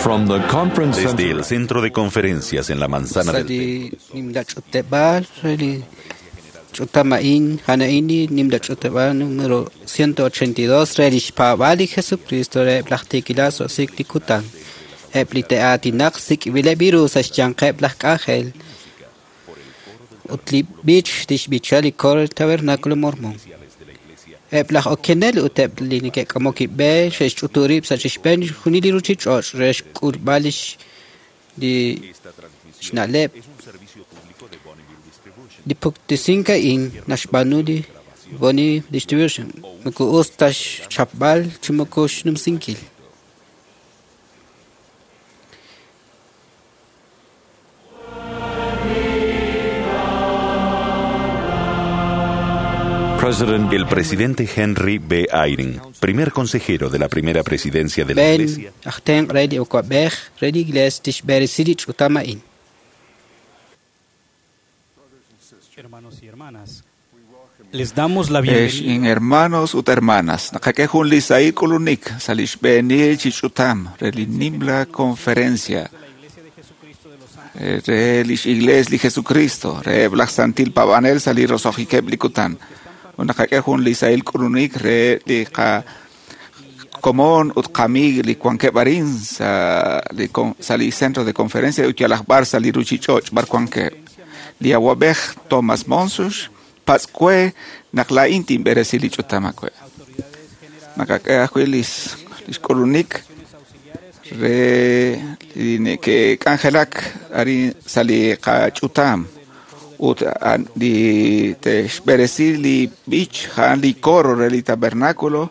From the conference Desde center el centro de conferencias en la manzana del Sa li nimla ch'uteb'aal re li ch'utama'in jana'in li nimla ch'uteb'aal número 182 re lix paab'aal li Jesucristo re eb' laj tiikilal so'sik li kutan. Eb' li te'aatinaq sik'b'ileb' ru sa' xyanqeb' laj k'anjel ut li b'ich tixb'icha li coro del Tabernáculo Mormón. Eb' laj okenel ut eb' li neke'k'amok b'e xe'xch'utu rib' sa' chixb'een junil li ruchich'och' re xk'ulb'al lix li xna'leb' li puktesink a'in naxb'aanu li Bonneville Distribution moko us ta xchapb'al chi moko xnumsinkil. President El presidente Henry B. Eyring, primer consejero de la primera presidencia de la Ben Iglesia, aj tenq' re li awab'ej re li Iglesia tixb'eresi li ch'utam a'in. Hermanos y hermanas, les damos la Ex bienvenida in hermanos ut hermanas, naqak'e jun li sahil k'ulunik sa' li xb'eenil chi ch'utam re li nimla conferencia de la Iglesia de Jesucristo de los Santos re lix Iglesia li Jesucristo re eb' laj Santil Paab'anel sa' li roso'jikeb' li kutan. Ut naqak'e jun li sahil k'ulunik re li qa komon ut qamiig li wankeb' arin sa' li con- sa' li centro de conferencia ut yalaj b'ar sa' li ruchich'och' b'ar wankeb'. Li awab'ej Thomas Monsus patz'kue naq laa'in tinb'eresi li ch'utam akwe'. Naqak'e ajwi' lix lix k'ulunik auxiliares re li neke'k'anjelak arin sa' li qach'utam ut an- li te'xb'eresi li b'ich ja'an li coro re li tabernáculo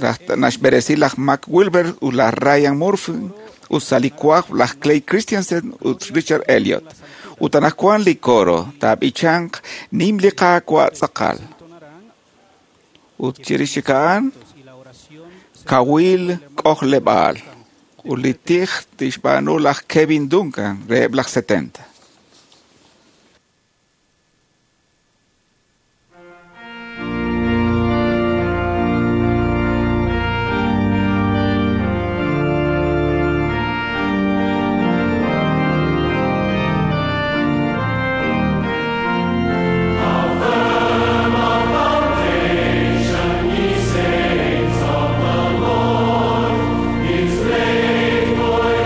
laj- naxb'eresi laj Mac Wilber ut laj Ryan Murphy ut sa' li kuaj laj Clay Christensen ut Richard Elliot. Ut anaqwan li coro taab'ichanq nim li Qaawa' tz'aqal. entonarán Ut chirix chik a'an y la oración kawil k'ojleb'aal. Ut li tij tixb'aanu laj Kevin Duncan re eb' laj 70.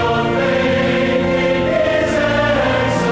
Faith in His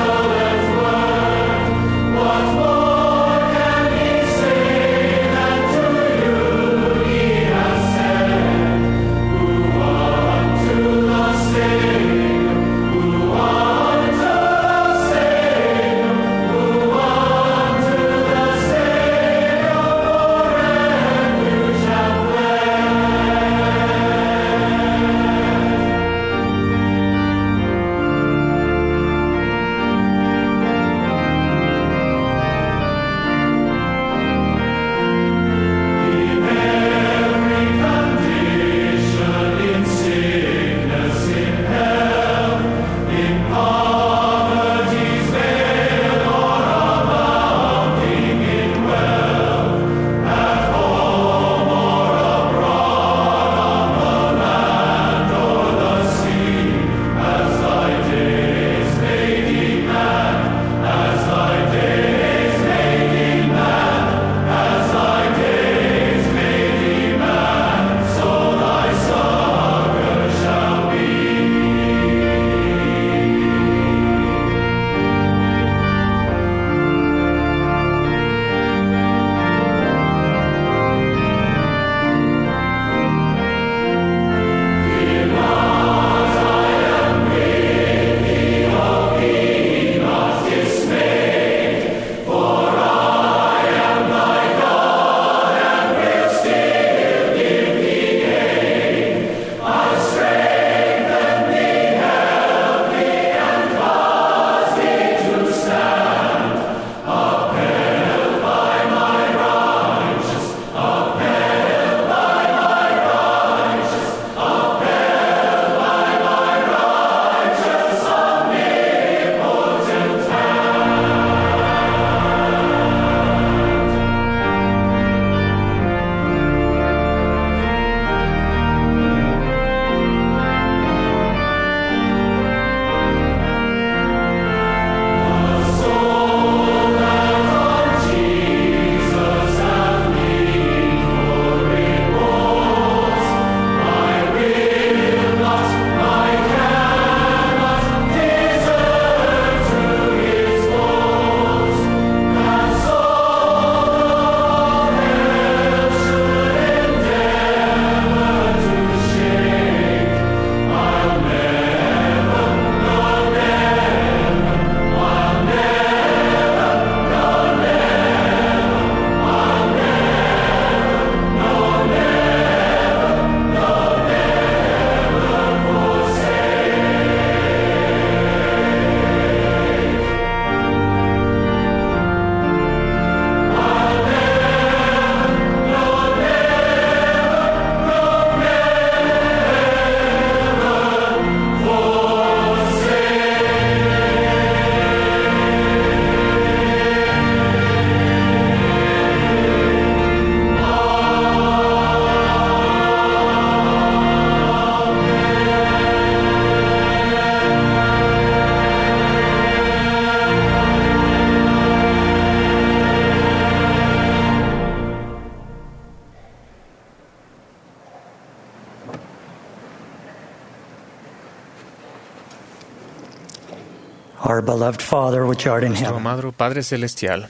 Our beloved Father, which art in Nuestro heaven. amado Padre Celestial,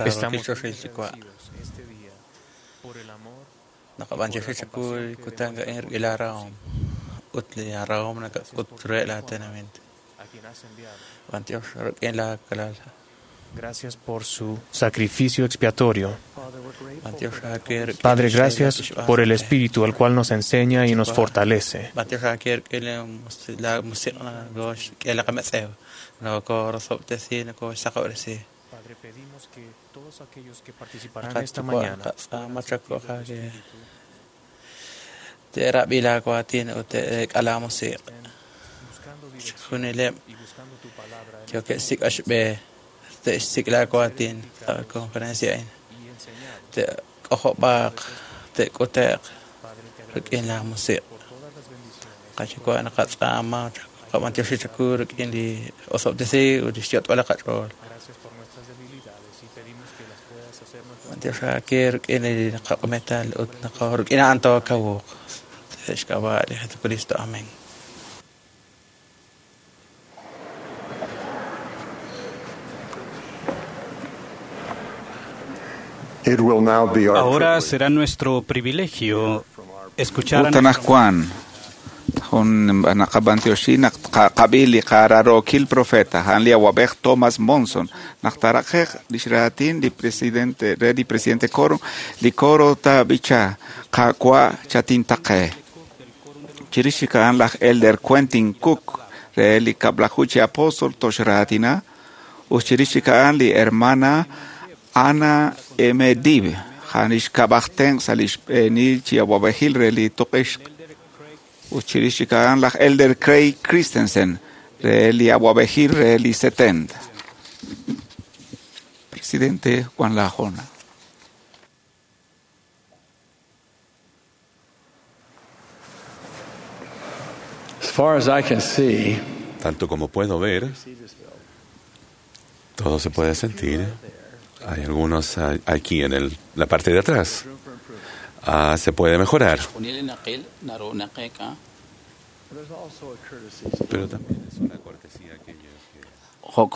estamos Gracias por su sacrificio expiatorio. Padre, gracias por el Espíritu, al cual nos enseña y nos fortalece. Padre, pedimos que todos aquellos que participarán esta mañana Gracias por nuestras debilidades y pedimos que las puedas hacer nuestras Amén. It will now be our Ahora será nuestro privilegio escuchar a Ut nuestro anaqwan jun naqab'antioxi naq qab'i li qararokil profeta a'an li awab'ej Thomas Monson naq taraqej lix raatin li presidente re li presidente Coro li coro taab'icha qaawa' chatintaqe chirix chik a'an laj Elder Quentin Cook re li kab'laju chi apóstol toxraatina ut chirix chik a'an li hermana Ana M. Dib a'an lix kab'aj tenq' sa' lix b'eenil chi awab'ejil re li tuq'ixq ut chirix chik a'an laj Elder Craig Christensen re li awab'ejil re li 70. Presidente Juan Lajona. As far as I can see, Tanto como puedo ver, todo se puede sentir. Hay algunos aquí en la parte de atrás. Ah, se puede mejorar. Pero también es una cortesía a aquellos que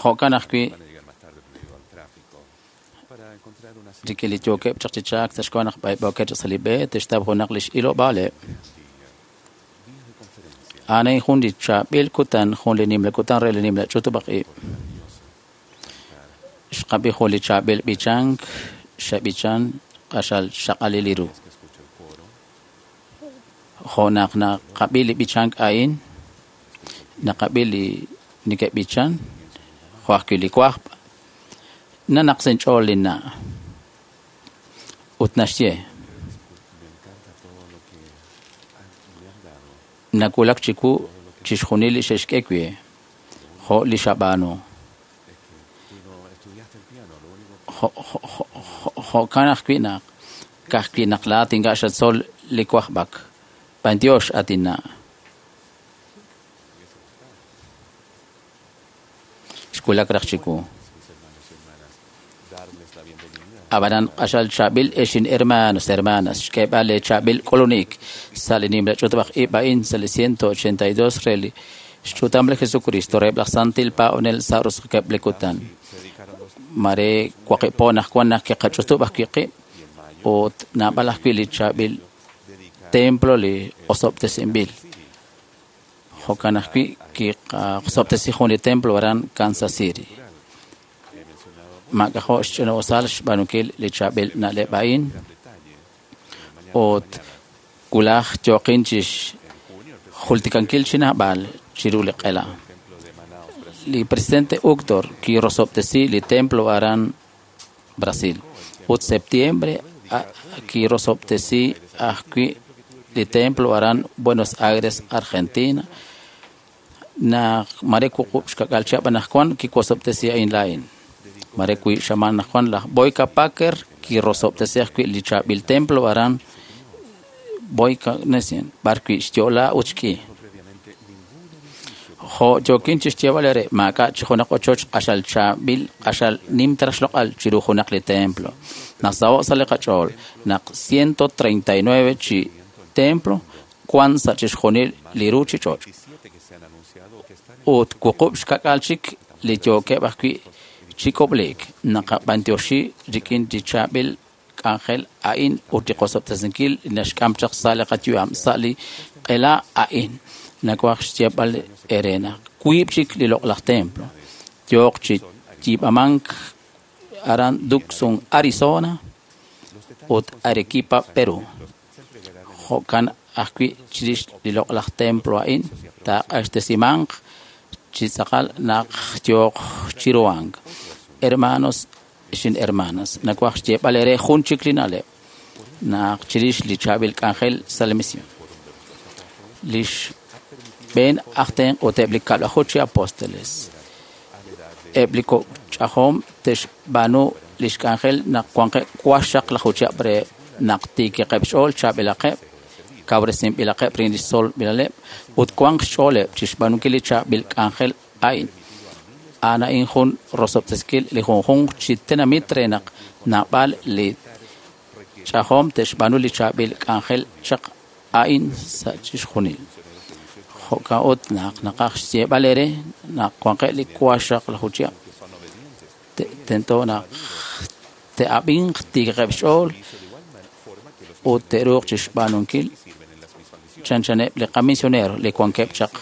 Jo'kan ajwi' van a llegar más tarde debido al tráfico para encontrar una rik'in li yookeb' chaq chi chaak sa' xk'ab'a' naq b'ayb'ookeb' chaq sa' li b'e te'xtaw junaq lix ilob'aaleb'. A'an a'in jun li chaab'il kutan, jun li nimla kutan re li nimla ch'utub'aj ib'. Xqab'i jun li chaab'il b'ichank, xeb'ichan q'axal xaq'alil li ru. Jo' naq naqab'i li b'ichank a'in, naqab'i li neke'b'ichan, jo' ajwi' li wajb', nanaq sa' inch'ool linna'. Ut naxye, nawulak chiwu chixjunil li xe'xk'e we, jo' li xab'aanu. Jo'kan ajwi' naq ka'ajwi' naq laa'at ink'a' xatzol li wajb'ak. B'antiox, at inna'. Xwulak raj chiwu. Ab'anan q'axal chaab'il ex inhermanos, hermanas, xk'eeb'al li chaab'il k'ulunik sa' li nimla ch'utub'aj ib' a'in sa' li 182 re li xch'utam li Jesucristo reheb' laj Santil Paab'anel sa' roso'jikeb' li kutan. Mare waqib' po naq wan naq kiqach'utub' ajwi' qib' ut naab'al ajwi' li chaab'il templo li osob'tesinb'il. Jo'kan ajwi' kiqasob'tesi jun li templo aran Kansas City. Maak'ajo' xch'ina'usal xb'aanunkil li chaab'il na'leb' a'in ut wulaj yooqin chi xjultikankil chi naab'al chiru li q'ela. Li presidente Uchtdorf kirosob'tesi li templo aran Brasil ut septiembre kirosob'tesi ajwi' li templo aran Buenos Aires, Argentina. Naq mare wuqub' xka'k'aal chihab' anaqwan kiwosob'tesi a'in laa'in. Mare wi' xamaan anaqwan laj Boyka Packer kirosob'tesi ajwi' li chaab'il templo aran Boyka Nesien, b'arwi' xyo'la ut xk'i. Jo' yookin chi xyeeb'al ere maak'a' chi junaq ochoch q'axal chaab'il q'axal nim ta xloq'al chiru junaq li templo. Nasaho' sa' li qach'ool naq 139 chi templo wan sa' chixjunil li ruuchich'och'. Ut 8 chik li yookeb' ajwi' chi k'ob'leek. Naqab'antioxi rik'in li chaab'il k'anjel a'in ut li qosob'tesinkil li naxk'am chaq sa' li qayu'am sa' li q'ela a'in. Nawaj xyeeb'al eere naq wiib' chik li loq'laj templo yooq chi yiib'amank aran Tucson, Arizona ut Arequipa, Perú. Jo'kan ajwi' chirix li loq'laj templo a'in taaq'axtesimanq chi tz'aqal naq yooq chiruhank. Hermanos xin hermanas, nawaj xyeeb'al eere jun chik li na'leb' naq chirix li chaab'il k'anjel sa' li misión. Li xb'een aj tenq' ut eb' li 12 chi apóstoles. Eb' li kok' ch'ajom te'xb'aanu li xk'anjel naq wanqeb' 16 chihab' re naq tiikiqeb' xch'ool chaab'ilaqeb', kawresinb'ilaqeb' rik'in li xtzolb'ilaleb' ut wanq xch'ooleb' chi xb'aanunkil li chaab'il k'anjel a'in. A'an a'in jun rosob'tesinkil li junjunq chi tenamit re naq naab'al li ch'ajom te'xb'aanu li chaab'il k'anjel chaq a'in sa' chixjunil. Jo'kan ut naq naqaj xyeeb'al eere naq wanqeb' li 16 chihab' tento naq te'ab'inq tiikiqeb' xch'ool ut te'ruuq chi xb'aanunkil chanchaneb' li qamisionero li wankeb' chaq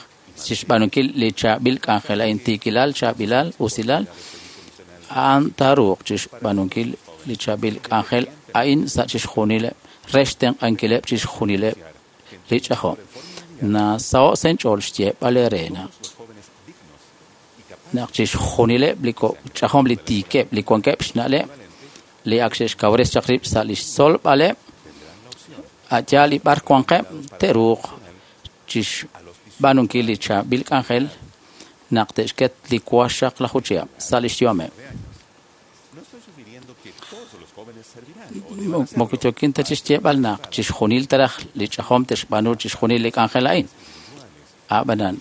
chi xb'aanunkil li chaab'il k'anjel a'in tiikilal, chaab'ilal, usilal, a'an taaruuq chi xb'aanunkil li chaab'il k'anjel a'in sa' chixjunileb' re xtenq'ankileb' chixjunileb' li ch'ajom. Nasaho' sa' inch'ool xyeeb'al eere naq chixjunileb' li ch'ajom li tiikeb' li wankeb' xna'leb' li ak xe'xkawres chaq rib' sa' li xtzolb'aleb' a'yaal li b'ar wanqeb' te'ruuq chi xb'aanunkil li chaab'il k'anjel naq te'xket li 16 chihab' sa' li xyu'ameb'. Moko yookin ta chi xyeeb'al naq chixjunil taraj li ch'ajom te'xb'aanu chixjunil li k'anjel a'in. Ab'anan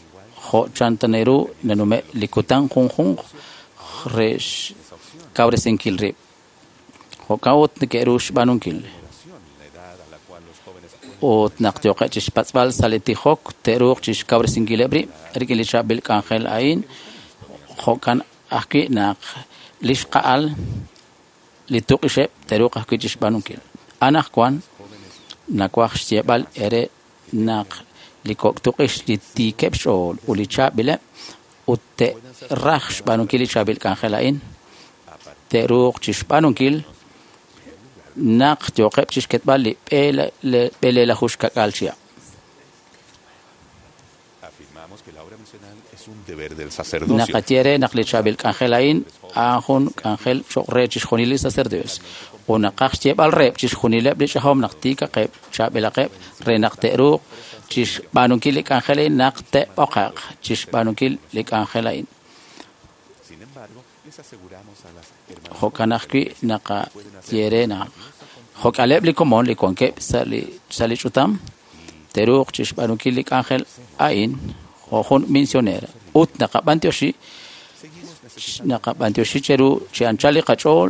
jo' chan ta ru nanume' li kutan junjunq re xkawresinkil rib'. Jo'kan ut neke'ru xb'aanunkil. Ut naq yooqeb' chi xpatz'b'al sa' li tijok te'ruuq chi xkawresinkileb' rib' rik'in li chaab'il k'anjel a'in. Jo'kan ajwi' naq li xqa'al li tuq'ixeb' te'ruuq ajwi' chi xb'aanunkil. Anaqwan nawaj xyeeb'al eere naq li kok' tuq'ix li tiikeb' xch'ool ut li chaab'ileb' ut te'raj xb'aanunkil li chaab'il k'anjel a'in te'ruuq chi xb'aanunkil naq yooqeb' chi xketb'al li 22 chihab'. Naqaye re naq li chaab'il k'anjel a'in a'an jun k'anjel cho'q re chixjunil li sacerdotes ut naqaj xyeeb'al reheb' chixjunileb' li ch'ajom naq tiikaqeb' chaab'ilaqeb' re naq te'ruuq chi xb'aanunkil li k'anjel a'in naq te'b'oqaq chi xb'aanunkil li k'anjel a'in. Jo'kan ajwi' naqaye re naq jo'k'aleb' li komon li wankeb' sa' li ch'utam te'ruuq chi xb'aanunkil li k'anjel a'in jo' jun misionera. Ut naqab'antioxi cheru chi anchal li qach'ool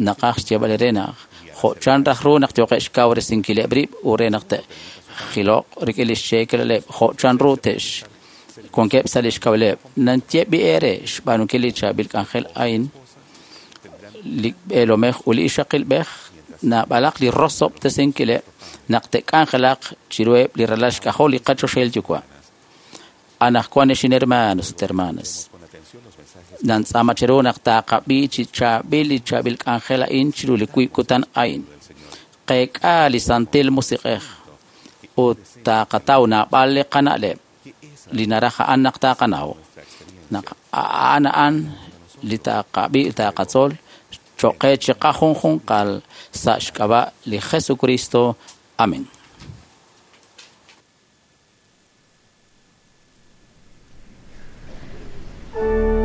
naqaj xyeeb'al eere naq jo' chan raj ru naq yooqeb' xkawresinkileb' rib' ut re naq te'jiloq rik'in li xcheekelaleb' jo' chan ru te'x wankeb' sa' li xkawileb'. Nanyeb'i eere xb'aanunkil li chaab'il k'anjel a'in li b'eelomej ut li ixaqilb'ej naab'alaq li rosob'tesinkileb' naq te'k'anjelaq chiruheb' li ralal xk'ajol li qachoxahil yuwa'. Anaqwan ex hermanos ut hermanas, nantz'aama cheru naq taaqab'i chi chaab'il li chaab'il k'anjel a'in chiru li wiib' kutan a'in. Qeek'a li Santil Musiq'ej ut taaqataw naab'al li qana'leb' li naraj a'an naq taaqanaw. Naq a'an a'an li taaqab'i taaqatzol cho'q qe chi qajunjunqal sa' xk'ab'a' li Jesucristo. Amén. Sing,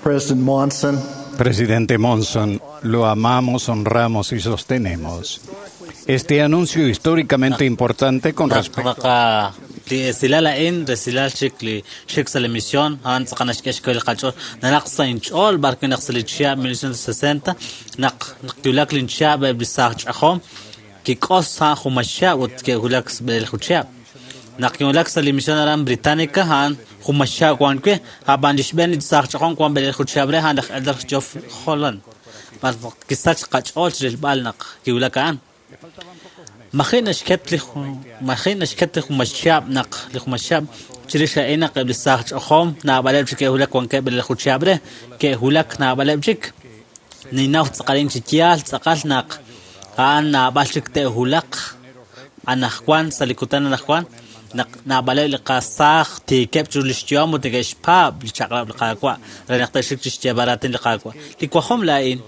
President Monson, Presidente Monson, lo amamos, honramos y sostenemos. Este anuncio históricamente importante con respecto li esilal a'in resilal chik li xik sa' li misión a'an tz'aqal naxk'e xk'e li qach'ool nanaq sa' inch'ool b'arwi' naq sa' li chihab' 1960 naq kiwulak linchihab' eb' li saaj ch'ajom kik'os a'an jun maxihab' ut ke'wulak b'eleelaju chihab'. Naq kiwulak sa' li misión aran Británica a'an jun maxihab' wan wi', ab'an li xb'een li saaj ch'ajom wan b'eleelaju chihab' re a'an laj Elder Geoff Holland. B'ar kisach qach'ool chirilb'al naq kiwulak a'an. Maji' naxket li jun maxihab' naq li jun maxihab' chirix a'in naq eb' li saaj ch'ajom naab'aleb' chik ke'wulak wankeb' b'eleelaju chihab' re ke'wulak naab'aleb' chik. Ninnaw tz'aqalin chi yaal tz'aqal naq a'an naab'al chik te'wulaq anajwan sa' li kutan anajwan naq naab'aleb' li qasaaj tiikeb' chiru li xyu'am ut neke'xpaab' li chaq'rab' li Qaawa' re naq te'xik chi xyeeb'al raatin li Qaawa'. Li wajom laa'in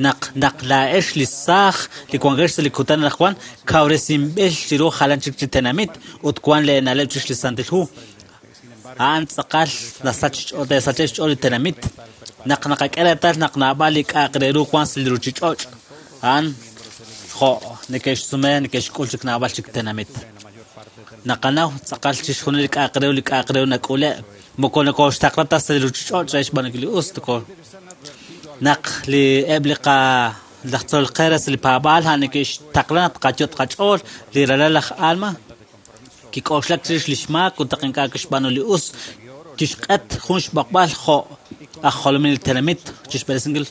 naq naq laa'ex li saaj li wankex sa' li kutan anajwan kawresinb'il chiru jalan chik chi tenamit ut wan leena'leb' chirix li Santil Hu. A'an tz'aqal nasach xch'ool te'sache'k xch'ool li tenamit naq naqak'e reetal naq naab'al li k'a'aq re ru wan sa' li ruuchich'och' a'an jo' neke'xsume neke'xk'ul chik naab'al chik tenamit. Naqanaw tz'aqal chixjunil li k'a'aq re ru li k'a'aq re ru nak'ule' moko nokoxtaqla ta sa' li ruuchich'och' re xb'aanunkil li us toko naq li eb' li qa laj tzolol qe re sa' li paab'aal a'an neke'xtaqla naq tqayot' qach'ool li ralal laj Alma kik'oxlak chirix li xmaak ut naq ink'a' kixb'aanu li us kixq'et jun xb'oqb'al jo' aj jolominel tenamit chixb'eresinkil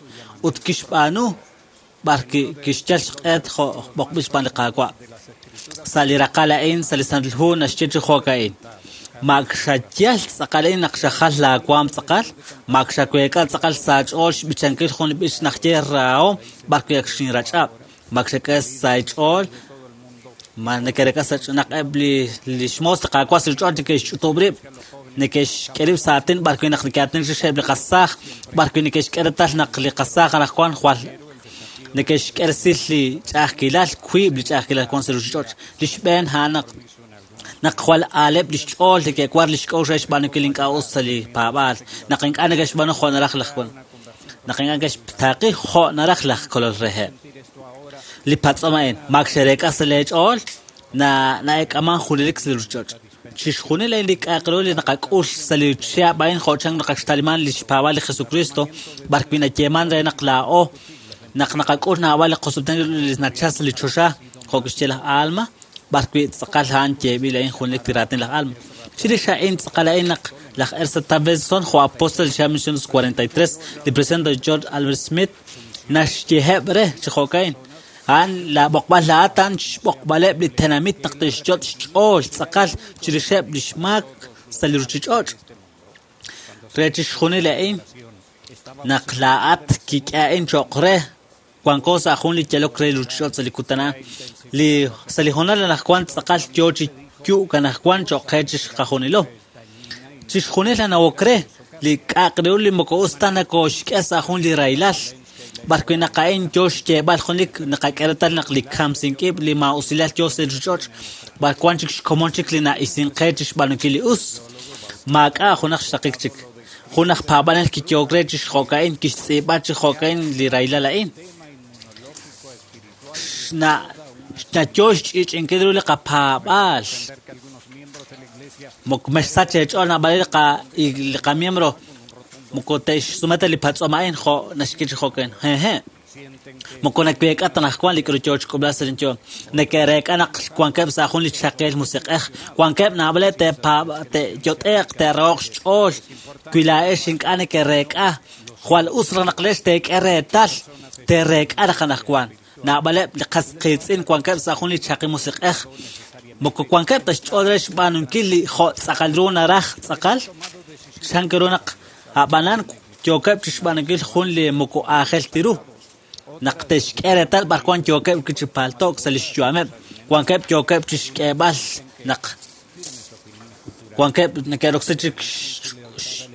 ut kixb'aanu b'ar kixyal xq'et jo' b'oqb'il xb'aan li Qaawa'. Sa' li raqal a'in sa' li Santil Hu naxye chi jo'ka'in. Mak xayal tz'aqal a'in naq xajal laawaam tz'aqal, mak xaweek'a tz'aqal sa' ch'ool xb'ichankil jun li b'ich naq ye rahom b'ar wi' ak xinrach'ab'. Mak xak'e sa' ch'ool ma neke'reek'a sa' naq eb' li xmoos li Qaawa' sa' ch'ool neke'xch'utub' rib', neke'xk'e rib' sa' aatin b'ar wi' naq neke'aatinak chirix eb' li qasaaj, b'ar wi' neke'xk'e reetal naq li qasaaj anaqwan jwal neke'xk'e resil li ch'a'ajkilal, wiib' li ch'a'ajkilal wan sa' ruuchich'och'. Li xb'een a'an naq naq jwal aaleb' li xch'ool neke'war li xk'a'uxl re xb'aanunkil ink'a' us sa' li paab'aal, naq ink'a' neke'xb'aanu jo' naraj laj naq ink'a' neke'xtaaqi jo' naraj laj kolol reheb'. Li patz'om a'in mak xe'reek'a sa' leech'ool na'eek'aman junelik sa' li ruuchich'och'. Chixjunil a'in li k'a'aq ru li naqak'ul sa' li chihab' a'in jo' chan naqaxtaliman li xpaab'aal li Jesucristo b'ar wi' nayeeman re naq laa'o naq naqak'ul naab'al li qosob'tesinkil li nachal sa' li choxa jo' kixye laj Alma b'ar wi' tz'aqal a'an yeeb'il a'in junelik li raatin laj Alma. Chirix a'in tz'aqal a'in naq laj Ezra Taft Benson jo' apóstol li 1943 li presidente George Albert Smith naxyeheb' re chi jo'ka'in. A'an laab'oqb'al laa'at a'an xb'oqb'aleb' li tenamit naq te'xyot' xch'ool tz'aqal chirixeb' li xmaak sa' li ruuchich'och'. Re chixjunil a'in naq laa'at kik'e a'in cho'q re wanko sa' jun li yalok re li ruuchich'och' sa' li kutan a'an. Li sa' li hoonal anaqwan tz'aqal yoo chi yu'k anaqwan cho'q qe chixqajunilo. Chixjunil anawok re li k'a'aq re ru li moko us ta nakoxk'e sa' jun li rahilal. B'ar wi' naq a'in yoo xyeeb'al junelik naqak'e reetal naq li kamsink-ib' li maa'usilal yoo sa' li ruuchich'och' b'ar wan chik xkomon chik li na'isinq qe chixb'aanunkil li us. Maak'a' junaq xraqik chik. Jun aj paab'anel kiyo'ok re chi jo'ka'in kixtz'iib'a chi jo'ka'in li rahilal a'in. Nayo xch'i'ch'inkil ru li qapaab'aal. Moko mexsach eech'ool naab'al li qamiembro moko te'xsume ta li patz'om a'in jo' naxye chi jo'ka'in. Hehe'. Moko naweek'a ta anaqwan li k'aru yoo chi k'ub'laak sa' linyo'om. Neke'reek'a naq wankeb' sa' jun li chaqeel musiq'ej. Wankeb' naab'aleb' te'yot'e'q, te'raho'q xch'ool. Wi laa'ex ink'a' neke'reek'a, jwal us raj naq leex teek'e reetal, te'reek'a raj anaqwan. Naab'aleb' li qas qiitz'in wankeb' sa' jun li chaqi musiq'ej. Moko wankeb' ta xch'ool re xb'aanunkil li jo' tz'aqal ru naraj tz'aqal. Chan ru naq ab'anan yookeb' chi xb'aanunkil jun li moko aajel ta ru. Naq te'xk'e reetal b'ar wan yookeb' chi palto'k sa' li xyu'ameb', wankeb' yookeb' chi xk'eeb'al naq wankeb' neke'roksi chik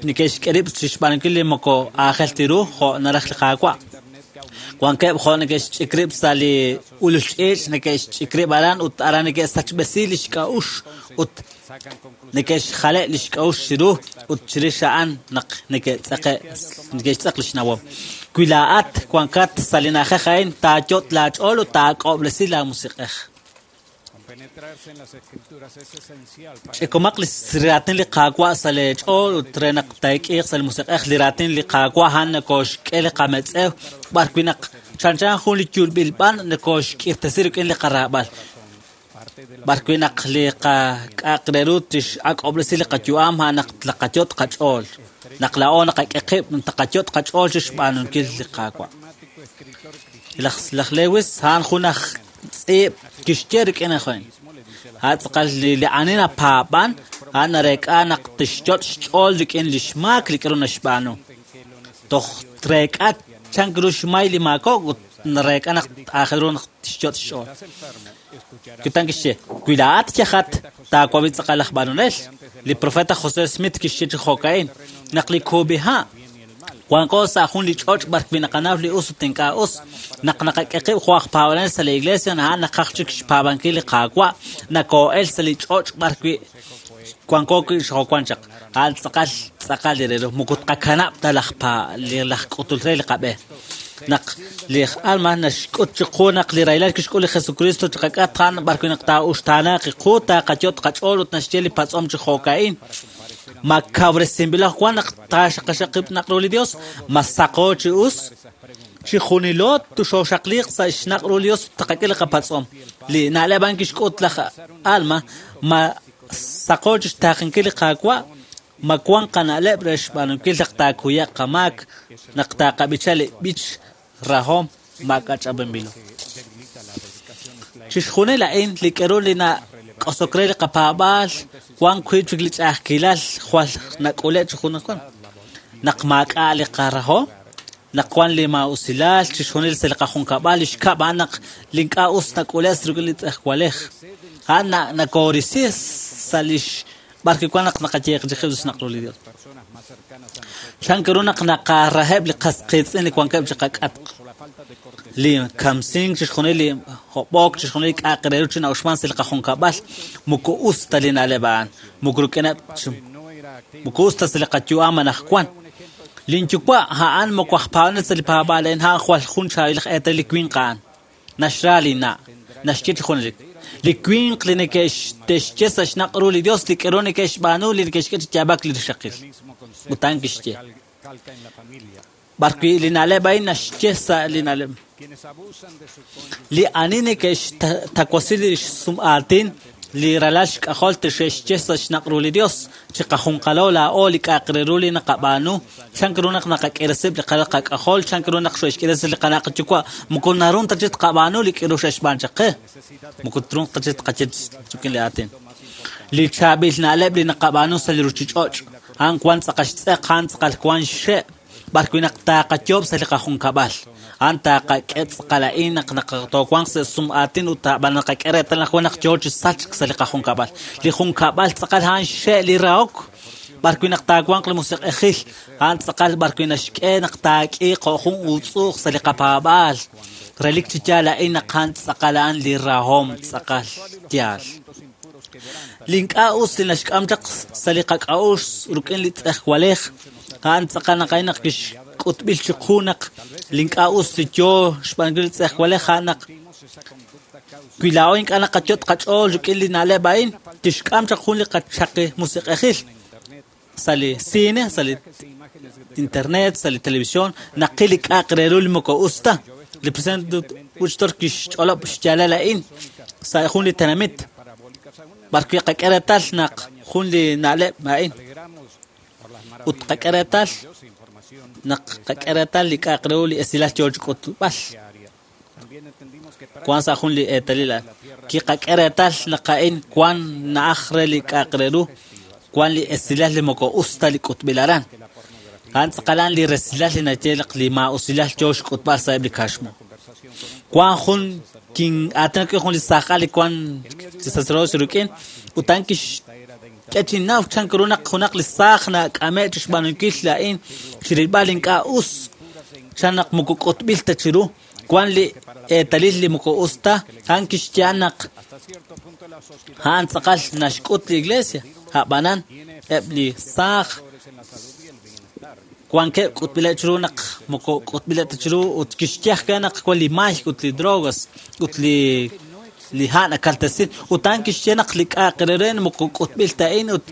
neke'xk'e rib' chi xb'aanunkil li moko aajel ta ru jo' naraj li Qaawa'. Wankeb' jo' neke'xch'ik rib' sa' li ulul ch'iich', neke'xch'ik rib' aran ut aran neke'sachb'esi li xk'a'uxl ut Neke'xjale' lix k'a'uxl chiru ut chirix a'an naq neke'xtz'eq lix nawom. Wi laa'at wankat sa' li na'ajej a'in, taayot' laach'ool ut taak'ob'resi laamusiq'ej. Ch'ikomaq li raatin li Qaawa' sa' leech'ool ut re naq taak'iiq sa' li musiq'ej li raatin li Qaawa' a'an nakooxk'e li qametz'ew b'ar wi' naq chanchan jun li yulb'il b'an nakooxk'irtasi rik'in li qaraab'al. B'ar wi' naq li qak'a'aq re ru tixak'ob'resi li qayu'am a'an naq taqayot' qach'ool. Naq laa'o naqak'e qib' taqayot' qach'ool chixb'aanunkil li Qaawa'. Laj Lewis a'an jun aj tz'iib' kixye rik'in ajwi'. A'an tz'aqal li ani napaab'an a'an nareek'a naq tixyot' xch'ool rik'in lix maak li k'a'ru naxb'aanu. Toj treek'a chank ru xmay li maakok' ut nareek'a naq aajel ru naq tixyot' xch'ool. Kutan kixye, wi laa'at yajat taawab'i tz'aqal laj b'anonel. Li profeta José Smith kixye chi jo'ka'in naq li kub'iha' wanko sa' jun li ch'och' b'ar wi' naqanaw li us ut ink'a' us. Naq naqak'e qib' jo' aj paab'anel sa' li iglesia a'an naqaj chik xpaab'ankil li Qaawa' nakoo'el sa' li ch'och' b'ar wi' wanko wi' xjo'wan chaq. A'an tz'aqal tz'aqal li re ru moko tqakanab' ta laj k'utul re li qab'e. Naq li Alma naxk'ut chiqu naq li rahilal kixk'ul li Jesucristo chiqak'atq a'an b'ar wi' naq taa'uxtaanaaq qu taaqayot' qach'ool ut naxye li patz'om chi jo'ka'in. Ma kawresinb'il wan naq taaxaqaxaqib' naq ru li Dios, ma saqo chi us, chi junilo tuxoxaqliq sa' xnaq' ru li Dios taqak'e li qapatz'om. Li na'leb' a'an kixk'ut laj Alma, ma saqo chi xtaaqenkil li Qaawa', ma wan qana'leb' re xb'aanunkil naq taakuyaq qamaak, naq taaqab'icha li b'ich rahom maak'ach'ab'anb'ilo. Chixjunil a'in li k'eru li nak'osok re li qapaab'aal wan wi' chik li ch'a'ajkilal jwal nak'ule' chi junajwan. Naq maak'a' li qarahom, naq wan li maa'usilal chixjunil sa' li qajunkab'al li xkab' a'an naq li ink'a' us nak'ule' rik'in li tz'ejwalej. A'an nakoorisi sa' lix b'ar wi' wan naq naqayeeqchiqib' sa' xnaq' ru li Dios. Chank ru naq naqaraheb' li qas qiitz'in li wankeb' chi qak'atq. Li kamsink chixjunil li hob'ok chixjunil li k'a'aq re ru chi na'uxman sa' li qajunkab'al moko us ta li na'leb' a'an. Moko rik'ineb' moko us ta sa' li qayu'am anaqwan. Linyuwa' a'an moko aj paab'anel sa' li paab'aal a'in a'an jwal jun chaab'il aj eetalil li winq a'an. Naxra li na', naxye chi junelik. Li winq li neke'xtexye sa' xnaq' ru li Dios li k'eru neke'xb'aanu li neke'xk'e chi yaab'ak li rixaqil. Ut a'an kixye. B'ar wi' li na'leb' a'in naxye sa' li na'leb'. Li ani neke'xtawasi li xsum'aatin li ralal xk'ajol tixe'xye sa' xnaq' ru li Dios. Chi qajunqalo laa'o li k'a'aq re ru li naqab'aanu. Chank ru naq naqak'eresib' li qalal qak'ajol, chank ru naq xo'xk'eresi li qana' qayuwa'. Moko narun ta chi tqab'aanu li k'eru xe'xb'aan chaq qe. Moko trun ta chi tqaye rik'in li aatin. Li chaab'il na'leb' li naqab'aanu sa' li ruchich'och'. A'an wan tz'aqal xtz'eq, a'an tz'aqal wan xxe'. B'ar wi' naq taaqayoob' sa' li qajunkab'al. A'an taaqak'e tz'aqal a'in naq toowanq sa' sum'aatin ut ab'an naqak'e reetal naq wan naq yoo chi sachk sa' li qajunkab'al. Li junkab'al tz'aqal a'an xxe' li rahok. B'ar wi' naq taawanq li musiq'ejil, a'an tz'aqal b'ar wi' naxk'e naq taak'iiq jo' jun uutz'uuq sa' li qapaab'aal. Relik chi yaal a'in naq a'an tz'aqal a'an li rahom tz'aqal yaal. Li ink'a' us li naxk'am chaq sa' li qak'a'uxl rik'in li tz'ejwalej, a'an tz'aqal naq a'in naq kixk'utb'il chiqu naq li ink'a' us li yoo xb'aanunkil li tz'ejwalej a'an naq wi laa'o ink'a' naqayot' qach'ool rik'in li na'leb' a'in, tixk'am chaq jun li qachaqi musiq'ejil sa' li cine, sa' li internet, sa' li televisión, naqil li k'a'aq re ru li moko us ta. Li presidente Uchtdorf kixch'olob' xyaalal a'in sa' jun li tenamit. B'ar wi' qak'e reetal naq jun li na'leb' a'in. Ut qak'e reetal naq qak'e reetal li k'a'aq re ru li esilal yoo chi k'utb'al. Wan sa' jun li eetalil a'an. Kiqak'e reetal naq a'in wan na'aj re li k'a'aq re ru, wan li esilal li moko us ta li k'utb'il aran. A'an tz'aqalan li resilal li naye naq li maa'usilal yoo xk'utb'al sa'eb' li kaxmu. Wan jun kin aatinak jun li saajal li wan chi sacerdocio rik'in ut a'an kixk'e chi naw chank ru naq junaq li saaj nak'ame' chi xb'aanunkil a'in chirilb'al ink'a' us chan naq moko k'utb'il ta chiru. Wan li eetalil li moko us ta, a'an kixye naq a'an tz'aqal naxk'ut li iglesia, a'b'anan eb' li saaj wankeb' k'utb'ileb' chiru naq moko k'utb'ileb' ta chiru ut kixye ajwi' naq wan li may ut li drogas ut li ha' nakaltesin ut a'an kixye naq li k'a'aq re re moko k'utb'il ta a'in ut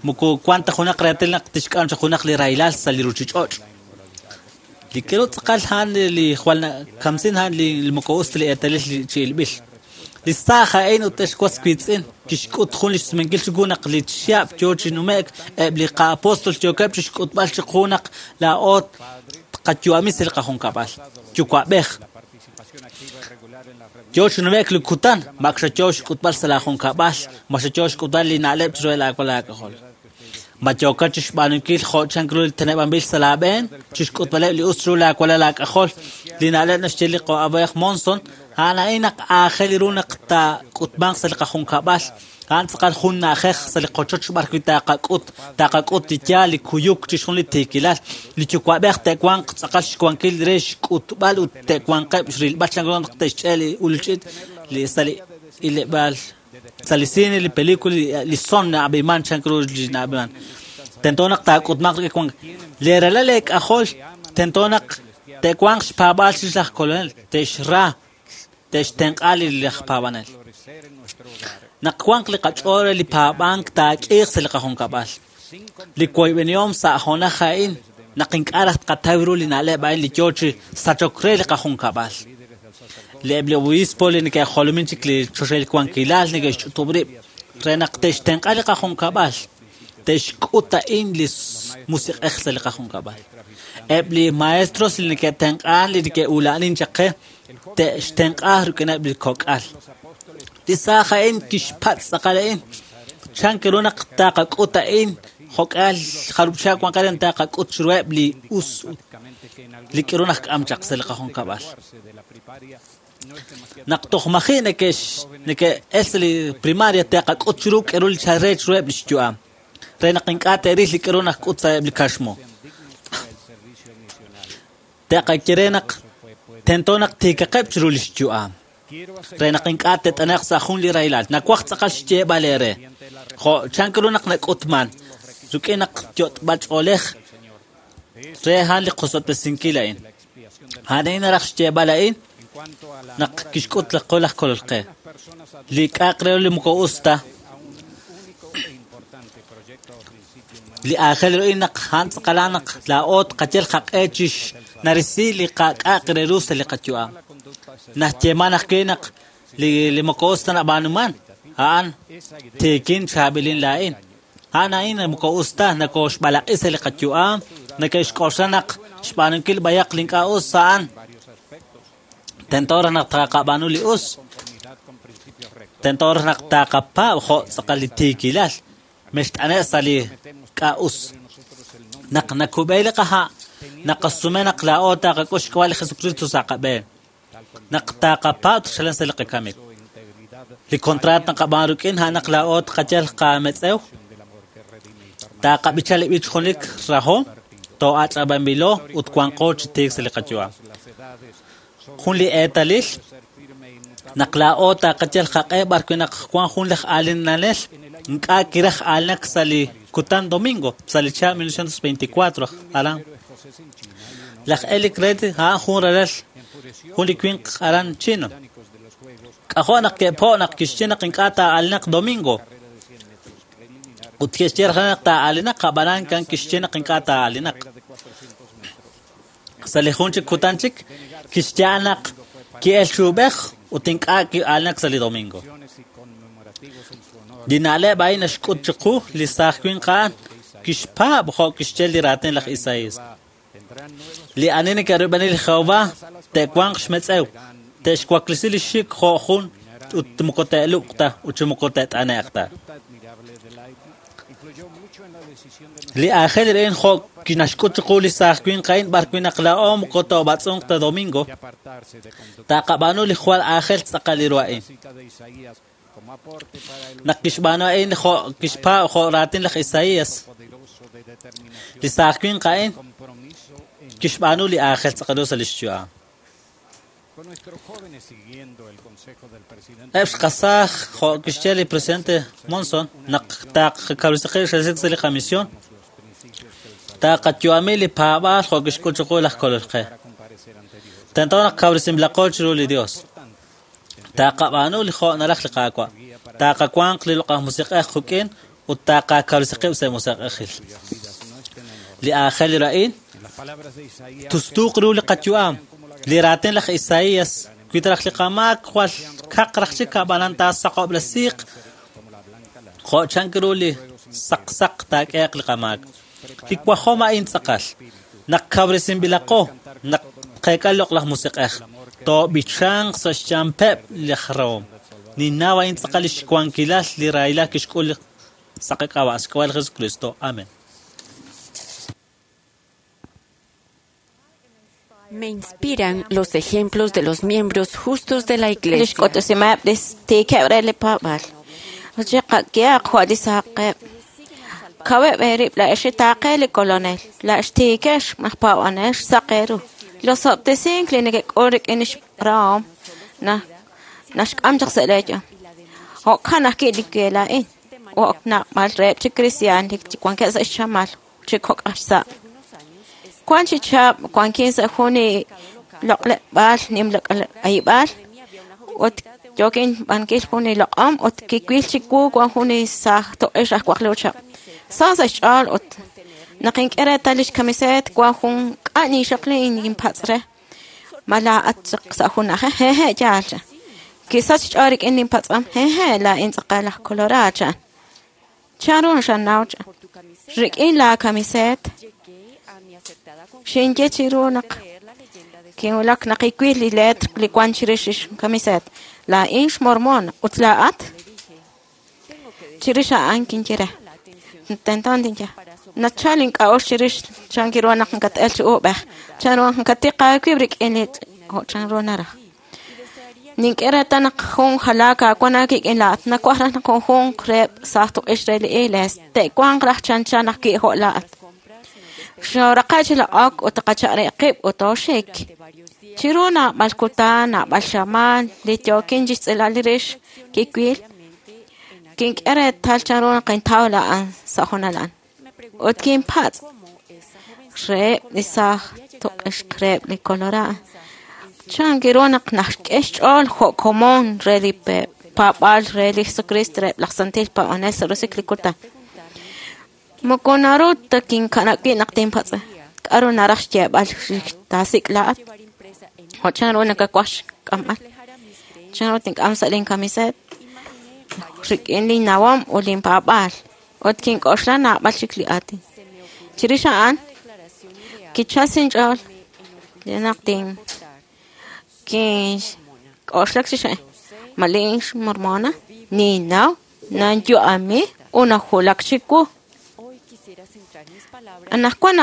moko wan ta junaq reetal naq tixk'am chaq junaq li rahilal sa' li ruchich'och'. Li k'aru tz'aqal a'an li jwal nakamsin a'an li moko us ta li eetalil chi ilb'il. Li saaj a'in ut ex was wiitz'in kixk'ut jun li xsumenkil chiwu naq li chihab' yoo chi nume'k eb' li qa'apostol yookeb' chixk'utb'al chiqu naq laa'o tqayu'ami sa' li qajunkab'al. Yuwa'b'ej. Yoo chi nume'k li kutan, ma ak xayoo xk'utb'al sa' laajunkab'al, ma xayoo xk'utb'al li na'leb' chiru laawalal aak'ajol. Ma yookat chixb'aanunkil jo' chan ru li teneb'anb'il sa' laab'een, chixk'utb'aleb' li us chiru laawalal aak'ajol. Li na'leb' naxye li qa'ab'ej Monson, a'an a'in naq aajel ru naq taak'utmanq sa' li qajunkab'al. A'an tz'aqal jun na'ajej sa' li qochoch b'ar wi' taaqak'ut li yaal, li kuyuk, chixjunil li tiikilal. Li yuwa'b'ej te'wanq tz'aqal xwankil re xk'utb'al ut te'wanqeb' xrilb'al chan ru naq te'xch'e li ulch'it li sa' li ileb'aal. Sa' li cine, li película, li son na'ab'iman chan ru li na'ab'iman. Tento naq taak'utmanq rik'in wank. Li ralal eek'ajol tento naq te'wanq xpaab'aal chirix laj kolonel, te'xra, te'xtenq'a li laj paab'anel. Naq wanq li qach'ool re li paab'ank taak'iiq sa' li qajunkab'al. Li woyb'enihom sa' honaj a'in naq ink'a' raj tqataw ru li na'leb' a'in li yoo chi sachok re li qajunkab'al. Li eb' li obispo li neke'jolomin chik li choxahil wankilal neke'xch'utub' rib' re naq te'xtenq'a li qajunkab'al, te'xk'ut a'in li musiq'ej sa' li qajunkab'al. Eb' li maestros li neke'tenq'an li neke'ula'anin chaq qe te'xtenq'a rik'ineb' li kok'al. Li saaj a'in kixpatz' tz'aqal a'in. Chan ru naq taqak'ut a'in jo'k'al jarub' chihab' wan qe taqak'ut chiruheb' li us li k'aru najk'am chaq sa' li qajunkab'al. Naq toj maji' neke'el sa' li primaria te'qak'ut chiru k'aru li chal re chiruheb' li xyu'am. Re naq ink'a' te'ril li k'aru najk'ut sa'eb' li kaxmu. Te'qaye re naq tento naq tiikaqeb' chiru li xyu'am. Re naq ink'a' te't'ane'q sa' jun li rahilal. Nawaj tz'aqal xyeeb'al eere. Jo' chan ru naq nak'utman rik'in naq yot'b'al ch'oolej re a'an li qosob'tesinkil a'in. A'an a'in naraj xyeeb'al a'in naq kixk'ut laj qo laj kolol qe. Li k'a'aq re li moko us ta. Li aajel ru a'in naq a'an tz'aqal naq laa'o tqayal qaq'e chixnarisi li qak'a'aq re ru sa' li qayu'am. Naxyeeman ajwi' naq li moko us ta nab'aanuman, a'an tiikin chaab'ilin laa'in. A'an a'in moko us ta nakoxb'alaq'i sa' li qayu'am, neke'xk'oxla naq xb'aanunkil b'ayaq li ink'a' us a'an. Tento raj naq taqab'aanu li us. Tento raj naq taqapaab' jo' tz'aqal li tiikilal. Mext'ane' sa' li k'a' us. Naq nakub'e li qaha', naqasume naq laa'o taqak'ut xk'ab'a' li Jesucristo sa' qab'een. Naq taqapaab' chalan sa' li qakamik. Li contrat naqab'aan rik'in a'an naq laa'o tqayal qametz'ew. Taqab'icha li b'ich junelik rahom, to'ach'ab'anb'ilo ut wanqo chi tiik sa' li qayu'am. Jun li eetalil naq laa'o taqayal qaq'e b'ar wi' naq wan jun laj aalinanel ink'a' kiraj aalinak sa' li kutan domingo sa' li chihab' 1924 aran. Laj Eric Red a'an jun ralal jun li winq aran chino. K'ajo' naq ke'po' naq kixye naq ink'a' taa'aalinaq domingo. Ut kixye raj naq taa'aalinaq, ab'anan kan kixye naq ink'a' taa'aalinaq. Sa' li jun chik kutan chik kixye naq ki'el chuub'ej ut ink'a' ki'aalinak sa' li domingo. Li na'leb' a'in naxk'ut chiqu li saaj winq a'an kixpaab' jo' kixye li raatin laj Isaías. Li ani neke'rub'eni li Jehová te'wanq xmetz'ew, te'xwaklisi li xik jo' jun ut moko te'luq ta ut chi moko te't'ane'q ta. Li aajel a'in jo' kinaxk'ut chiqu li saaj winq a'in b'ar wi' naq laa'o moko toob'atz'unq ta domingo, taqab'aanu li jwal aajel tz'aqal li ru a'in. Naq kixb'aanu a'in jo' kixpaab' jo' raatin laj Isaías, li saaj winq a'in kixb'aanu li aajel tz'aqal ru sa' li xyu'am. Eb' xqasaaj jo' kixye li presidente Monson naq taqakawresi qib' xresik sa' li qamisión, taqayu'ami li paab'aal jo' kixk'ut chiqu laj Kolol qe. Tento naq kawresinb'ilaqo chiru li Dios. Taqab'aanu li jo' naraj li Qaawa'. Taqawanq li loq'aj musiq'ej quk'in ut taqakawresi qib' sa' musiq'ejil. Li aajel ru a'in tustuuq ru li qayu'am. Li raatin laj Isaías wi ta raj li qamaak jwal kaq raj chik ab'anan taasaqob'resiiq jo' chank ru li saqsaq taak'ehe'q li qamaak. Li wajom a'in tz'aqal. Naq kawresinb'ilaqo, naq tqeek'a li loq'laj musiq'ej, toob'ichanq sa' xchampeb' laj rahom. Ninnaw a'in tz'aqal li xwankilal li rahilal kixk'ul li sa' qak'ab'a' xk'ab'a' li Jesucristo. Amén. Me inspiran los ejemplos de los miembros justos de la Lix iglesia. k'utusimeb' li tiikeb' re li paab'aal. Chiqak'ehaq jo' li saqeb'. Kaweb' eerib' la'ex xitaaqe li kolonel, la'ex tiikex aj paab'anel xsaq eeru. Losob'tesink li nekek'ul rik'in lix rahom naxk'am chaq sa' leeyu'am. Jo'kan ajwi' li we laa'in. Jo' naab'al reheb' chi kristiaan li wankeb' sa' xchamal chi kok' aj xsa'. Wan chi chihab' wankin sa' jun li loq'leb'aal nim loq'ayib'aal ut yookin b'ankil jun li loq'om ut kiwil chiwu wan jun li saaj toq'ix aj waqlu chaq'. Sa sa' xch'ool ut naq ink'e reetal lix kamiseet wan jun k'a' ninxaqli inpatz' re. Ma laa'at chaq sa' jun na'ajej? Hehe' yaal cha. Kisach xch'ool rik'in linpatz'am. Hehe' laa'in tz'aqal aj Colorado chan. Chanru xanaw cha. Rik'in laa kamiseet xinye chiru naq kinwulak naq iwil li leetr li wan chirix lix kamiseet. Laa'in xmormon ut laa'at chirix a'an kinye re. Tento tinye. Nachal ink'a'uxl chirix chan kiru naq nkat'el chi uub'ej. Chanru nkatiq aawib' rik'in li jo' chanru naraj. Nink'e reetal naq jun jalaak aawan aawik'in laa'at. Nawaj raj naq junjunq reheb' saaj tuq'ix re li iglees. Te'wanq raj chanchan ajwi' jo' laa'at. Xooraqe' chi loq'ok ut qacha'ri qib' ut tooxik. Chiru naab'al kutan, naab'al xamaan, li yookin chixtz'ilal li rix kiwil, kink'e reetal chanru naq intaw laa'an sa' junal a'an. Ut kinpatz' reheb' li saaj tuq'ixq reheb' li Colorado. Chan kiru naq naxk'e xch'ool jo' komon re li paab'aal re li Jesucristo reheb' laj santil paab'anel sa' roso'jik li kutan. Moko naru ta kinkanab' wib' naq tinpatz'e. K'aru naraj xyeeb'al taasik' laa'at? Jo' chanru nakawaj xk'amb'al? Chanru tink'am sa' linkamiseet? Rik'in linnawom ut linpaab'aal. Ut kink'oxla naab'al chik li aatin. Chirix a'an, kichal sa' inch'ool naq kink'oxlak chix a'in. Ma lin xmormona? Ninnaw, nanyu'ami ut najulak chiwu. Anaqwan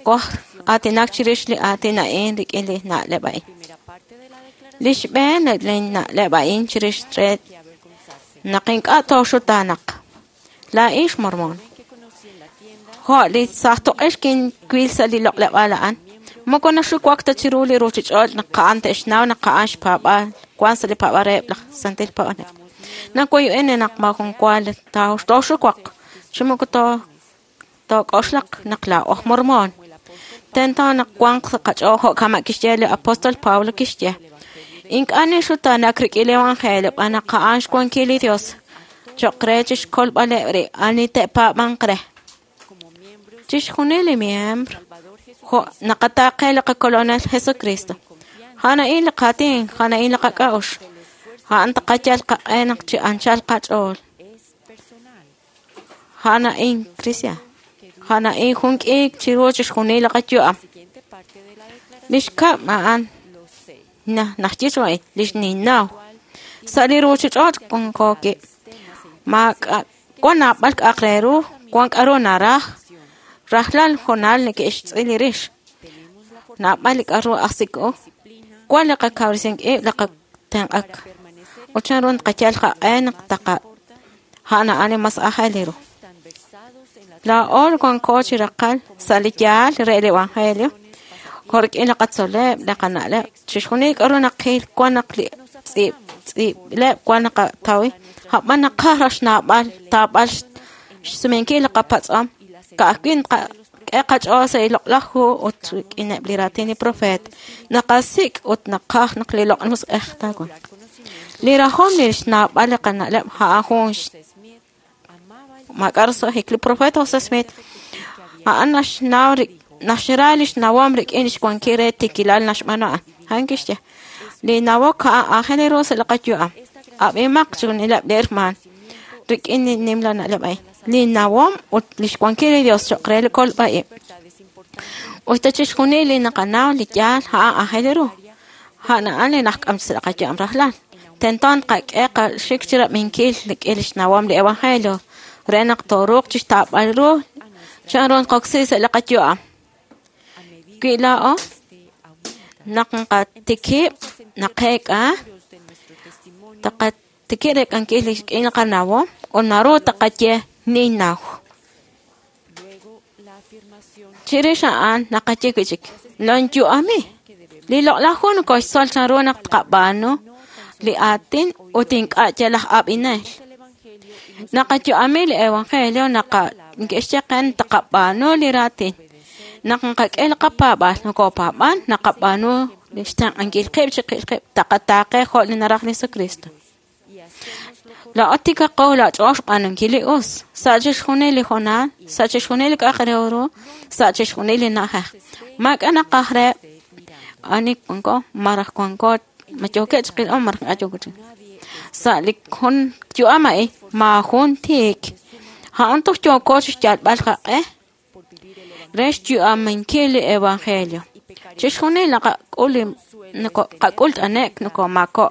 waj aatinak chirix li aatin a'in rik'in li na'leb' a'in. Li xb'een li na'leb' a'in chirix re naq ink'a' tooxutaanaq. Laa'in xmormon. Jo' li saaj toq'ix kinwil sa' li loq'leb'aal a'an. Moko naxuwak ta chiru li ruuchich'och' naq a'an te'xnaw naq a'an xpaab'aal wan sa' li paab'aal reheb' laj santil paab'anel. Nawoyb'eni naq maajun wa tooxuwaq chi moko took'oxlaq naq laa'o aj mormon. Tento naq wanq sa' qach'ool jo' kama' kixye li apóstol Pablo kixye. Ink'a' ninxutaanak rik'in li evangelio b'an naq a'an xwankil li Dios cho'q re chixkolb'aleb' rib' ani te'paab'anq re. Chixjunil li miembro jo' naqataaqe li qakolonel Jesucristo. A'an a'in li qaatin, a'an a'in li qak'a'uxl. A'an taqayal qaq'e naq chi anchal qach'ool. A'an a'in, Cristian. A'an a'in jun k'iik chiru chixjunil li qayu'am. Li xkab' a'an naxye chu a'in, li xninnaw. Sa' li ruuchich'och' wanko wib'. Maak'a' wan naab'al k'a'aq re ru, wan k'a'ru naraj. Rajlal hoonal neke'xtz'il li rix. Naab'al li k'a'ru ajsik-u. Wan li qakawresink ib' li qatenq'ak. Ut chanru naqayal qaq'e naq taqa a'an a'an li mas aajel ru. Laa'o wanko chi raqal sa' li yaal re li evangelio. Jo' rik'in li qatzol'leb', li qana'leb', chixjunil k'a'ru naqil wan naq li tz'iib'leb' wan naqatawi, a'b'an naqaj raj xnaab'al taab'al xsumenkil li qapatz'om, ka'ajwi' naqak'e qach'ool sa' li loq'laj hu ut rik'ineb' li raatin li profeet, naqasik' ut naqaj naq li Loq'laj Musiq'ej taawanq. Li rajom li xnaab'al li qana'leb' a'an jun maak'a' roso'jik. Li profeet Jose Smith a'an naxnaw naxra li xnawom rik'in lix wankil re tiikilal naxb'aanu a'an. A'an kixye, li nawok a'an aajel ru sa' li qayu'am. Ab'imaq chixjunileb' li hermaan rik'in li nimla na'leb' a'in. Li nawom ut lix wankil li Dios cho'q re li kolb'a-ib'. Ut ta chixjunil li naqanaw li yaal a'an aajel ru. A'an a'an li najk'am sa' li qayu'am rajlal. Tento naqak'e qaxik chirab'inkil rik'in lix nawom li Evangelio re naq tooruuq chixtaab'al ru chan ru nqoksi sa' li qayu'am. Wi laa'o naq nqatikib' naqeek'a taqatikib' reek'ankil rik'in li qanawom ut naru taqaye ninnaw. Chirix a'an naqaye wi'chik lonyu'ami. Li loq'laj hu nokoxtzol chan ru naq tqab'aanu li aatin ut ink'a' yal aj ab'inel. Naqayu'ami li Evangelio neke'xye qe taqab'aanu li raatin. Naq nqak'e li qapaab'aal nokopaab'an naqab'aanu li xtenq'ankil qib' chiqil qib' taqataaqe jo' li naraj li Jesucristo. Laa'o tikaqo laach'ool xb'aanunkil li us sa' chixjunil li hoonal, sa' chixjunil li k'a'aq re ru, sa' chixjunil li na'ajej. Maak'a' naqaj re ani wanko maraj wanko ma yookeb' chiqilb'al maraj ink'a' yooko chi. Sa' li jun yu'am a'in maajun tiik. A'an toj yooko chixyalb'al qaq'e re xyu'aminkil li Evangelio. Chixjunil naqak'ul qak'ul t'ane'k nokomaako'.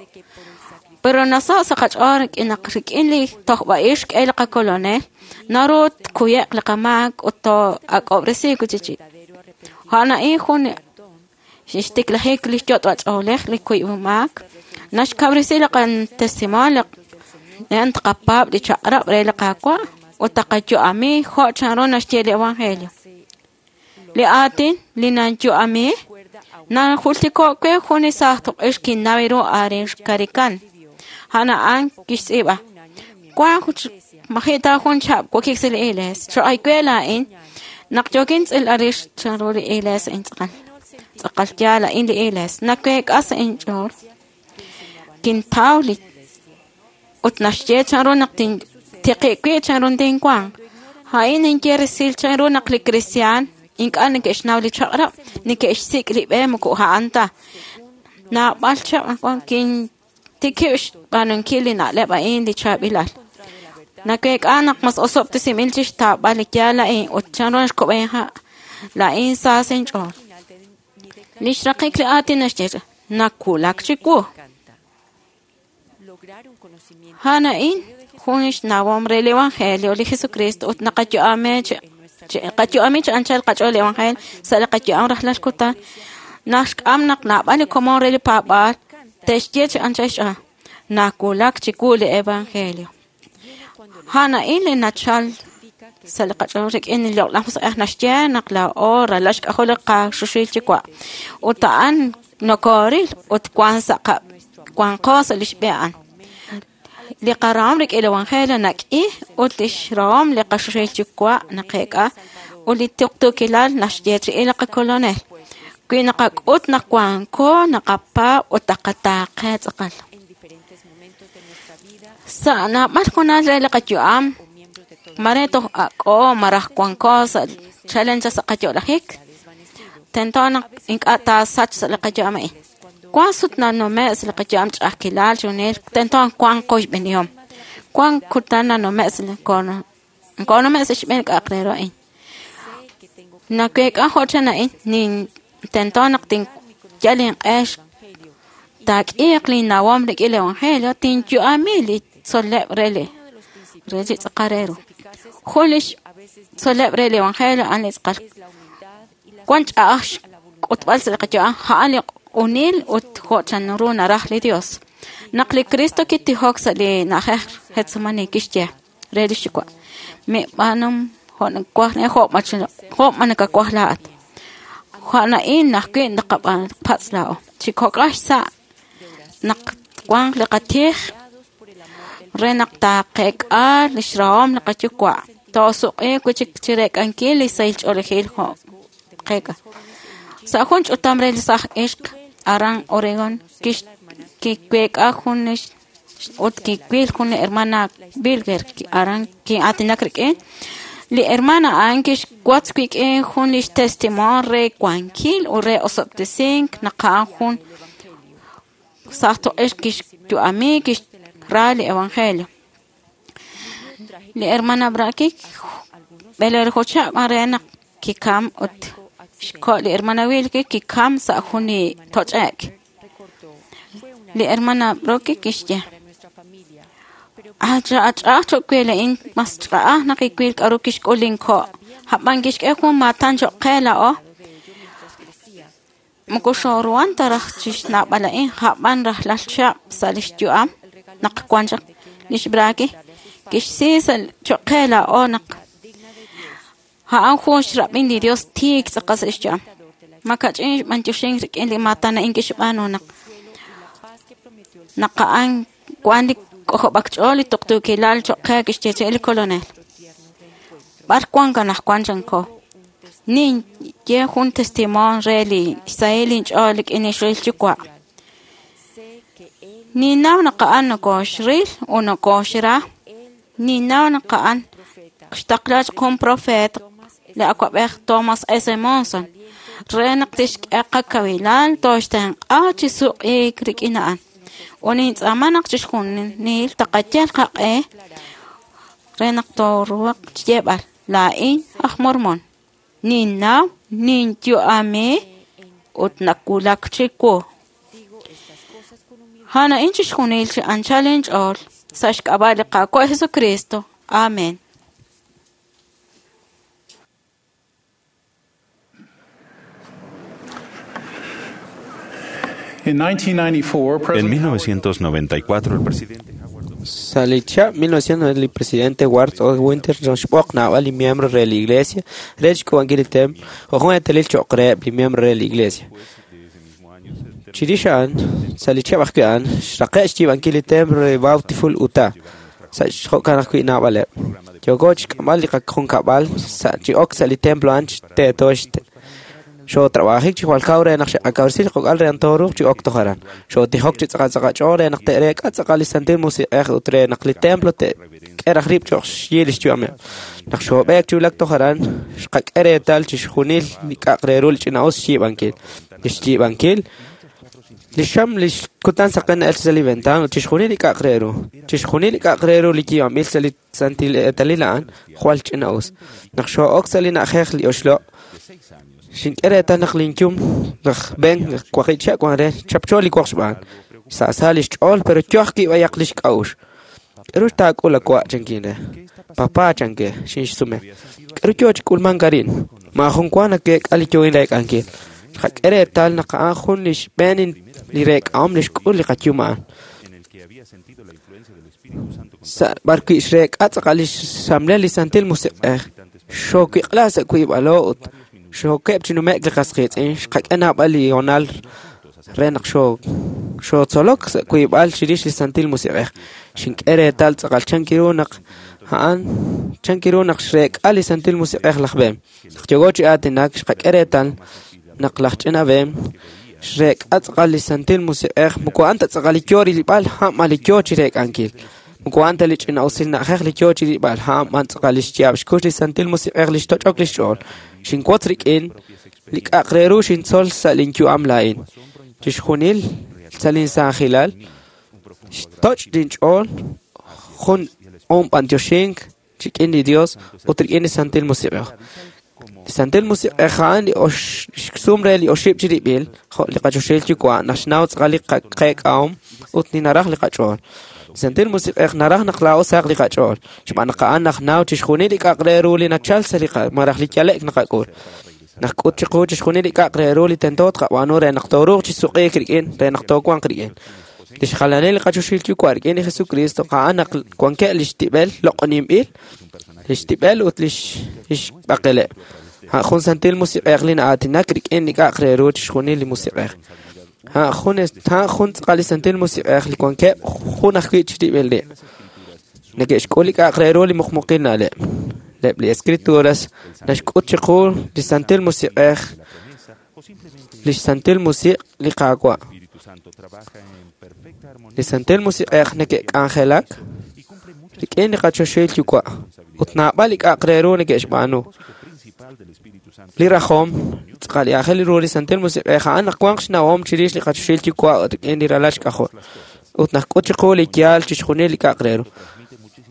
Pero nasaho' sa' qach'ool rik'in naq rik'in li tojb'a'ix xk'e li qakolonel, naru tkuye'q li qamaak ut too'ak'ob'resiik wi'chik. A'an a'in jun xtiklajik li xyot'b'ach'oolej li kuyb'umaak, naxkawresi li qatestimonio li taqapaab' li chaq'rab' re li Qaawa' ut taqayu'ami jo' chanru naxye li Evangelio. Li aatin li nanyu'ami najultiko' we jun li saaj toq'ix kinnaw ru arin xkarikan. A'an a'an kixtz'iib'a. Wan maji' ta jun chihab' wokik sa' li iglees. Cho'ay we laa'in naq yookin tz'ilb'al rix chanru li iglees a'in tz'aqal. Tz'aqal yaal a'in li iglees. Naweek'a sa' inch'ool. Kintaw li ut naxye chanru naq tintiqi' wi' chanru tinwanq. A'in ninye resil chanru naq li kristiaan ink'a' neke'xnaw li chaq'rab', neke'xsik' li b'e moko a'an ta. Naab'al chihab' wan kintikib' xb'aanunkil li na'leb' a'in li chaab'ilal. Naweek'a naq mas osob'tesinb'il chixtaab'al li yaal a'in ut chanru xkub'en ha' laa'in sa sa' inch'ool. Li xraqik li aatin naxye nawulak chiwu. A'an a'in jun xnawom re li Evangelio li Jesucristo ut naqayu'ami chi anchal qach'ool li Evangelio sa' li qayu'am rajlal kutan. Naxk'am naq naab'al li komon re li paab'aal te'xye chi anchal xch'ool nawulak chiwu li Evangelio. A'an a'in li nachal sa' li qach'ool rik'in li Loq'laj Musiq'ej naxye naq laa'o ralal xk'ajol li qaxuxil Yuwa' ut a'an nokooril ut wan sa' wanqo sa' lix b'e a'an. Li qarahom rik'in li Evangelio nak'i ut lix rahom li qaxuxil Yuwa' naqeek'a ut li tuqtuukilal naxyeechi'i li qakolonel. Wi naqak'ut naq wanko naqapaab' ut taqataaqe tz'aqal. Sa' naab'al hoonal re li qayu'am mare toj ak'o maraj wanko sa' chalen chaq sa' qayo'lajik, tento naq ink'a' taasach sa' li qayu'am a'in. Wan sut nanume' sa' li qayu'am ch'a'ajkilal chunil, tento wanq qoyb'enihom. Wan kutan nanume' sa' li nkonume' sa' xb'een k'a'aq re ru a'in. Naweek'a jo' chan a'in, nin tento naq tinyal inq'e taak'iiq linnawom rik'in li Evangelio, tinyu'ami li tzol'leb' re li tz'aqal re ru. Jun li tzol'leb' re li Evangelio a'an li tz'aqal. Wan ch'a'aj xk'utb'al sa' li qayu'am, a'an li q'unil ut jo' chanru naraj li Dios. Naq li Cristo kitijok sa' li na'ajej Getsemani kixye re li xyuwa', mib'aanum jo' nawaj jo' ma nakawaj laa'at. Jo'na'in ajwi' naqapatz' laa'o. Chi kok'aj xsa' naq wanq li qatij re naq taaqeek'a lix rahom li qayuwa'. Toosuq'iiq wi' chik chireek'ankil li sahil ch'oolejil jo' qeek'a. Sa' jun ch'utam re li saaj ixq aran Oregon kiweek'a jun ut kiwil jun li hermana Bilger aran kin'aatinak rik'in. Li hermana a'an kixwotz wik'in jun lix testimonio re wankil ut re osob'tesink naq a'an jun saaj toq'ix kixyu'ami kixra li evangelio. Li hermana Braki b'eleelju chihab' re naq kikam ut xko' li hermana Wilke kikam sa' jun li toch'e'k. Li hermana Brooke kixye: Ach'a'aj choq' we la'in mas ch'a'aj naq kiwil k'a'ru kixk'ul linko'. A'b'an kixk'e jun maatan choq' qe laa'o. Moko xooruhan ta raj chixnawb'al a'in, a'b'an rajlal chihab' sa' lix yu'am naq wan chaq lix Braki kixsi choq' qe laa'o naq a'an jun xrab'in li Dios tiik tz'aqal sa' xyu'am. Makach'in xb'antioxink rik'in li maatan a'in kixb'aanu naq a'an wan li k'ojob'ak ch'ool li tuqtuukilal choq' qe kixyeechi'i li Kolonel. B'ar wan anaqwan chanko. Ninye jun testimonio re li xsahil inch'ool rik'in li xril yuwa'. Ninnaw naq a'an nokoxril ut nokoxra. Ninnaw naq a'an xtaqla chaq jun profeet li awa'b'ej Thomas S. Monson re naq tixk'e qakawilal tooxtenq'a chi suq'iik rik'in a'an. Ut nintz'aama naq chixjunil taqayal qaq'e re naq tooruhaq xyeeb'al laa'in aj Mormon. Ninnaw, ninyu'ami ut nawulak chiwu. A'an chixjunil chi anchal inch'ool sa' xk'ab'a' li Qaawa' Jesucristo. Amén. In 1994, En President 1994, el presidente Salicha 1990 el presidente Ward O. Winter xb'oq naab'al li miembro re la iglesia rech k'uub'ankil li templo jo' jun eetalil cho'q reheb' li miembro re la iglesia. Chirix a'an, sa' li chihab' ajwi' a'an, xraqe' xyiib'ankil li templo re Bountiful, Utah, sa' jo'kan ajwi' naab'aleb'. Yooko chixk'amb'al li qajunkab'al sa' chi ok sa' li templo a'an teeto xootrab'ajik chi jwal kaw re naq xe'qakawresi li qok'al re naq tooruuq chi ok toj aran. Xootijok chi tz'aqal tz'aqal ch'ool re naq te'reek'a tz'aqal li Santil Musiq'ej ut re naq li templo te'k'e raj rib' cho'q xyi li xyu'ameb'. Naq xoob'eek chi wulak toj aran, xqak'e reetal chixjunil li k'a'aq re ru li ch'ina'us xyiib'ankil. Li xyiib'ankil li xam li kutan saqen na'el sa' li ventaan ut chixjunil li k'a'aq re ru. Chixjunil li k'a'aq re ru li yiib'anb'il sa' li santil eetalil a'an jwal ch'ina'us. Naq xoo'ok sa' li na'ajej li oxloq', xink'e reetal naq linyum laj Ben waqib' chihab' wan re chapcho li woq xb'aan. Sa'sa li xch'ool pero yo ajwi' b'ayaq li xk'a'uxl. K'aru taak'ul awa' chankin re. Papá chanke xinxsume. K'aru yo chi k'ulmank arin. Maajun wa nakeek'a li yoohin reek'ankil. Xqak'e reetal naq a'an jun li xb'een li reek'ahom li xk'ul li qayum a'an. Sa' b'arwi' xreek'a tz'aqal li xxamlel li Santil Musiq'ej. Xoowiq'la sa' wiib'alo ut xookeb' chi nume'k li qas qiitz'in xqak'e naab'al li hoonal re naq xootzolok sa' wiib'al chirix li Santil Musiq'ej. Xink'e reetal tz'aqal chankiru naq a'an chankiru naq xreek'a li Santil Musiq'ej laj Ben. Naq yooko chi aatinak xqak'e reetal naq laj ch'ina Ben xreek'a tz'aqal li Santil Musiq'ej moko a'an ta tz'aqal li yo rilb'al a'an li yo chi reek'ankil. Moko a'an ta li ch'ina'usil na'ajej li yo chi rilb'al a'an b'an tz'aqal li xyaab' xkux li Santil Musiq'ej li xtoch'ok li xch'ool. Xinwotz rik'in li k'a'aq re ru xintzol sa' linyu'am laa'in. Chixjunil sa' linsaajilal xtoch' linch'ool jun b'antioxink rik'in li Dios ut rik'in li Santil Musiq'ej. Li Santil Musiq'ej a'an li xsum re li oxib' chirib'il jo' li qachoxahil yuwa' naq xnaw tz'aqal li qeek'ahom ut li naraj li qach'ool. Li Santil Musiq'ej naraj naq laa'o sahaq li qach'ool, xb'aan naq a'an najnaw chixjunil li k'a'aq re ru li nachal sa' li malaj li yale'k naqak'ul. Naq k'ut chiqu chixjunil li k'a'aq re ru li tento tqab'aanu re naq tooruuq chi suq'iik rik'in, re naq toowanq rik'in. Li xjalanil li qachoxahil yuwa' rik'in li Jesucristo a'an naq wankeb' li xtib'el loq'oninb'il, li xtib'el ut li xb'aqeleb'. A'an jun Santil Musiq'ej li na'aatinak rik'in li k'a'aq re ru chixjunil li Musiq'ej. A'an jun tz'aqal li Santil Musiq'ej li wankeb' jun ajwi' chirib'il rib'. Neke'xk'ul li k'a'aq re ru li muqmuqil na'leb'. Eb' li Escrituras naxk'ut chiqu li Santil Musiq'ej, li Santil Musiq' li Qaawa'. Li Santil Musiq'ej neke'k'anjelak rik'in li qachoxahil Yuwa' ut naab'al li k'a'aq re ru neke'xb'aanu. Li rajom tz'aqal li aajel ru li Santil Musiq'ej a'an naq wanq xnawom chirix li qachoxahil Yuwa' ut rik'in li ralal xk'ajol ut naxk'ut chiqu li yaal chixjunil li k'a'aq re ru.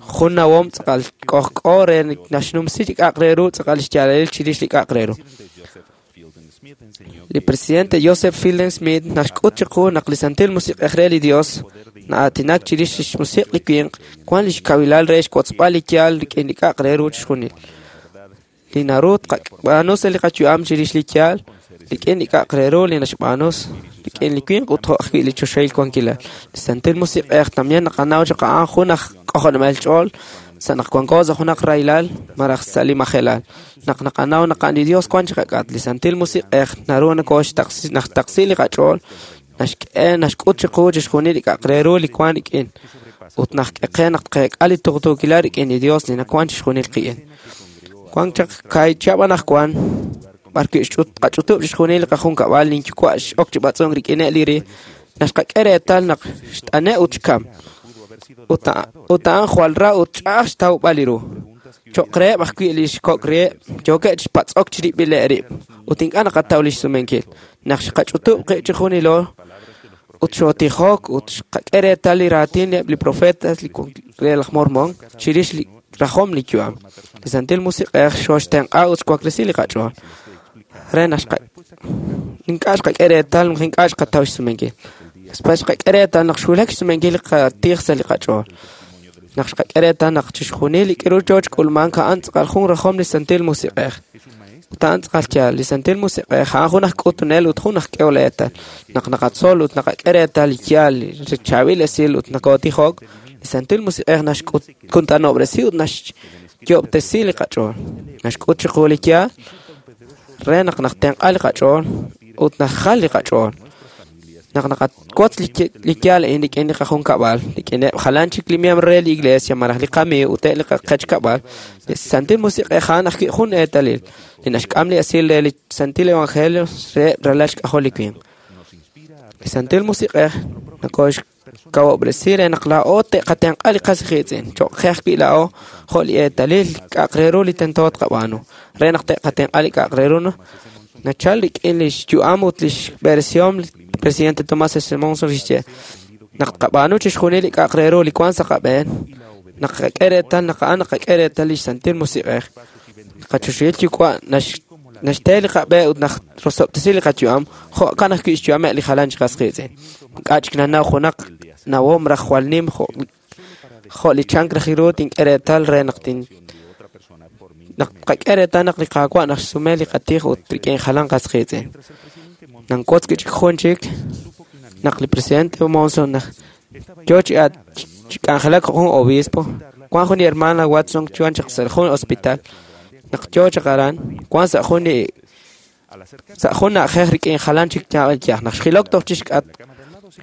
Jun nawom tz'aqal k'ojk'o re naxnumsi li k'a'aq re ru tz'aqal xyaalalil chirix li k'a'aq re ru. Li presidente Joseph Fielding Smith naxk'ut chiqu naq li Santil Musiq'ej re li Dios na'aatinak chirix lix musiq' li winq wan lix kawilal re xwotzb'al li yaal rik'in li k'a'aq re ru chixjunil. Li naru tqab'aanu sa' li qayu'am chirix li yaal rik'in li k'a'aq re ru li naxb'aanu rik'in li winq ut jo' ajwi' li choxahil wankilal. Li Santil Musiq'ej también naqanaw chaq a'an jun aj k'ojob'anel ch'ool sa' naq wanko sa' junaq rahilal malaj sa' li majelal. Naq naqanaw naq a'an li Dios wan chiqak'atq, li Santil Musiq'ej naru naxtaqsi li qach'ool, naxk'e naxk'ut chiqu chixjunil li k'a'aq re ru li wan rik'in ut naxk'e qe naq tqeek'a li tuqtuukilal rik'in li Dios li nawan chixjunil qik'in. Wan chaq kaahib' chihab' anaqwan b'arwi' qach'utub' chixjunil li qajunkab'al linyuwa' x'ok chi b'atz'unk rik'ineb' li ri naxqak'e reetal naq xt'ane' ut xkam. Ut a'an jwal ra ut ch'a'aj xtawb'al li ru. Cho'q reheb' ajwi' li xkok' reheb' yookeb' chi patz'ok chirib'ileb' rib' ut ink'a' naqataw li xsumenkil. Naq xqach'utub' qib' chixjunilo ut xootijok ut xqak'e reetal li raatin eb' li profetas re laj Mormon chirix li rajom li yu'am. Li Santil Musiq'ej xooxtenq'a ut xwaklesi li qach'ool. Re naq ink'a' xqak'e reetal naq ink'a' xqataw xsumenkil. Después xqak'e reetal naq xwulak xsumenkil li qatij sa' li qach'ool. Naq xqak'e reetal naq chixjunil li k'aru yoo xk'ulmank a'an tz'aqal jun rajom li Santil Musiq'ej. Ut a'an tz'aqal yaal, li Santil Musiq'ej a'an jun aj k'utunel ut jun aj k'ehol eetal. Naq naqatzol ut naqak'e reetal li yaal, li chaab'il esil ut nakootijok, li Santil Musiq'ej naxkuntanob'resi ut naxyoob'tesi li qach'ool. Naxk'ut chiqu li yaal re naq naxtenq'a li qach'ool ut naxjal li qach'ool. Naq naqawotz li yaal a'in rik'in li qajunkab'al, rik'ineb' jalan chik li miembro re li iglesia malaj li qamiiw ut eb' li qechkab'al, li Santil Musiq'ej a'an ajwi' jun eetalil li naxk'am li esil re li Santil Evangelio re ralal xk'ajol li winq. Li Santil Musiq'ej nakooxkawob'resi re naq laa'o te'qatenq'a li qas qiitz'in, cho'q qe ajwi' laa'o jo' li eetalil k'a'aq re ru li tento tqab'aanu, re naq te'qatenq'a li k'a'aq re ru nachal rik'in li xyu'am ut li xb'eresihom li presidente Tomás S. Monson kixye naq tqab'aanu chixjunil li k'a'aq re ru li wan sa' qab'een, naq qak'e reetal naq a'an naqak'e reetal li Santil Musiq'ej. Qachoxahil Yuwa' naxte li qab'e ut narosob'tesi li qayu'am, jo'kan ajwi' xyu'ameb' li jalan chi qas qiitz'in. Ink'a' chik nanaw junaq nawom raj jwal nim jo' li chank raj ru tink'e reetal re naq naq tqak'e reetal naq li Qaawa' naxsume li qatij ut rik'in jalan qas qiitz'in. Nankotz wi' chik jun chik naq li presidente Monson naq yoo chi k'anjelak jun obispo, wan jun li hermana Watson chuan chaq sa' jun hospital, naq yoo chaq aran, wan sa' jun li sa' jun na'ajej rik'in jalan chik yaj naq xjilok toj chixk'atq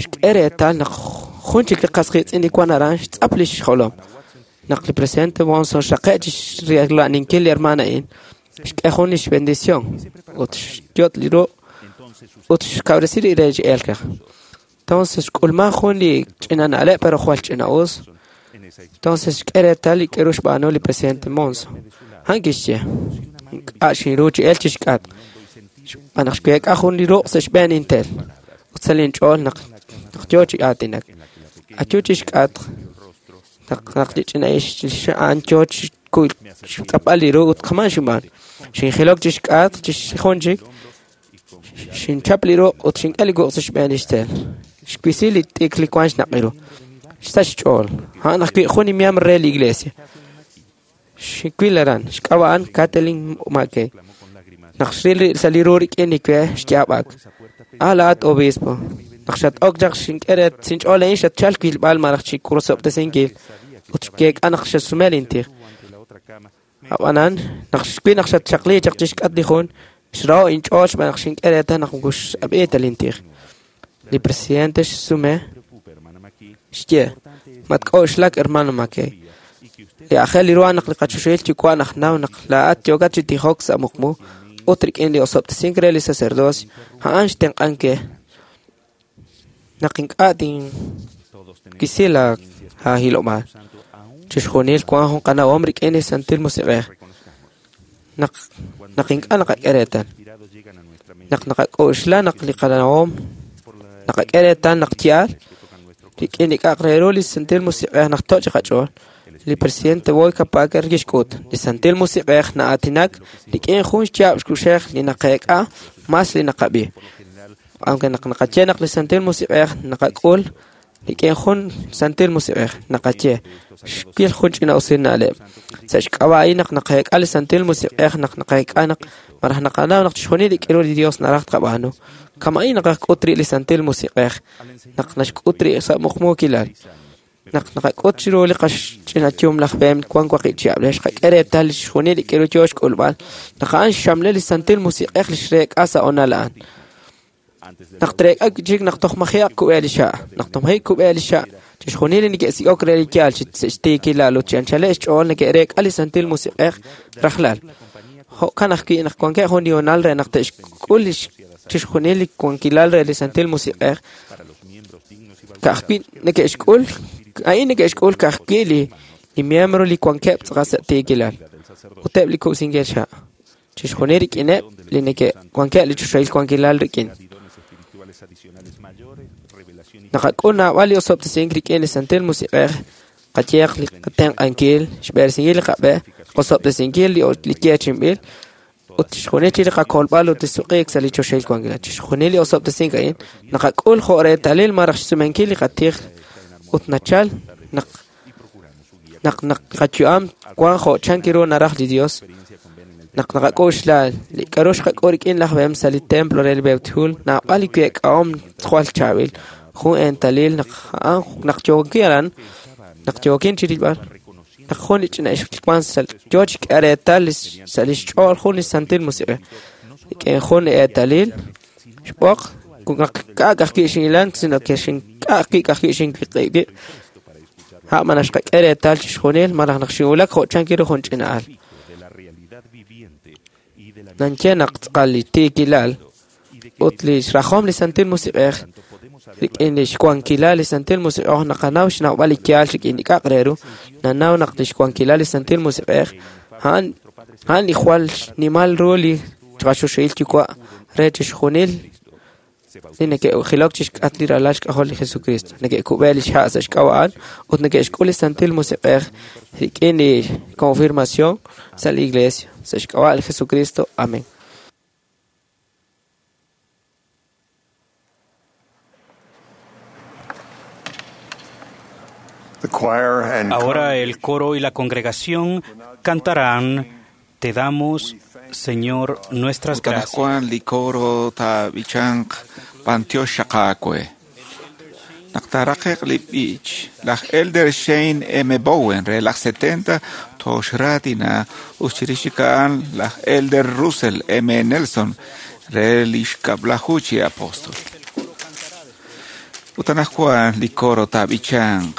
xk'e reetal naq jun chik li qas qiitz'in li wan aran xtz'ap li xjolom. Naq li presidente Monson xraqe' chi xrela'ninkil li hermana a'in, xk'e jun li xbendición ut xyot' li ruq' ut xkawresi li re chi elk. Entonces xk'ulman jun li ch'ina na'leb' pero jwal ch'ina'us. Entonces xk'e reetal li k'aru xb'aanu li presidente Monson. A'an kixye, ink'a' xinru chi elk chixk'atq. Xb'aan naq xweek'a jun li ruq' sa' xb'een intel ut sa' linch'ool naq yoo chi aatinak. Ayu chixk'atq naq li ch'ina a'an yoo chi xtz'apb'al li ru ut kaman xinb'aan. Xinjilok chixk'atq jun chik, xinchap li ruq' ut xink'e li wuq' sa' xb'een li xtel. Xwisi li t'ikr li wan xnaq' ru. Xsach xch'ool. A'an ajwi' jun li miembro re li iglesia. Xwil aran, xk'ab'a' a'an Kathleen McKay. Naq xril sa' li ru rik'in li we xyaab'ak. Ah, laa'at obispo. Naq xat-ok chaq xink'e re sinch'ool a'in xatchalk wilb'al malaj chi rosob'tesinkil ut xyeek'a naq xasume lintij. Ab'anan naq xwi naq xatxaqli chaq chixk'at li jun xraho' inch'ool xb'aan naq xink'e reetal naq moko xab'i ta lintij. Li presidente xsume xye matk'oxlak hermano McKay. Li aajel li ru naq li qachoxahil yuwa' naq naw naq laa'at yookat chi tijok sa' muqmu ut rik'in li osob'tesink re li sacerdocio a'an xtenq'ank ke naq ink'a' tinwisi la haahilob'aal. Chixjunil wan jun qanawom rik'in li Santil Musiq'ej. Naq naq ink'a' naqak'e reetal. Naq naqak'oxla naq li qanawom naqak'e reetal naq yaal rik'in li k'a'aq re ru li Santil Musiq'ej naq toch' li qach'ool. Li presidente Boyd Packer kixk'ut li Santil Musiq'ej na'aatinak rik'in jun xyaab' xkuxej li naqeek'a mas li naqab'i. Aunque naq naqaye naq li Santil Musiq'ej naqak'ul rik'in jun Santil Musiq'ej naqaye xwil jun ch'ina usil na'leb'. Sa' xk'ab'a' a'in naq naqeek'a li Santil Musiq'ej naq naqeek'a naq malaj naqanaw naq chixjunil li k'iru li Dios naraj tqab'aanu. Kama'in naqak'ut ri' li Santil Musiq'ej naq naxk'ut ri' sa' muqmuukilal. Naq naqak'ut chiru li qaxch'ina yum laj Bem wan waqib' chihab' re xqak'e reetal li chixjunil li k'iru yoo xk'ulb'al naq a'an xxamle li Santil Musiq'ej li xreek'a sa' honal a'an. Naq treek'a chik naq toj maji'aq kub'e li xa', naq toj maji' kub'e li xa', chixjunil li neke'sik'ok re li yaal chi xtiikilal ut chi anchaleb' xch'ool neke'reek'a li Santil Musiq'ej rajlal. Jo'kan ajwi' naq wankeb' jun li honal re naq te'xk'ul li chixjunil li wankilal re li Santil Musiq'ej. Ka'ajwi' neke'xk'ul, a'in neke'xk'ul ka'ajwi' li miembro li wankeb' tz'aqal sa' tiikilal ut eb' li kub'sinkil xa'. Chixjunil rik'ineb' li neke'wankeb' li choxahil wankilal rik'in. Naqak'ul naab'al li osob'tesink rik'in li Santil Musiq'ej, qayeq li qatenq'ankil, xb'eresinkil li qab'e, qosob'tesinkil li yeechi'inb'il, ut chixjunil chi li qakolb'al ut li suq'iik sa' li choxahil wankilal. Chixjunil li osob'tesink a'in naqak'ul jo' reetalil malaj xsumenkil li qatij ut nachal naq naq naq qayu'am wan jo' chan ru naraj li Dios. Naq naqak'oxla li k'a'ru xqak'ul rik'in laj Bem sa' li templo re li Beuthul, naab'al li week'ahom jwal chaab'il. Jun eetalil naq a'an naq yookin aran, naq yookin chirilb'al, naq jun li ch'ina ixq wan sa' yoo chi k'e reetal sa' lix ch'ool jun li Santil Musiq'ej. Rik'in jun li eetalil xb'oq naq k'a'ak ajwi' xin'ilan, sino que xink'a'ak ajwi' xinwiq'ib'. Ha' ma naxqak'e reetal chixjunil malaj naq xinwulak jo' chan ru jun ch'ina al. Nanche naq tz'aqal li tiikilal ut li xrajom li Santil Musiq'ej rik'in li xwankilal li Santil Musiq'ej naqanaw xnawb'al li yaal rik'in li k'a'aq re ru nanaw naq li xwankilal li Santil Musiq'ej a'an a'an li jwal xnimal ru li qachoxahil yuwa' re chixjunil li neke'jilok chixk'at li ralal xk'ajol li Jesucristo neke'kub'e li xha' sa' xk'ab'a' a'an ut neke'xk'ul li Santil Musiq'ej rik'in li confirmación sa' li iglesia sa' xk'ab'a' li Jesucristo. Amén. The choir and Ahora el coro y la congregación cantarán Te damos, Señor, nuestras Ut anaqwan gracias. li coro taab'ichanq b'antiox xaqaakwe. Naq taaraqe'q li b'ich, laj Elder Shane M. Bowen re laj 70 toxraatina ut chirix chik a'an laj Elder Russell M. Nelson re li xkab'laju chi apostol. Ut anaqwan li coro taab'ichanq,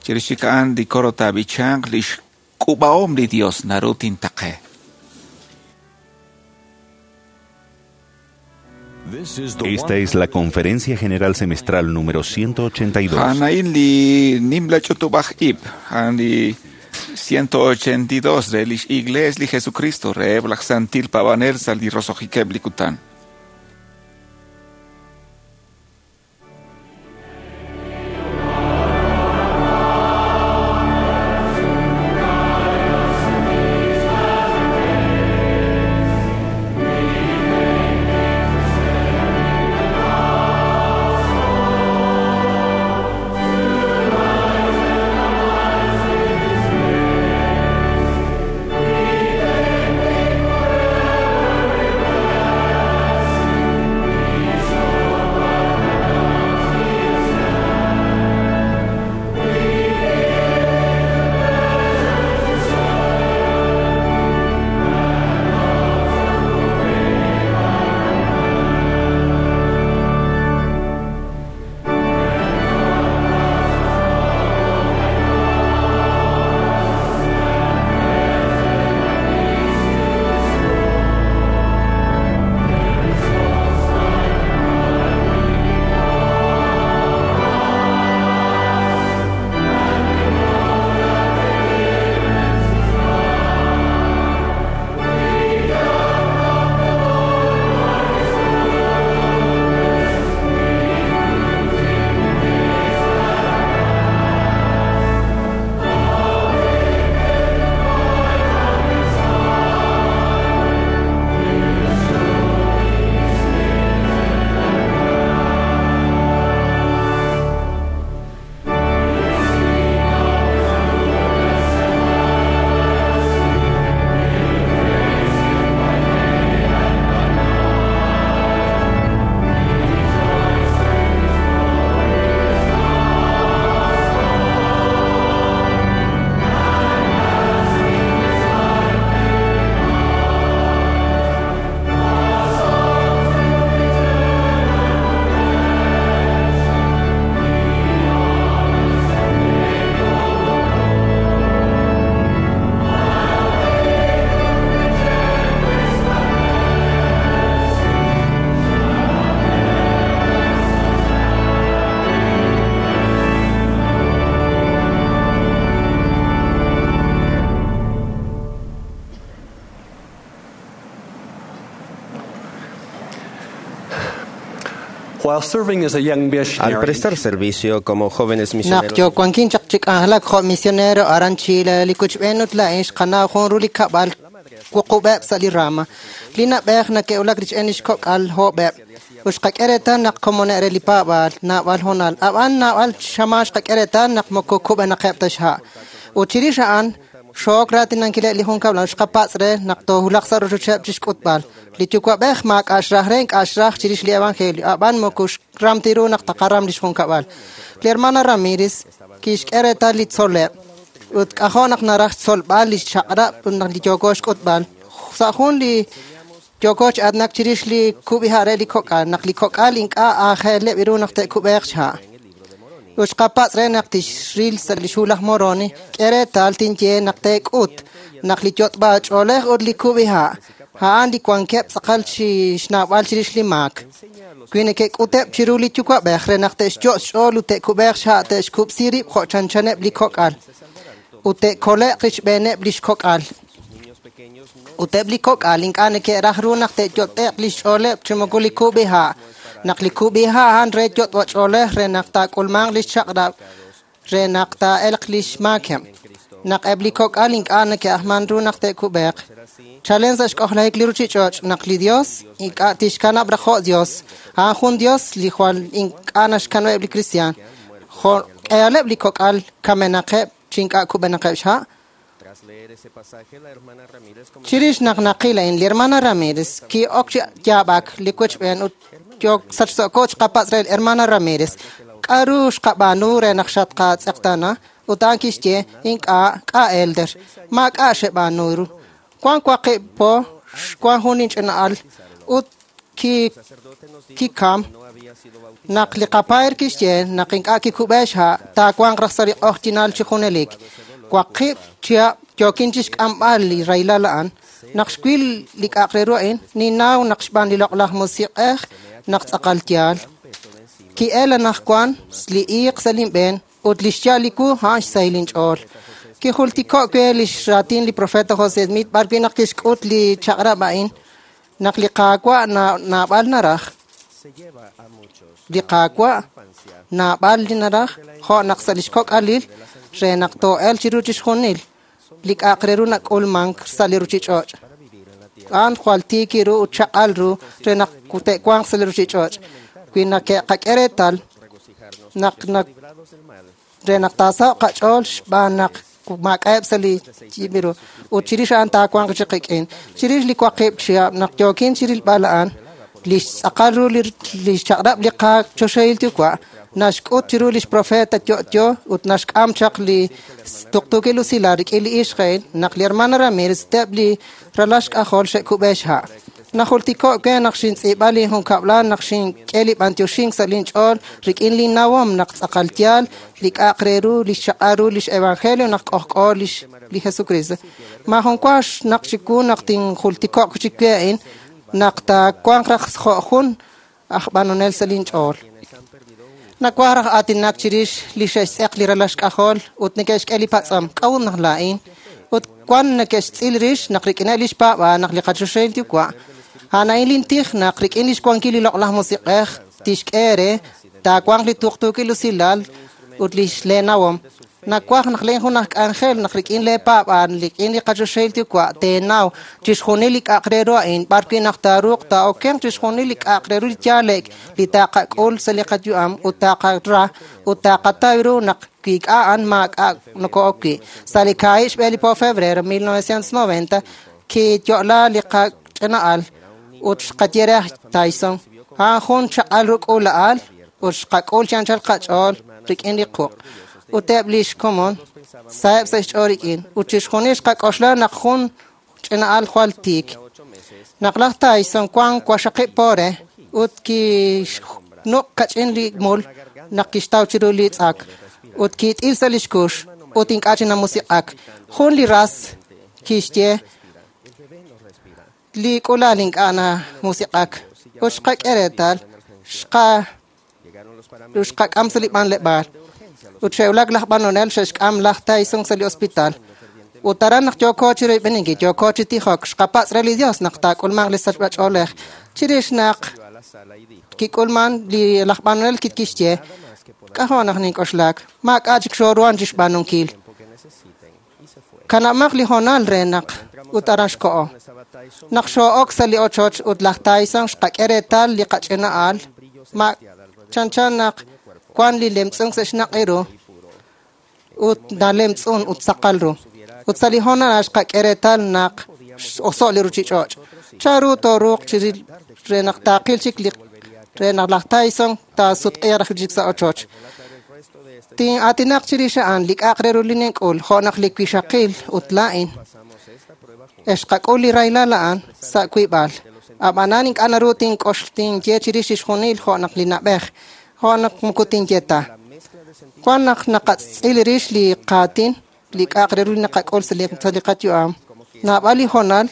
chirix chik a'an li coro taab'ichanq li xk'ub'ahom li Dios naru tintaqe. Esta es la Conferencia General Semestral número 182. A'an li nimla ch'utub'aj ib', a'an li 182 re lix Iglees li Jesucristo reheb' laj Santil Paab'anel sa' li roso'jikeb' li kutan. Thank While serving as a young Al missionary, prestar servicio como jóvenes Naq misioneros, yowankin chaq chi k'anjelak jo' misionero aran Chile li kuchb'een ut laa'in xqanaw jun ru li kab'al wuqub'eb' sa' li rama. Li nab'ej nake'wulak rich'en lix kok'al hoob'eb'. Ut xqak'e reetal naq komone' re li paab'aal naab'al honal. Ab'an naab'al xamaan xqak'e reetal naq moko kub'enaqeb' ta xha'. Ut chirix a'an xook raatinankileb' li junkab'lal xqapatz' re naq toohulaq sa' rochocheb' chixk'utb'al. Li yuwa'b'ej maak'a' xraj re ink'a' xraj chirix li evangelio, ab'an moko xram ti ru naq taqaram lix junkab'al. Li hermana Ramírez kixk'e reetal li tzol'leb' ut k'ajo' naq naraj xtzolb'al li xchaq'rab' ut naq li yooko xk'utb'al. Sa' jun li yooko chi aatinak chirix li kub'iha' re li kok'al, naq li kok'al ink'a' aajeleb' ru naq te'kub'eeq xha'. Ut xqapatz' re naq tixril sa' li xhu laj Moroni, k'e reetal tinye naq teek'ut naq li yot'b'ach'oolej ut li kub'iha' a'an li wankeb' tz'aqal chi xnawb'al chirix li maak. Wi neke'k'uteb' chiru li yuwa'b'ej re naq te'xyo' xch'ool ut te'kub'eeq xha' te'xkub'si rib' jo' chanchaneb' li kok'al ut te'kole'q rixb'eeneb' lix kok'al. Ut eb' li kok'al ink'a' neke'raj ru naq te'yot'e'q li xch'ooleb' chi moko li kub'iha'. Naq li kub'iha' a'an re yot'b'ach'oolej re naq taak'ulmanq lix chaq'rab' re naq taa'elq lix maakeb'. Naq eb' li kok'al ink'a' neke'ajman ru naq te'kub'eeq. Chalen sa' xk'ojlajik li ruchich'och' naq li Dios ink'a' tixkanab' raj jo' Dios. A'an jun Dios li jwal ink'a' naxkanab'eb' li kristiaan. Jo' k'ehaleb' li kok'al kamenaqeb' chi ink'a' kub'enaqeb' xha'. tras leer ese pasaje, la hermana Ramírez comenzó Chirix naq naqil a'in, li hermana Ramírez ki'ok chi yaab'ak li wechb'een ut yook sachso'ko xqapatz' re li hermana Ramírez. K'aru xqab'aanu re naq xatqatz'eqtana? Ut a'an kixye, ink'a' k'a' elder, maak'a' xeb'aanu ru. Wan waqib' po, xwan jun inch'ina'al ut ki kikam naq li qapaer kixye naq ink'a' kikub'e xha' taawanq raj sa' li q'ojyinal chi junelik. Waqib' chihab' yookin chixk'amb'al li rahilal a'an. Naq xwil li k'a'aq re ru a'in, ninnaw naq xb'aan li loq'laj musiq'ej naq tz'aqal yaal. Ki'el anaqwan li iiq sa' linb'een ut li xya'al li wu a'an xsahil inch'ool. Kijultiko' we li xraatin li profeta José Smith b'ar wi' naq kixk'ut li chaq'rab' a'in naq li Qaawa' naab'al naraj. se lleva a muchos Li Qaawa' naab'al li naraj jo' naq sa' lix kok'alil re naq too'el chiru chixjunil li k'a'aq re ru nak'ulmank sa' li ruchich'och'. A'an jwal tiik ru ut chaq'al ru re naq te'wanq sa' li ruchich'och'. Wi nake'qak'e reetal naq re naq taasaho'q qach'ool xb'aan naq maak'a'eb' sa' li yib'iru ut chirix a'an taawanq chi qik'in. Chirix li waqib' chihab' naq yookin chirilb'al a'an, li xtz'aqal ru li xchaq'rab' li qachoxahil yuwa' naxk'ut chiru lix profeta yo'yo ut naxk'am chaq li tuqtuukil usilal rik'in li ixq a'in naq li hermana Ramírez teb' li ralal xk'ajol xe'kub'e xha'. Najultiko' we naq xintz'iib'a li junkab'lal naq xink'e li b'antioxink sa' linch'ool rik'in li nawom naq tz'aqal yaal li k'a'aq re ru li xchaq'al ru lix evangelio naq k'ojk'o lix li Jesucristo. Maajun wa naq chiwu naq tinjultiko'q chik we a'in naq taawanq raj jo' jun aj b'anonel sa' linch'ool. Nawaj raj aatinak chirix li xe'xtz'eq li ralal xk'ajol ut neke'xk'e li patz'om k'a'ut naq laa'in ut wan neke'xtz'il rix naq rik'ineb' lix paab'aal naq li qachoxahil yuwa' a'an a'in lintij naq rik'in lix wankil li loq'laj musiq'ej tixk'e re taawanq li tuqtuukil usilal ut lix leenawom. Nawaj naq leen jun aj k'anjel naq rik'in lee paab'aal rik'in li qachoxahil yuwa' teenaw chixjunil li k'a'aq re ru a'in b'ar wi' naq taaruuq taa'okenq chixjunil li k'a'aq re ru li yaalek li taaqak'ul sa' li qayu'am ut taaqara ut taaqataw ru naq wi ink'a' a'an maak'a' noko'ok wi'. Sa' li kaahib' xb'e li po febrero 1990 kiyo'la li qach'ina'al ut xqaye re aj Tyson a'an jun chaq'al ru k'uula'al ut xqak'ul chi anchal qach'ool rik'in li quq'. Ut eb' lix komon saheb' sa' xch'ool rik'in ut chixjunil xqak'oxla naq jun ch'ina'al jwal tiik. Naq laj Tyson wan waqxaqib' po re ut kixnuq' kach'in li mul naq kixtaw chiru li tz'ak ut kiit'il sa' lix kux ut ink'a' chi namusiq'ak. Jun li ras kixye li k'uula'al ink'a' namusiq'ak ut xqak'e reetal xqak'am sa' li b'anleb'aal. Ut xe'wulak laj b'anonel xe'xk'am laj Tyson sa' li hospital. Ut aran naq yooko chi royb'eninkil, yooko chi tijok, xqapatz' re li Dios naq taak'ulmanq li sachb'ach'oolej. Chirix naq Kik'ulman li laj b'anonel kixye, k'ajo' naq nink'oxlak, maak'a' chik xooruhan chi xb'aanunkil. Kanab'maq li hoonal re naq ut aran xko'o. Naq xoo'ok sa' li ochoch ut laj Tyson xqak'e reetal li qach'ina'al, ma chanchan naq wan li lemtz'unk sa' xnaq' ru ut nalemtz'un ut saqal ru. Ut sa' li hoonal xqak'e reetal naq x'oso' li ruchich'och'. Chanru tooruuq chi re naq taaqil chik li re naq laj Tyson taasutq'iiq raj chik sa' ochoch. Tin'aatinaq chirix a'an li k'a'aq re ru li nink'ul, jo' naq li wixaqil ut laa'in. Xqak'ul li rahilal a'an sa' wiib'al. Ab'anan ink'a' naru tink'ox tinye chirix chixjunil jo' naq li na'b'ej, jo' naq moko tinye ta. Wan naq naqatz'il rix li qaatin, li k'a'aq re ru li naqak'ul sa' li qayu'am. Naab'al li hoonal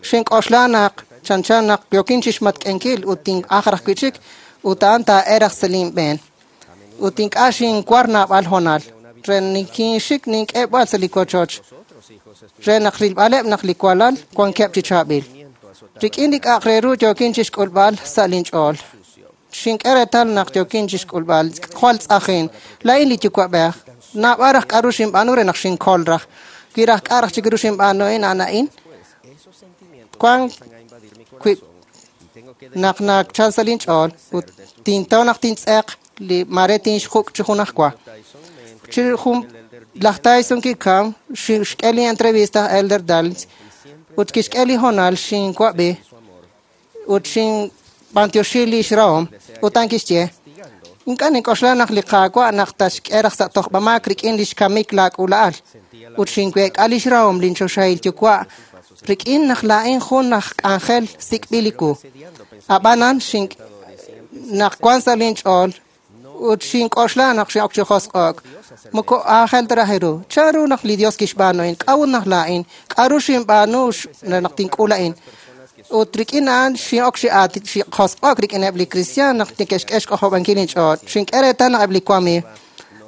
xink'oxla naq chanchan naq yookin chixmatk'enkil ut tin'aj raj wi' chik ut a'an taa'eraj sa' linb'een. Ut ink'a' xinwar naab'al hoonal re nikinxik nink'eb'al sa' li wochoch re naq rilb'aleb' naq li walal wankeb' chi chaab'il. Rik'in li k'a'aq re ru yookin chixk'ulb'al sa' linch'ool. Xink'e reetal naq yookin chixk'ulb'al jwal tz'ajin. Laa'in li yuwa'b'ej. Naab'al raj k'a'ru xinb'aanu re naq xinkol raj. Wi raj k'a' raj chik ru xinb'aanu a'in a'an a'in. Wan wi' naq nachal sa' linch'ool ut tintaw naq tintz'eq li mare tinxjuk' chi junajwa. Chi jun laj Tyson kikam xk'e li entrevista Elder Dallins ut kixk'e li hoonal xinwab'i ut xinb'antioxi li xrahom ut a'an kixye ink'a' nink'oxla naq li Qaawa' naq taxk'e raj sa' tojb'amaak rik'in li xkamik laak'ula'al ut xinweek'a li xrahom linchoxahil yuwa' rik'in naq laa'in jun aj k'anjel sik'b'il li wu. Ab'anan naq wan sa' linch'ool ut xink'oxla naq xin'ok chi josq'o'k. Moko aajel ta raj ru. Chanru naq li Dios kixb'aanu a'in? K'a'ut naq laa'in? K'a'ru xinb'aanu naq tink'ul a'in? Ut rik'in a'an xin'ok chi josq'o'k rik'ineb' li kristiaan naq neke'xk'e xk'ojob'ankil inch'ool. Xink'e reetal naq eb' li wamiiw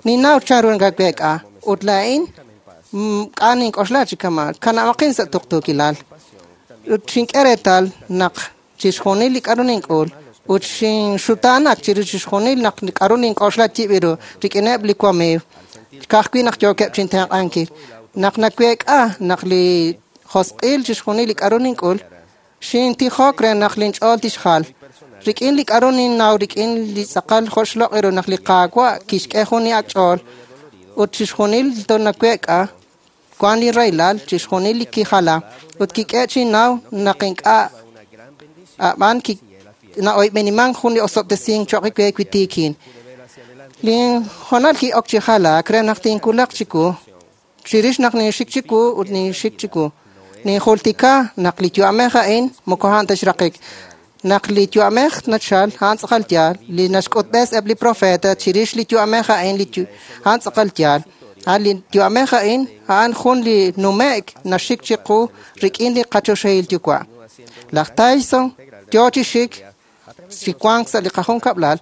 ninnaw chanru nakaweek'a. Ut laa'in k'a' nink'oxla chi kama' kanab'aqin sa' tuqtuukilal. Ut xink'e reetal naq chixjunil li k'a'ru nink'ul ut xinxutaanak chiru chixjunil naq k'a'ru nink'oxla yib' ru rik'ineb' li wamiiw. Ka'ajwi' naq yookeb' chintenq'ankil. Naq naweek'a naq li josq'il chixjunil li k'a'ru nink'ul, xintijok re naq linch'ool tixjal. Rik'in li k'a'ru ninnaw rik'in li tz'aqal joxloq' ru naq li Qaawa' kixk'e jun li ak' ch'ool ut chixjunil tonaweek'a wan li rahilal chixjunil li kijala ut kik'e chinnaw naq ink'a' ab'an na'oyb'eniman jun li osob'tesink cho'q we wi tiikin. Linhoonal ki'ok chi jalaak re naq tinkulaq chiwu chirix naq ninxik chiwu ut ninxik chiwu. Ninjultika naq li yu'amej a'in moko a'an ta xraqik. Naq li yu'amej nachal a'an tz'aqal yaal, li naxk'utb'es eb' li profeta chirix li yu'amej a'in li a'an tz'aqal yaal. A'an li yu'amej a'in a'an jun li nume'k naxik chiqu rik'in li qachoxahil yuwa'. Laj Tyson yoo chi xik chi wank sa' li qajunkab'lal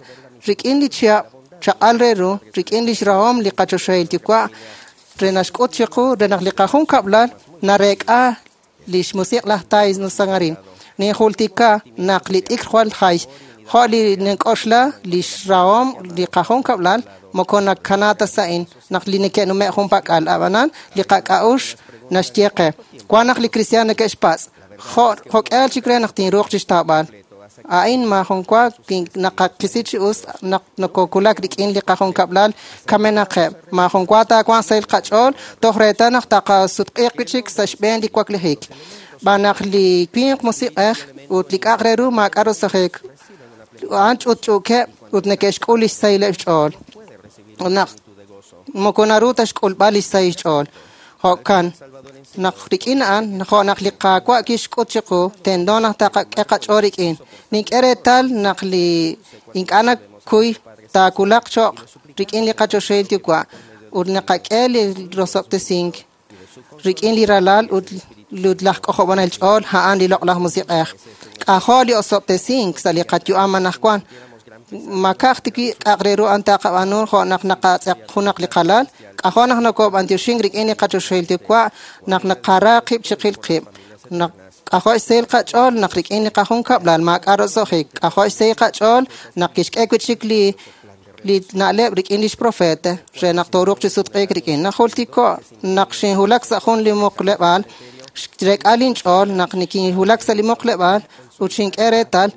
rik'in li chihab' chaq'al re ru rik'in li xrahom li qachoxahil yuwa' re naxk'ut chiqu re naq li qajunkab'lal nareek'a li xmusiq' laj Tyson Sangarin. Ninjultika naq li t'ikr jwal jay jo' li nink'oxla li xrahom li qajunkab'lal moko nakana ta sa'in naq li neke'nume' junpak'al ab'anan li qak'a'ux naxye qe. Wan naq li kristiaan neke'xpatz' jo'k'ehal chik re naq tinruuq chixtawb'al. A'in maajun wa naqakisi chi us naq nokokulak rik'in li qajunkab'lal kamenaqeb'. Maajun wa taawanq sahil qach'ool toj reetal naq taqasutq'iiq wi' chik sa' xb'een li waklijik. B'an naq li winq musiq'ej ut li k'a'aq re ru maak'a' rosajik a'an ch'utch'uukeb' ut neke'xk'ul li xsahileb' xch'ool. Ut naq moko naru ta xk'ulb'al li xsahil xch'ool. Jo'kan naq rik'in a'an jo' naq li Qaawa' kixk'ut chiqu tento naq taqak'e qach'ool rik'in. Nink'e reetal naq li ink'a' nakuy taawulaq cho'q rik'in li qachoxahil yuwa' ut naqak'e li rosob'tesink rik'in li ralal ut laj k'ojob'anel ch'ool a'an li loq'laj musiq'ej. K'ajo' li osob'tesink sa' li qayu'am anaqwan. Makaj tiwi k'a'aq re ru a'an taqab'aanu jo' naq naqatz'eq junaq li qalal. K'ajo' naq nokob'antioxink rik'in li qachoxahil yuwa' naq naqara qib' chiqil qib'. Naq K'ajo' xsahil qach'ool naq rik'in li qajunkab'lal maak'a' roso'jik. K'ajo' xsahil qach'ool naq kixk'e wi' chik li na'leb' rik'in lix profeta re naq tooruuq chi sutq'iik rik'in. Najultiko' naq xinwulak sa' jun li muqleb'aal, xrek'a linch'ool naq nikinwulak sa' li muqleb'aal ut xink'e reetal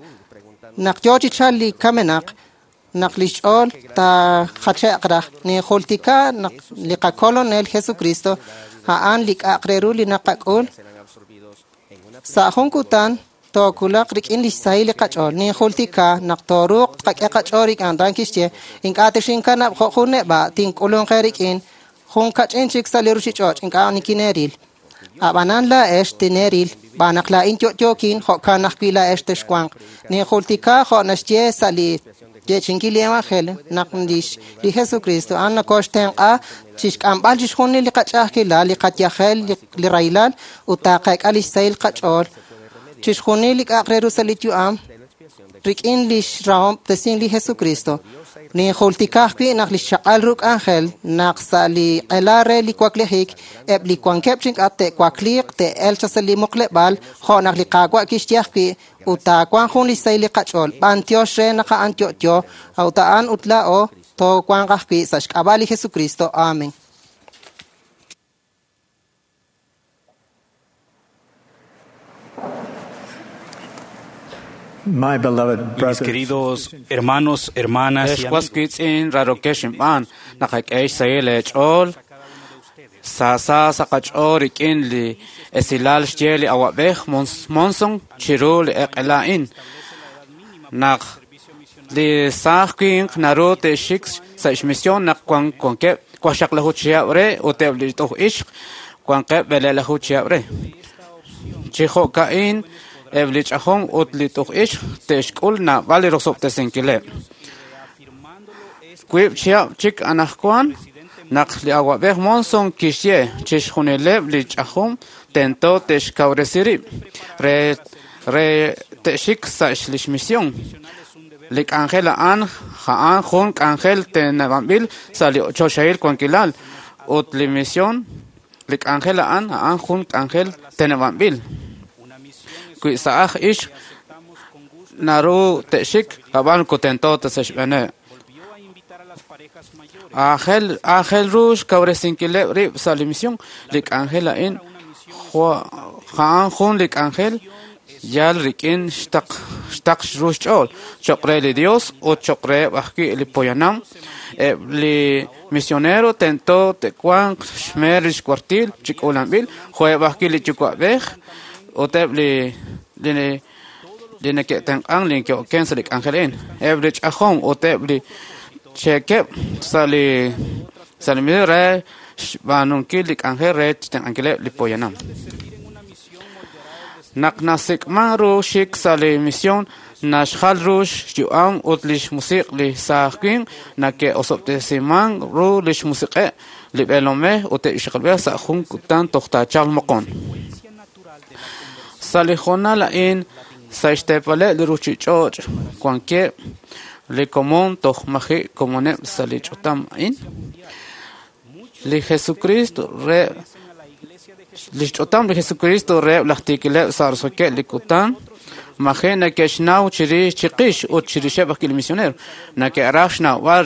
naq yo chi chal li kamenaq naq lix ch'ool taajache'q raj. Ninjultika naq li qakolonel Jesucristo a'an li k'a'aq re ru li naqak'ul sa' jun kutan tookulaq rik'in lix sahil li qach'ool. Ninjultika naq tooruuq tqak'e qach'ool rik'in ran kixye ink'a' texinkanab' jo' jun neb'a' tink'ulunqe rik'in jun kach'in chik sa' li ruchich'och' ink'a' nikineeril. Ab'anan laa'ex tineeril b'aan naq laa'in yo'yookin jo'kan ajwi' laa'ex texwanq. Ninjultika jo' naxye sa' li yeechi'inkil li evangelio naq li Jesucristo a'an nakoxtenq'a chixk'amb'al chixjunil li qach'a'ajkilal, li qayajel, li rahilal ut taaqak'a lix sahil qach'ool. Chixjunil li k'a'aq re ru sa' li yu'am rik'in lix rahob'tesink li Jesucristo. Ninjultika ajwi' naq lix chaq'al ru k'anjel naq sa' li q'ela re li waklijik eb' li wankeb' chink'at te'wakliiq te'elq chaq sa' li muqleb'aal jo' naq li Qaawa' kixye ajwi' ut taawanq jun lix sahil li qach'ool. B'antiox re naq a'an yo'yo, ut a'an ut laa'o toowanq ajwi' sa' xk'ab'a' li Jesucristo. Amen. My beloved Mis brothers, queridos hermanos, hermanas y Ex was amigos, wiitz'in rarokex inb'aan naqak'e xsahil eech'ool saasa sa' qach'ool rik'in li esilal xye li awa'b'ej Monson chiru li eq'ela a'in naq li saaj winq naru te'xik sa' xmisión naq wankeb' waqxaqlaju chihab' re ut eb' li t'uj ixq wankeb' b'eleelaju chihab' re. Chi jo'ka'in eb' li ch'ajom ut li t'uj ixq te'xk'ul naab'al li rosob'tesinkileb'. Wiib' chihab' chik anaqwan naq li awa'b'ej Monson kixye chixjunileb' li ch'ajom tento te'xkawresi rib' re te'xik sa' lix misión. Li k'anjel a'an a'an jun k'anjel teneb'anb'il sa' li choxahil wankilal ut li misión li k'anjel a'an a'an jun k'anjel teneb'anb'il. Wi sa'aj ixq naru te'xik ab'an kutento ta sa' xb'eeneb'. Aajel ru xkawresinkileb' rib' sa' li misión. Li k'anjel a'in a'an jun li k'anjel yal rik'in xtaq ru xch'ool cho'q re li Dios ut cho'q reheb' ajwi' li poyanam. Eb' li misionero tento te'wanq xmeer li xkwartil chi k'uulanb'il jo'eb' ajwi' li yuwa'b'ej ut eb' li neke'tenq'an li neke'oken sa' li k'anjel a'in. Eb' li ch'ajom ut eb' li cheekeb' sa' li misión re xb'aanunkil li k'anjel re xtenq'ankileb' li poyanam. Naq nasik'man ru xik sa' li misión naxjal ru xyu'am ut lix musiq' li saaj winq nake'osob'tesiman ru lix musiq'eb' li b'eelomej ut eb' ixaqilb'ej sa' jun kutan toj taachalq moqon. Sa' li hoonal a'in sa' xteepaleb' li ruchich'och' wankeb' li komon toj maji' komoneb' sa' li ch'utam a'in. Li Jesucristo re lix ch'utam li Jesucristo reheb' laj tiikileb' sa' roso'jikeb' li kutan maji' neke'xnaw chirix chiqix ut chirixeb' ajwi' li misionero neke'raj xnawb'al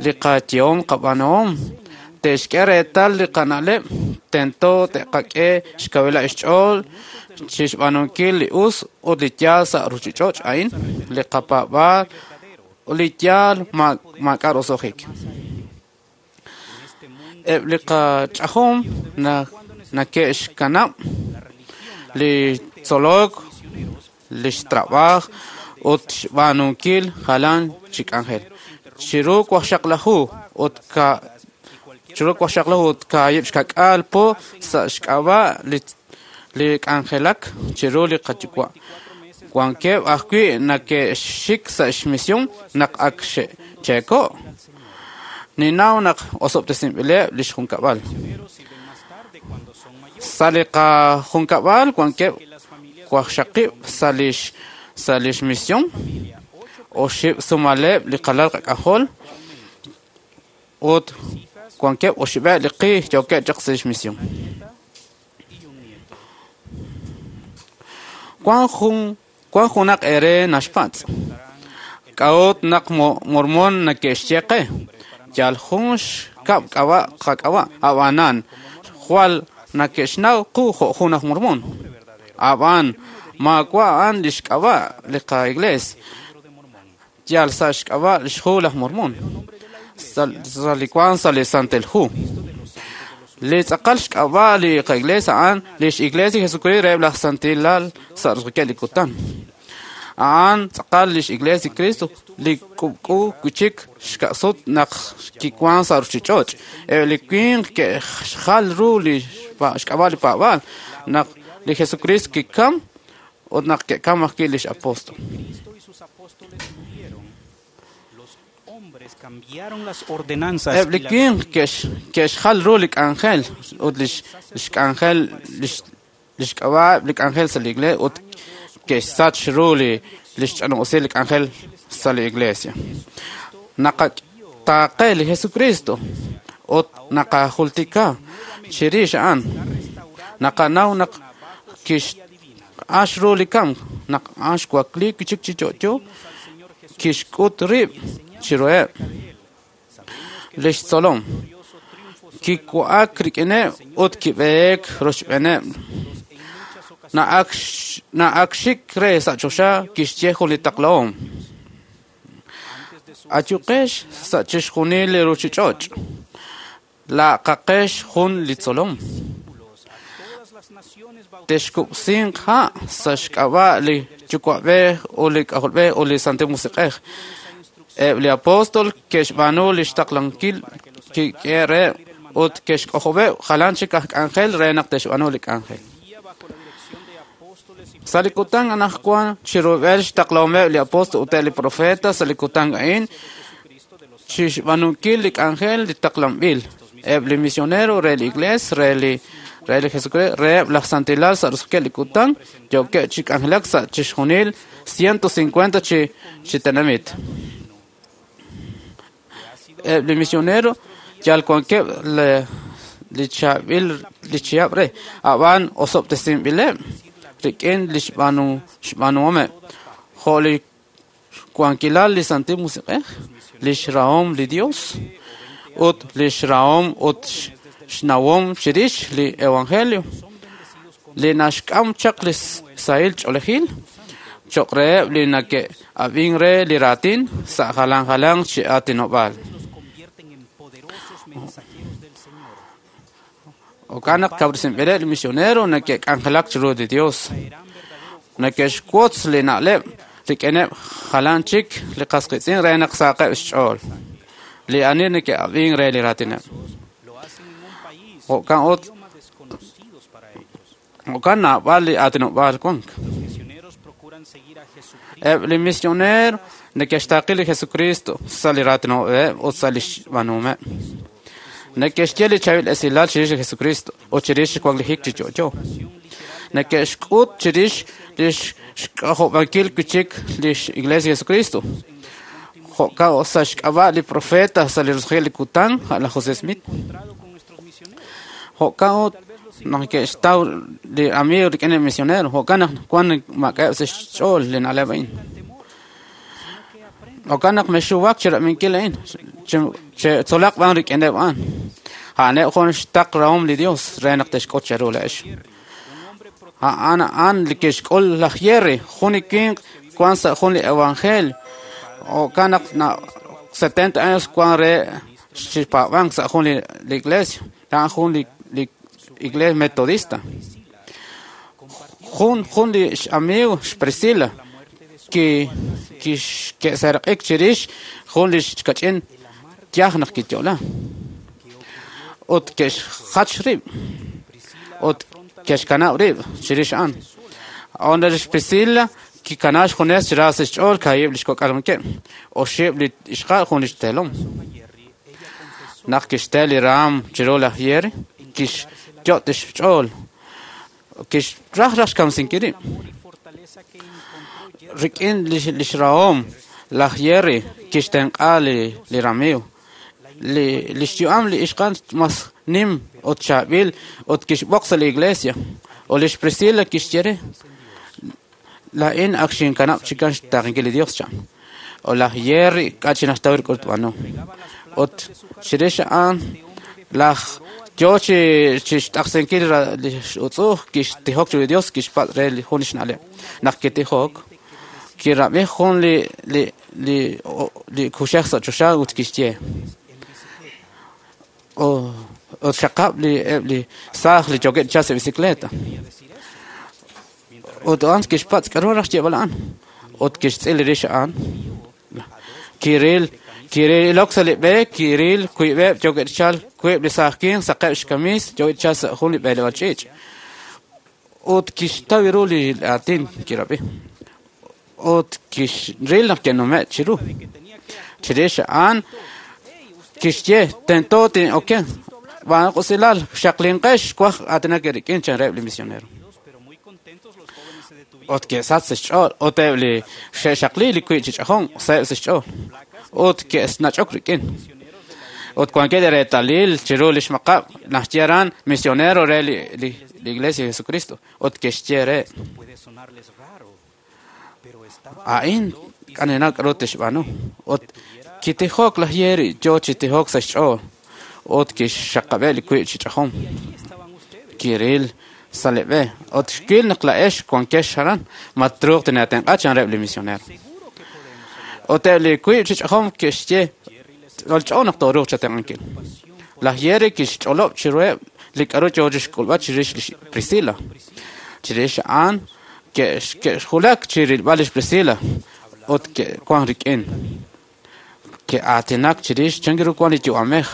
li qayehom qab'aanuhom te'xk'e reetal li qana'leb' tento te'qak'e xkawilal xch'ool chixb'aanunkil li us ut li yaal sa' ruchich'och' a'in li qapaab'aal ut li yaal maak'a' roso'jik. Eb' li qach'ajom neke'xkanab' li tzolok, lix trab'aaj ut xb'aanunkil jalan chi k'anjel. Chiru waqxaqlaju ut kaahib' xka'k'aal po sa' xk'ab'a' li k'anjelak chiru li qayuwa'. Wankeb' ajwi' neke'xik sa' xmisión naq ak xe'cheeko'. Ninnaw naq osob'tesinb'ileb' lix junkab'al. Sa' li qajunkab'al wankeb' waqxaqib' sa' lix misión, oxib' sumaleb' li qalal qak'ajol ut wankeb' oxib'eb' li qi yookeb' chaq sa' lix misión. Wan junaq eere naxpatz'. K'a'ut naq Mormon neke'xye qe? Yal jun xkab' k'ab'a' qak'ab'a', ab'anan jwal neke'xnaw qu jo' jun aj Mormon. Ab'an maawa' a'an li xk'ab'a' li qaiglees, yal sa' xk'ab'a' li xhu laj Mormon, sa' li wank sa' li Santil Hu. Li tz'aqal xk'ab'a' li qaiglees a'an lix Iglesia li Jesucristo reheb' laj Santilal sa' roso'jikeb' li kutan. A'an tz'aqal lix Iglesia li Cristo li k'ub'k'u wi'chik xka'sut naq kiwan sa' ruchich'och'. Eb' li winq ke'xjal ru li xk'ab'a' li paab'aal naq li Jesucristo kikam ut naq ke'kam ajwi' lix apóstol. Eb' li winq ke'xjal ru li k'anjel ut lix k'anjel lix k'ab'a' li k'anjel sa' li iglesia ut ke'xsach ru lix ch'anob'sil li k'anjel sa' li iglesia. Naqataaqe li Jesucristo ut naqajultika chirix a'an. Naqanaw naq kixq'ax ru li kamk, naq a'an xwakliik wi'chik chi yo'yo, kixk'ut rib' chiruheb' lix tzolom. Kiwa'ak rik'ineb' ut kib'eek rochb'eeneb'. Na'ak xik re sa' choxa kixye jun li taqlahom. Ayuqex sa' chixjunil li ruchich'och'. Laqaqex jun li tzolom. Texkub'sinq ha' sa' xk'ab'a' li Yuwa'b'ej ut li K'ajolb'ej ut li Santil Musiq'ej. Eb' li apóstol ke'xb'aanu lix taqlankil kik'e reheb' ut ke'xk'ojob'eb' jalan chik aj k'anjel re naq te'xb'aanu li k'anjel. Sa' li kutan anaqwan chirub'el xtaqlahomeb' li apóstol ut eb' li profeta sa' li kutan a'in chixb'aanunkil li k'anjel li taqlanb'il. Eb' li misionero re li iglees re li Jesucristo reheb' laj santilal sa' roso'jikeb' li kutan yookeb' chi k'anjelak sa' chixjunil 150 chi tenamit. Eb' li misionero yal wankeb' li chaab'il li chihab' re, ab'an osob'tesinb'ileb' rik'in li xb'aanuhomeb', jo' li xwankilal li Santil Musiq'ej, lix rahom li Dios, ut lix rahom ut xnawom chirix li Evangelio, li naxk'am chaq li sahil ch'oolejil cho'q reheb' li neke'ab'ink re li raatin sa' jalan jalanq chi aatinob'aal. Jo'kan naq kawresinb'ileb' li misionero neke'k'anjelak chiru li Dios, neke'xwotz li na'leb' rik'ineb' jalan chik li qas qiitz'in re naq saqeb' xch'ool, li ani neke'ab'ink re li raatineb'. Jo'kan ut jo'kan naab'al li aatinob'aal wank. Eb' li misioneer neke'xtaaqi li Jesucristo sa' li raatinob'eb' ut sa' li xb'aanuhomeb'. Neke'xye li chaab'il esilal chirix li Jesucristo ut chirix xwaklijik chi yo'yo. Neke'xk'ut chirix lix xk'ojob'ankil wi'chik lix Iglesia Jesucristo. Jo'kan sa' xk'ab'a' li profeta sa' li roso'jikeb' li kutan, a' laj José Smith. Jo'kan ut naq ke'xtaw li amigo rik'in li misionero, jo'kan naq wan maak'a'eb' sa' xch'ool li na'leb' a'in. Jo'kan naq mexuwak chirab'inkil a'in, che'tzolaq b'an rik'ineb' a'an. A'aneb' jun xtaq rahom li Dios re naq te'xk'ut cheru laa'ex. A'an a'an li ke'xk'ul laj Jerry, jun li winq wan sa' jun li evangelio. Jo'kan naq 70 años wan re xpaab'ank sa' jun li iglesia, a'an jun li iglesia metodista. Jun li amigo xPriscila ke'seraq'ik chirix jun li xkach'in yaj naq kiyo'la. Ut ke'xjach rib' ut ke'xkanab' rib' chirix a'an. Onda lix Priscila kikana xjunes chi ra sa' xch'ool kaahib' lix kok'al wankeb', oxib' li ixqa'al jun lix teelom. Naq kixte li raam chiru laj Jerry, kixyot' xch'ool, kixraj raj xkamsinkil rib'. Rik'in lix rahom laj Jerry kixtenq'a li ramiiw. Lix yu'am li ixqa'al mas nim ut chaab'il ut kixb'oq sa' li iglesia. Ut lix Priscila kixye re, Laa'in ak xinkanab' chikan xtaaqenkil li Dios, chan. Ut laj Jerry k'a' chi naxtaw ru k'a'ru tb'aanu. Ut chirix a'an laj yoo chi chixt'aqsinkil lix utz'u'uj kixtijok chiru li Dios kixpatz' re li jun lix na'leb'. Naq kitijok, kirab'i jun li li li li kuxej sa' choxa ut kixye, Ut xaqab' li eb' li saaj li yookeb' chi chalk sa' bicicleta. Ut a'an kixpatz' k'a'ru raj xyeeb'al a'an. Ut kixtz'il rix a'an. Kiril kirilok sa' li b'e, kiril wiib'eb' yookeb' chi chalk, wiib' li saaj winq saqeb' xkamiis yookeb' chi chalk sa' jun li b'eleb'aal ch'iich'. Ut kixtaw ru li aatin kirab'i. Ut kixril naq ke'nume' chiru. Chirix a'an kixye, Tento tin'okenq. B'aanaq usilal, xaqlinqex, xwaj aatinak eerik'in, chan reheb' li misionero. Ut ke'sach sa' xch'ool, ut eb' li xe'xaqli li wiib' chi ch'ajom saheb' sa' xch'ool, ut ke'nach'ok rik'in. Ut wankeb' li reetalil chiru lix maqab' naxye aran misionero re li li Iglesia de Jesucristo, ut ke'xye re, A'in k'anjenaq k'a'ru tixb'aanu. Ut kitijok laj Jerry yoo chi tijok sa' xch'ool, ut kixxaqab'eb' li wiib' chi ch'ajom. Kiril sa' li b'e, ut xwil naq laa'ex wankex aran, ma truuq tineetenq'a, chan reheb' li misioneer. Ut eb' li wiib' chi ch'ajom ke'xye, Ch'olch'o naq tooruuq chatenq'ankil. Laj Jerry kixch'olob' chiruheb' li k'a'ru yoo chixk'ulb'al chirix li xPriscilla. Chirix a'an ke'xwulak chi rilb'al li xPriscilla ut ke'wan rik'in. Ke'aatinak chirix chan ru wan li yu'amej,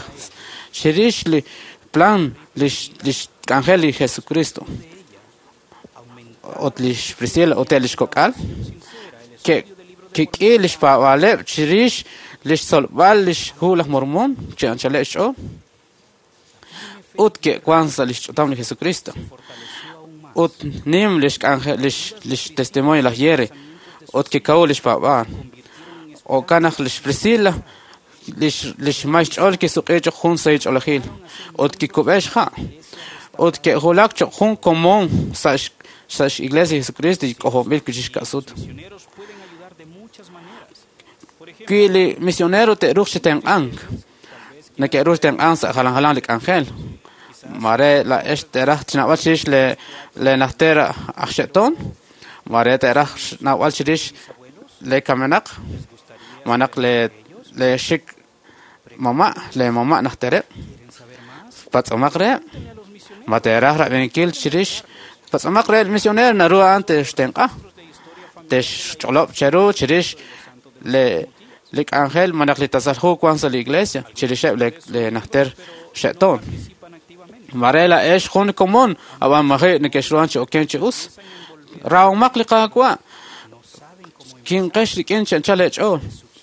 chirix li plan lix lix k'anjel li Jesukristo. Ut li xPriscilla ut eb' lix kok'al ke'k'i lix paab'aaleb' chirix lix tzolb'al lix Hu laj Mormon chi anchaleb' xch'ool ut ke'wan sa' lix ch'utam li Jesukristo. Ut nim lix k'anjel lix lix testimonio laj Jerry ut kikawu lix paab'aal. Jo'kan naq lix Priscilla lix lix may xch'ool kisuq'i choq' jun sahil ch'oolejil ut kikub'e xha' ut ke'wulak choq' jun komon sa' sa' x-Iglesia li Jesucristo li k'ojob'anb'il wi'chik xka'sut. Wi li misionero te'ruuq chi tenq'ank, neke'ru chi tenq'ank sa' jalan jalanq li k'anjel. Maare laa'ex teeraj xnawb'al chirix lee lee najter aj xe'toon, maare teeraj xnawb'al chirix lee kamenaq, malaj lee lee xik mama', lee mama' najtereb'. Patz'omaq reheb'. Ma teeraj rab'inkil chirix? Patz'omaq reheb' li misioneer, naru a'an texxtenq'a. Texch'olob' cheru chirix le li k'anjel malaj li tasal hu wan sa' li iglesia chirixeb' le lee najter xe'toon. Maare laa'ex jun komon, ab'an maji' nekexruhan chi okenk chi us. Rahomaq li Qaawa'. Kimqex rik'in chi anchal eech'ool.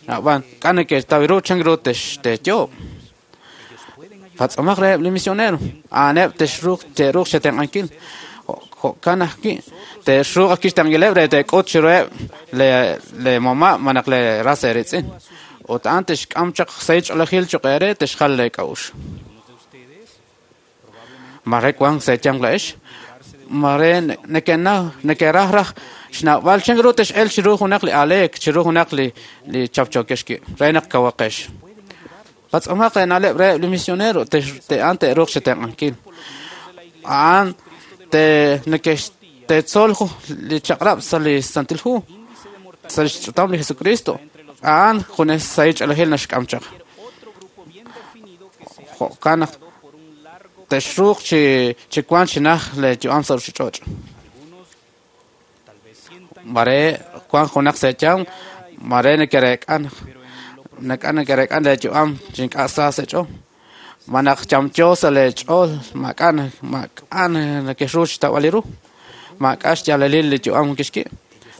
Ab'an k'a' neke'xtaw ru chan ru texteeyoob'. Patz'omaq reheb' li misionero, a'aneb' texruuq te'ruuq chetenq'ankil. Jo'kan ajwi' te'ruuq ajwi' xtenq'ankileb' re teek'ut chiruheb' lee lee mama' malaj lee ras eeriitz'in. Ut a'an tixk'am chaq sahil ch'oolejil choq' eere texjal lee k'a'uxl. Maare wank sa' eeyanq laa'ex, maare nekenaw nekeraj raj xnawb'al chan ru tex'elq chiru junaq li aaleek, chiru junaq li li chapchookex wi', re naq kawaqex. Patz'omaq eena'leb' reheb' li misionero, a'an te'ruuq chetenq'ankil. A'an te nekex teetzol li chaq'rab' sa' li Santil Hu, sa' lix ch'utam li Jesukristo. A'an junes sahil ch'oolejil naxk'am chaq. Jo'kan naq texruuq chi chi wank chi najt lee yu'am sa' ruchich'och'. Maare wank junaq sa' eeyanq, maare nekereek'a naq ink'a' nekereek'a lee yu'am chi ink'a' sa sa' eech'ool. Malaj yamyo sa' lee ch'ool, maak'a' maak'a' nekexru xtawb'al ru, maak'a' xyaalalil li yu'am kixki'.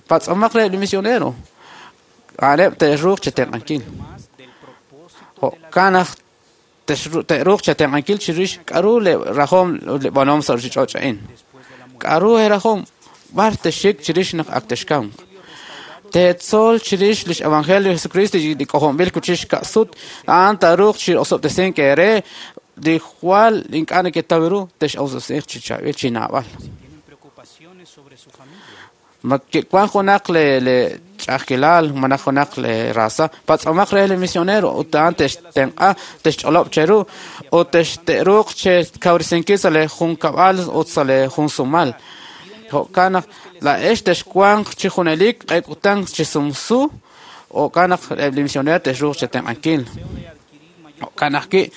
Patz'omaq reheb' li misionero, a'aneb' te'ruuq chetenq'ankil. Jo'kan naq te'ruuq chetenq'ankil chirix k'a'ru lee rajom ut lee b'aanuhom sa' ruchich'och' a'in. K'a'ru eerajom? B'ar texxik chirix naq ak texkamq? Teetzol chirix lix evangelio li Jesukristo li k'ojob'anb'il wi'chik xka'sut, a'an taaruuq chi osob'tesink eere li jwal ink'a' neketaw ru, tex'osob'tesiiq chi chaab'il, chi naab'al. Ma kiwank junaq le ch'a'ajkilal malaj junaq le raza patz'omaq re li misionero ut a'an textenq'a texch'olob' cheru ut texte'ruuq chekawresinkil sa' le junkab'al ut sa' le junsumal. Jo'kan naq laa'ex texwanq chi junelik q'e kutan chi sumsu jo'kan naq eb' li misionero texruuq chetenq'ankil. Jo'kan ajwi'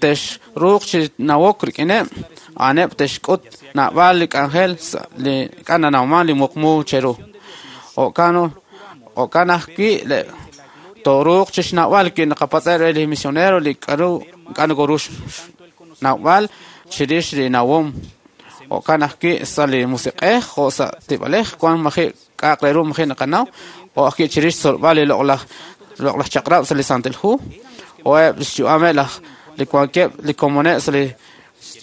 texruuq chi nawok rik'ineb' a'aneb' texk'ut naab'al li k'anjel li k'a nanawman li muqmu cheru. Jo'kan ajwi' tooruuq chi xnawb'al wi naqapatz'eb' re li misionero li k'a'ru k'a' nokoru xnawb'al chirix li nawom. Jo'kan ajwi' sa' li musiq'ej jo' sa' tib'alej wan maji' k'a'aq re ru maji' naqanaw jo' ajwi' chirix xtzolb'al li loq'laj chaq'rab' sa' li Santil Hu o eb' xyu'ameb' laj li wankeb' li komoneb' sa' li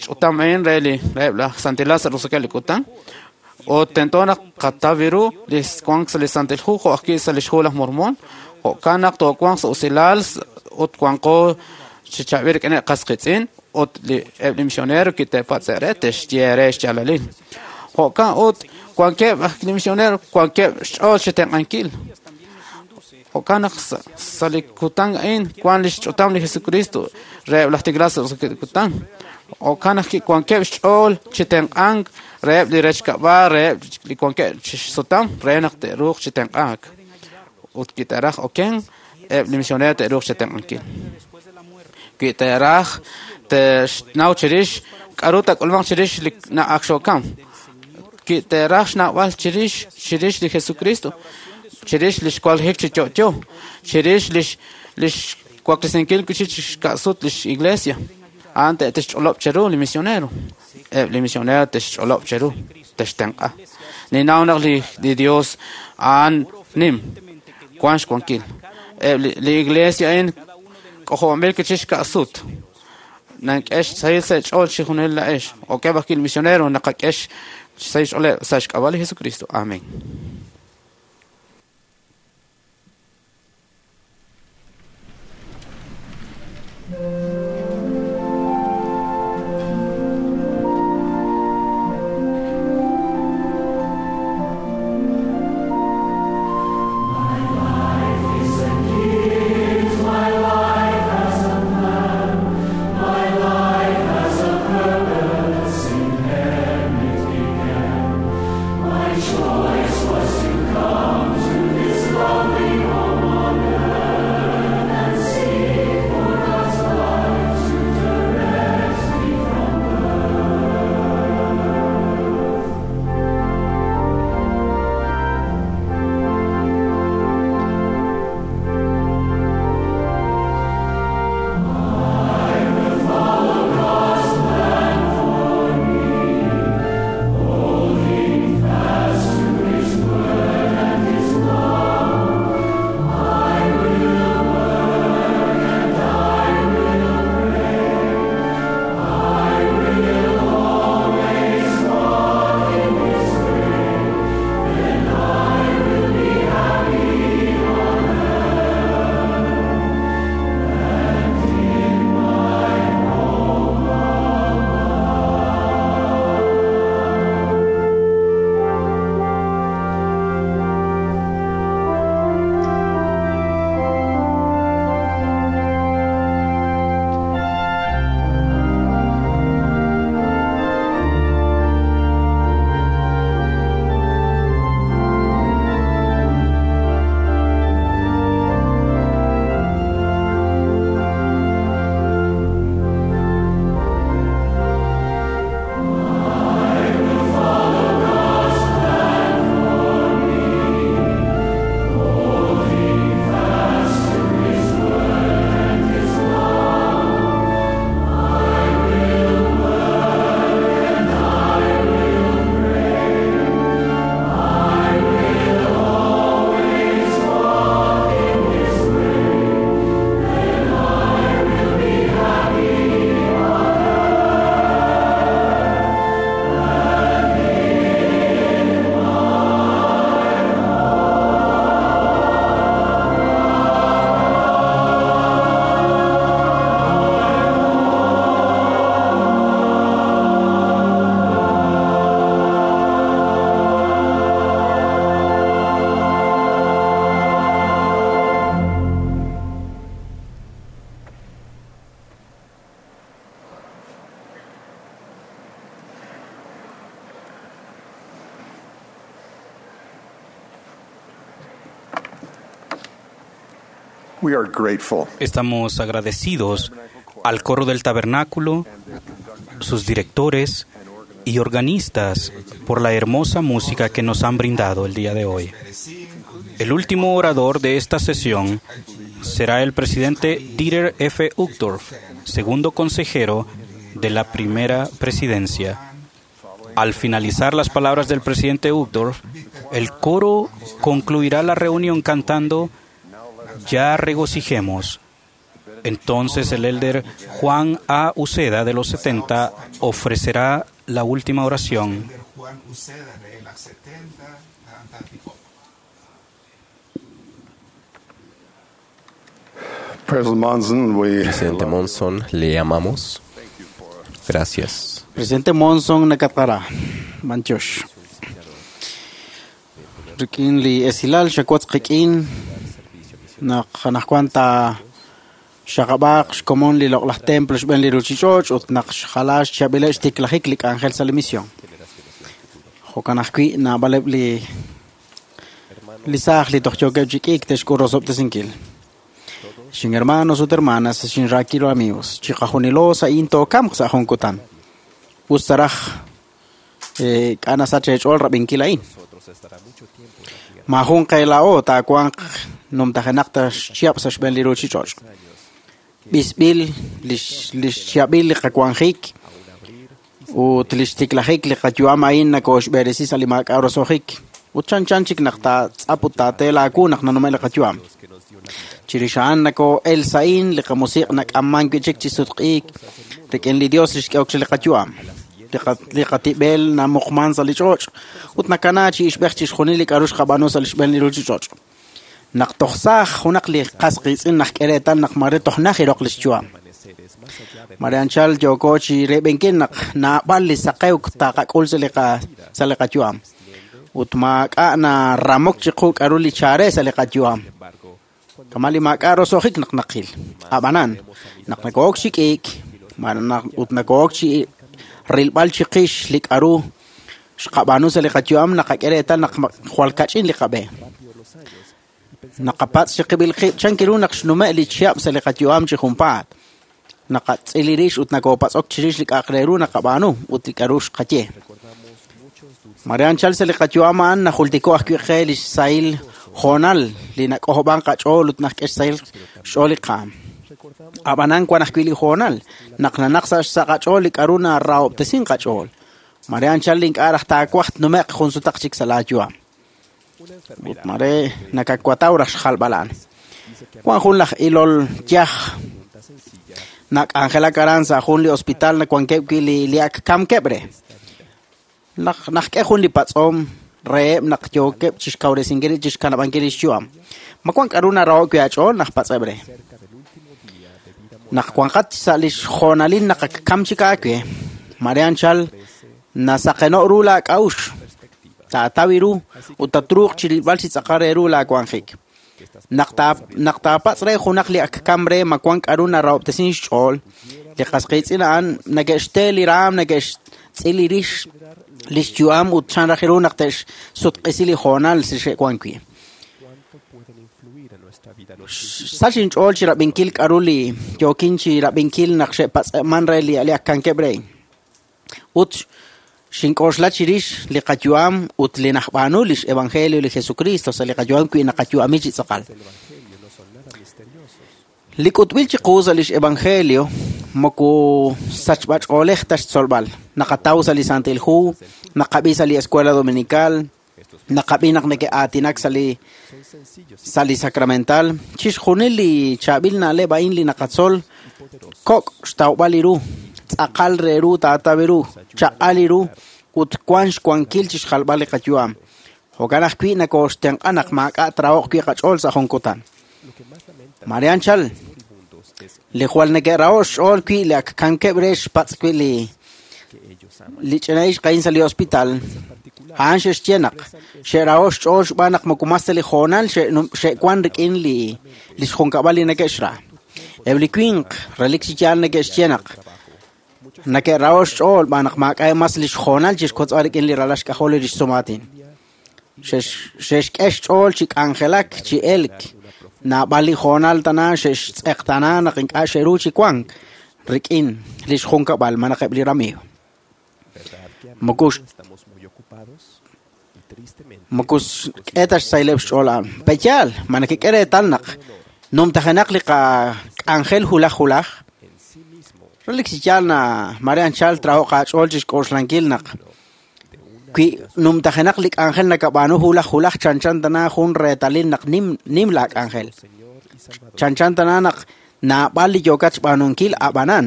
ch'utam a'in re li reheb' laj santilal sa' roso'jikeb' li kutan ut tento naq qataw ru li wank sa' li Santil Hu jo' ajwi' sa' li xhu laj Mormon. Jo'kan naq toowanq sa' usilal ut wanqo chi chaab'il rik'ineb' qas qiitz'in ut eb' li misionero kite'patz'e' re te'xye re xyaalalil. Jo'kan ut wankeb' li misionero wankeb' xch'ool chi tenq'ankil. Jo'kan naq sa' li kutan a'in wan li xch'utam li Jesucristo reheb' laj tiikilal sa' roso'jikeb' li kutan. Jo'kan naq wankeb' xch'ool chi tenq'ank reheb' li rechkab'al reheb' li wankeb' chi xsutam re naq te'ruuq chi tenq'aak. Ut wi te'raj oken eb' li misionero te'ruuq chi tenq'ankil. Wi te'raj te'xnaw chirix k'a'ru taak'ulmanq chirix li na'ak xokam. Wi te'raj xnawb'al chirix li Jesucristo, chirix li xwanjik chi yo'yo, chirix li xwaklesinkil chi xka'sut li xiglesia, a'an te'xch'olob' cheru li misionero. Eb' li misionero te'xch'olob' cheru, te'xtenq'a. Ninnaw naq li Dios a'an nim, wan xwankil. Eb' li iglesia a'in k'ojob'anb'il chi xka'sut. Nank'e xsahil sa' xch'ool chi junel la'ex. Okeb' ajwi' li misionero naqak'e xsahil xch'ooleb' sa' xk'ab'a' li Jesucristo. Amén. My choice was We are grateful. Estamos agradecidos al coro del tabernáculo, sus directores y organistas por la hermosa música que nos han brindado el día de hoy. El último orador de esta sesión será el presidente Dieter F. Uchtdorf, segundo consejero de la primera presidencia. Al finalizar las palabras del presidente Uchtdorf, el coro concluirá la reunión cantando Ya regocijemos. Entonces el elder Juan A. Uceda de los 70 ofrecerá la última oración. Juan Uceda de las 70, President Monson, we Presidente Monson, le amamos. Gracias. Presidente Monson nakatara manchosh. Rikin li esilal xakwatz qikin naq naqwanta xaqabaq xkomon li loq'laj templo xb'en li ruchich'och ut naq xjalax xchab'ileb' xtiklajik li k'anjel sa' li misión. Jo'kan ajwi' naab'aleb' li li saaj li toj yookeb' chi k'iik texk'ul rosob'tesinkil. Xin hermanos ut hermanas, xin rakilo amigos, chiqajunilo sa'in tookamq sa' jun kutan. Us saraj k'ana sa' chech'ool rab'inkil a'in. Majun qeela'o taawanq numtajenaq ta xchiab' sa' xb'een li ruchich'och'. B'isb'il lix xchiab'il li qawanjik ut lix tiklajik li qayu'am a'in nakooxb'eresi sa' li maak'a' roso'jik. Ut chanchan chik naq taatz'ap ut taatee laawu naq nanume' li qayu'am. Chirix a'an nakoo'el sa'in li qamusiq' nak'amman wi' chik chi sutq'iik rik'in li Dios li xk'ehok che li qayu'am. Li qatib'el namuqman sa' li ch'och' ut nakana chi ixb'ej chixjunil li k'a'ru xqab'aanu sa' li xb'een li ruchich'och'. Naq toj saaj junaq li qas qiitz'in naq k'e reetal naq mare toj naj iroq li xyu'am. Mare anchal yooko chi reb'enkil naq naab'al li saqewk taqak'ul sa' li qayu'am. Ut maak'a' naramok chiqu k'a'ru li chare sa' li qayu'am. Kama li maak'a' roso'jik naq naqil. Ab'anan, naq nakook chi k'iik, ut nakook chi rilb'al chiqix li k'a'ru xqab'aanu sa' li qayu'am naqak'e reetal naq jwal kach'in li qab'e. Naqapatz' chiqib'il qib' chan kiru naq xnume' li chihab' sa' li qayu'am chi junpaat. Naqatz'il li rix ut nakopatz'ok chirix li k'a'aq re ru naqab'aanu ut li k'a'ru xqaye. Mare anchal sa' li qayu'am a'an najultiko ajwi' qe li xsahil hoonal li nak'ojob'an qach'ool ut naqk'e xsahil xch'ool li qaam. Ab'anan wan ajwi' li hoonal naq nanaq sa' xsa' qach'ool li k'a'ru narahob'tesin qach'ool. Mare anchal li ink'a' raj taawaj tnume'q jun sutaq chik sa' laayu'am. Ut mare nakakwataw raj xjalb'al a'an. Wan jun laj ilol yaj nak'anjelak aran sa' jun li hospital nawankeb' wi' li ak kamkeb' re. Naq k'e jun li patz'om reheb' naq yookeb' chixkawresinkil chixkanab'ankil li xyu'am. Ma wan k'a'ru naraho'k wi' aach'ool naq patz'eb' re. Naq wanqat sa' li xjoonalil naq ak kam chik aawe, mare anchal nasaqeno' ru laak'a'uxl, taataw ru ut tatruuq chi rilb'al chi tz'aqal re ru laawanjik. Naq taapatz' re junaq li ak kam re ma wan k'a'ru narahob'tesin xch'ool, li qas qiitz'in a'an neke'xte li raam, neke'xtz'il li rix li xyu'am ut chan raj ru naq te'xsutq'isi li hoonal si xe'wan wi'. Sach inch'ool chi rab'inkil k'a'ru li yookin chi rab'inkil naq xe'patz'e'man re li ak kankeb' re. Ut xink'oxla chirix li qayu'am ut li najb'aanu lix evangelio li Jesucristo sa' li qayu'am wi' naqayu'ami chi tz'aqal. Li k'utb'il chiqu sa' lix evangelio moko sachb'ach'oolej ta xtzolb'al. Naqataw sa' li Santil Hu, naqab'i sa' li Escuela Dominical, naqab'i naq neke'aatinak sa' li sacramental. Chixjunil li chaab'il na'leb' a'in li naqatzol kok' xtawb'al li ru, tz'aqal re ru taataw ru, chaq'al li ru ut wan xwankil chixjalb'al li qayu'am. Jo'kan ajwi' nakooxtenq'a naq maak'a' traho'q wi' qach'ool sa' jun kutan. Mare anchal, li jwal neke'raho' xch'ool wi' li ak kankeb' re xpatz' wi' li ch'ina ixq a'in sa' li hospital, a'an xe'xye naq xe'raho' xch'ool xb'aan naq moko mas ta li hoonal xe'wan rik'in li xjunkab'al li neke'xra. Eb' li winq relik chi yaal neke'xye naq neke'raho' xch'ool b'aan naq maak'a' mas li xhoonal chixkotz'b'al rik'in li ralal xk'ajol li rix sumaatin. Xe'xk'e xch'ool chi k'anjelak, chi elk, Naab'al li hoonal tana xe'xtz'eqtaana naq ink'a' xe'ru chi wank rik'in lix junkab'al malaj eb' li ramiiw. Moko xk'e ta xsahileb' xch'ool a'an. Pe'yaal, ma nakek'e reetal naq numtajenaq li qak'anjel hulaj hulaj? Relik chi yaal na mare anchal traho'q aach'ool chixk'oxlankil naq wi numtajenaq li k'anjel nakab'aanu hulaj hulaj chanchan tana jun reetalil naq nim nim laak'anjel. Chanchan tana naq naab'al li yookat xb'aanunkil ab'anan.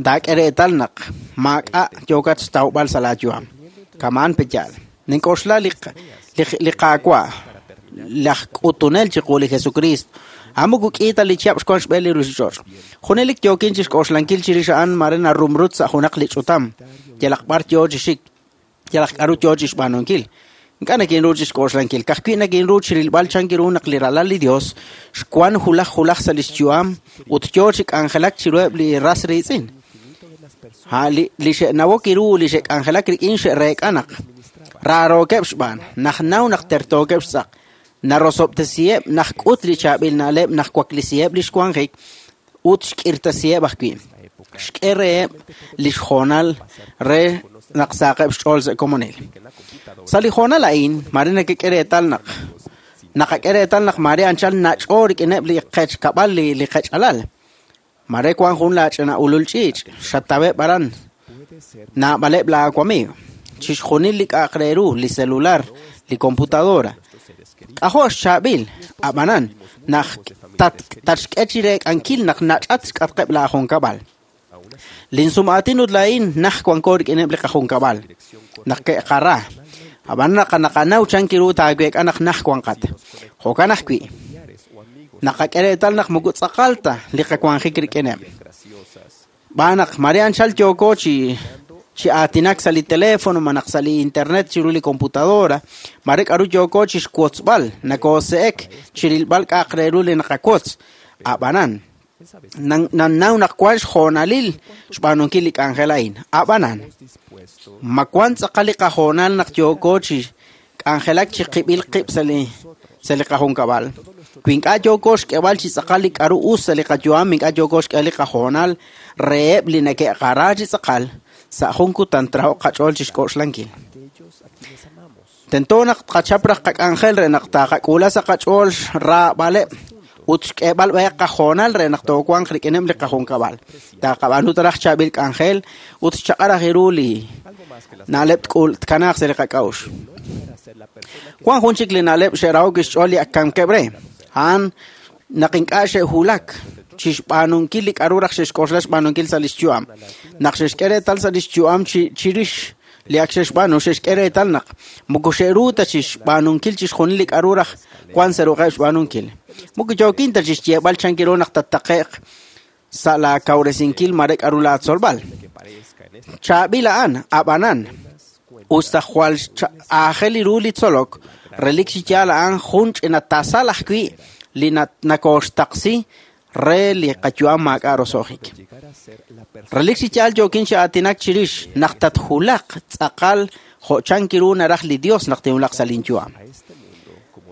Taak'e reetal naq maak'a' yookat xtawb'al sa' laayu'am. Kamaan pe'yaal. Nink'oxla li li Qaawa', laj k'utunel chiqu li Jesucristo. A'an moko k'i ta li chihab' xwank xb'een li ruuchich'och'. Junelik yookin chixk'oxlankil chirix a'an mare narumrut sa' junaq li ch'utam, yalaq b'ar yoo chi xik, yalaq k'aru yoo chixb'aanunkil. Ink'a' nakinru chixk'oxlankil, ka'ajwi' nakinru chirilb'al chan ru naq li Ralal li Dios xwank hulaj hulaj sa' lix yu'am ut yoo chi k'anjelak chiruheb' li ras riitz'in. Ha li li xe'nawok ru li xe'k'anjelak rik'in xe'reek'a naq raarookeb' xb'aan, naj naw naq tertookeb' xtz'aq, narosob'tesiheb' naj k'ut li chaab'il na'leb' naj waklisiheb' li xwanjik ut xk'irtasiheb' ajwi'. Xk'e reheb' li xhoonal re naq saaqeb' xch'ool sa' komonil. Sa' li hoonal a'in, mare nakek'e reetal naq naqak'e reetal naq mare anchal nach'o rik'ineb' li qechkab'al li li qech'alal. Mare wank jun laach'ina ulul ch'iich', xataweb' aran, naab'aleb' laawamiiw. Chixjunil li k'a'aq re ru, li celular, li computadora. K'ajo' xchaab'il, ab'anan, naq tatxk'e chi reek'ankil naq nach'at xk'atqeb' laajunkab'al. Linsum'aatin ut laa'in naj wanko rik'ineb' li qajunkab'al, naq ke'qara. Ab'an naq naqanaw chan ru taaweek'a naq naj wanqat. Jo'kan ajwi', naqak'e reetal naq moko tz'aqal ta li qawanjik rik'ineb'. B'aan naq mare anchal yooko chi chi aatinak sa' li teléfono malaj sa' li internet chiru li computadora, mare k'aru yooko chixwotzb'al, nakoose'ek chirilb'al k'a'aq re ru li naqawotz. Ab'anan, nannaw naq wank xhoonalil xb'aanunkil li k'anjel a'in. Ab'anan, ma wank tz'aqal li qahoonal naq yooko chi k'anjelak chi qib'il qib' sa' li sa' li qajunkab'al. Wi ink'a' yooko xk'eb'al chi tz'aqal li k'aru us sa' li qayu'am, ink'a' yooko xk'eb'al li qahoonal reheb' li neke'qara chi tz'aqal, sa' jun kutan traho'q qach'ool chixk'oxlankil. Tento naq tqachap raj qak'anjel re naq taqak'uula sa' qach'ool xraab'aleb' ut xk'eeb'al b'ayaq qahoonal re naq toowanq rik'ineb' li qajunkab'al. Taqab'aanu ta raj chaab'il k'anjel ut xchaq'al raj ru li na'leb' tk'ul tkanaaq sa' li qak'a'uxl. Wank jun chik li na'leb' xe'rahok xch'ool li ak kamkeb' re. A'an naq ink'a' xe'hulak chixb'aanunkil li k'aru raj xe'xk'oxla xb'aanunkil sa' lix yu'am. Naq xe'xk'e reetal sa' lix yu'am chi chirix li ak xe'xb'aanu, xe'xk'e reetal naq moko xe'ru ta chixb'aanunkil chixjunil li k'aru raj wank sa' ruq'eb' xb'aanunkil. Moko yookin ta chixyeeb'al chan ru naq tattaqe'q sa' laakawresinkil mare k'aru laatzolb'al. Chaab'il a'an, ab'anan, us ta jwal aajel ru li tzolok, relik chi yaal a'an jun ch'ina tasal ajwi' li nakooxtaqsi re li qayu'am maak'a' roso'jik. Relik chi yaal yookin chi aatinak chirix naq tathulaq tz'aqal jo' chan ru naraj li Dios naq tinwulaq sa' linyu'am.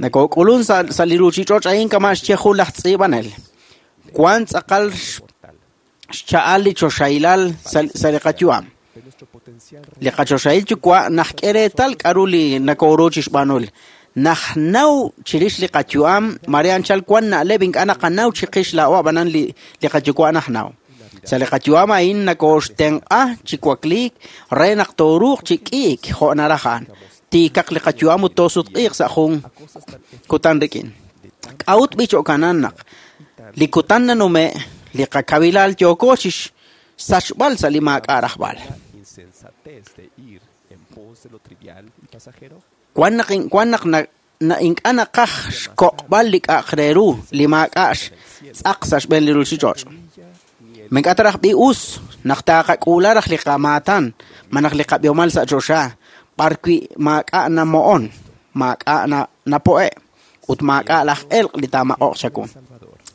Nakook'ulun sa' li ruuchich'och' a'in kama' xye jun laj tz'iib'anel. Wank tz'aqal xcha'al li choxahilal sa' li qayu'am. Li qachoxahil yuwa' najk'e reetal k'aru li nakooru chixb'aanul. Najnaw chirix li qayu'am, mare anchal wank na'leb' ink'a' naqanaw chiqix laa'o ab'anan li li qayuwa' najnaw. Sa' li qayu'am a'in nakooxtenq'a chi wakliik re naq tooruuq chi k'iik jo' naraj a'an. Tiikaq li qayu'am ut toosutq'iiq sa' jun kutan rik'in. K'a'ut b'i jo'kanan naq li kutan nanume' li qakawilal yooko chixsachb'al sa' li maak'a' rajb'al. Wank naq wank naq na ink'a' naqaj xkoq'b'al li k'a'aq re ru li maak'a' xtz'aq sa' xb'een li ruuchich'och'. Ma ink'a' ta raj b'i us naq taqak'uula raj li qamaatan malaj li qab'ihomal sa' choxa b'arwi' maak'a' namo'on, maak'a' napo'e' ut maak'a' laj elq' li taamaq'oq chawu.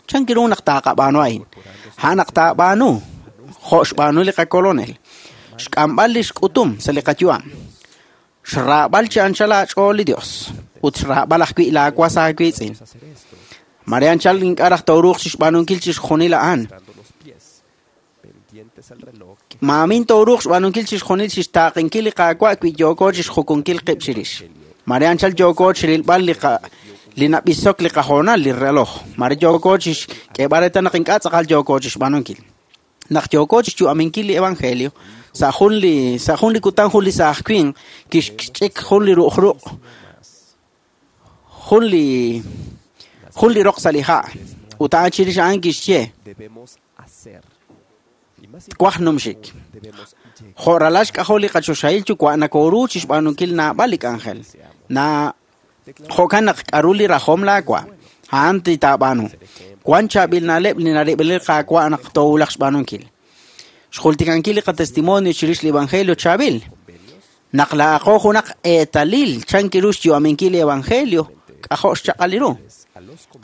Chan ru naq taqab'aanu a'in? A'an naq taab'aanu jo' xb'aanu li qakolonel. Xk'amb'al li xk'utum sa' li qayu'am. Xraab'al chi anchal aach'ool li Dios. ut xraab'al ajwi' laawas aawiitz'in. Mare anchal ink'a' raj tooruuq chixb'aanunkil chixjunil a'an. Maamin tooruuq xb'aanunkil chixjunil chixtaaqinkil li Qaawa' wi yooko chixjukunkil qib' chirix. Mare anchal yooko chirilb'al li nab'isok li qahoonal li reloj. Mare yooko chixk'eeb'al reetal naq ink'a' tz'aqal yooko chixb'aanunkil. Naq yooko chixyu'aminkil li evangelio, sa' jun li kutan jun li saaj winq kixch'ik jun li ru'uj jun li roq sa' li ha' ut a'an chirix a'an kixye twaj numxik. Jo' ralal xk'ajol li qachoxahil yuwa' nakooru chixb'aanunkil naab'al li k'anjel. Jo'kan naq k'aru li rajom laawa' a'an titaab'aanu. Wan chaab'il na'leb' li narib'il li Qaawa' naq toowulaq xb'aanunkil. Xjultikankil li qatestimonio chirix li evangelio chaab'il. Naq laaqo junaq eetalil chan kiru xyu'aminkil li evangelio k'ajo' xchaq'al ru.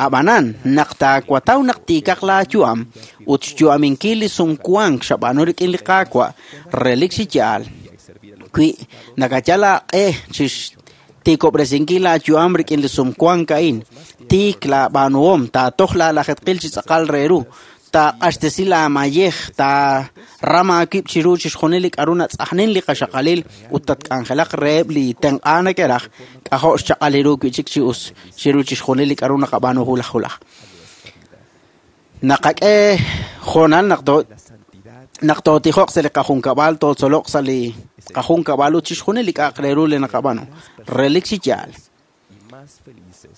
Ab'anan naq taawataw naq tiikaq laayu'am ut xyu'aminkil li sumwank xab'aanu rik'in li Qaawa' relik chi yaal. Wi nakayal aaq'e chixtiikob'resinkil laayu'am rik'in li sumwank a'in, tiik laab'aanuhom, taatoj laalajetqil chi tz'aqal re ru, taaq'axtesi laamayej, taaram aawib' chiru chixjunil li k'aru natz'ajnin li qaxaqalil ut tatk'anjelaq reheb' li tenq'a neke'raj k'ajo' xchaq'al ru wi'chik chi us chiru chixjunil li k'aru naqab'aanu hulaj hulaj. Naqak'e hoonal naq tootijoq sa' li qajunkab'al, tootzoloq sa' li qajunkab'al ut chixjunil li k'a'aq re ru li naqab'aanu. Relik chi yaal.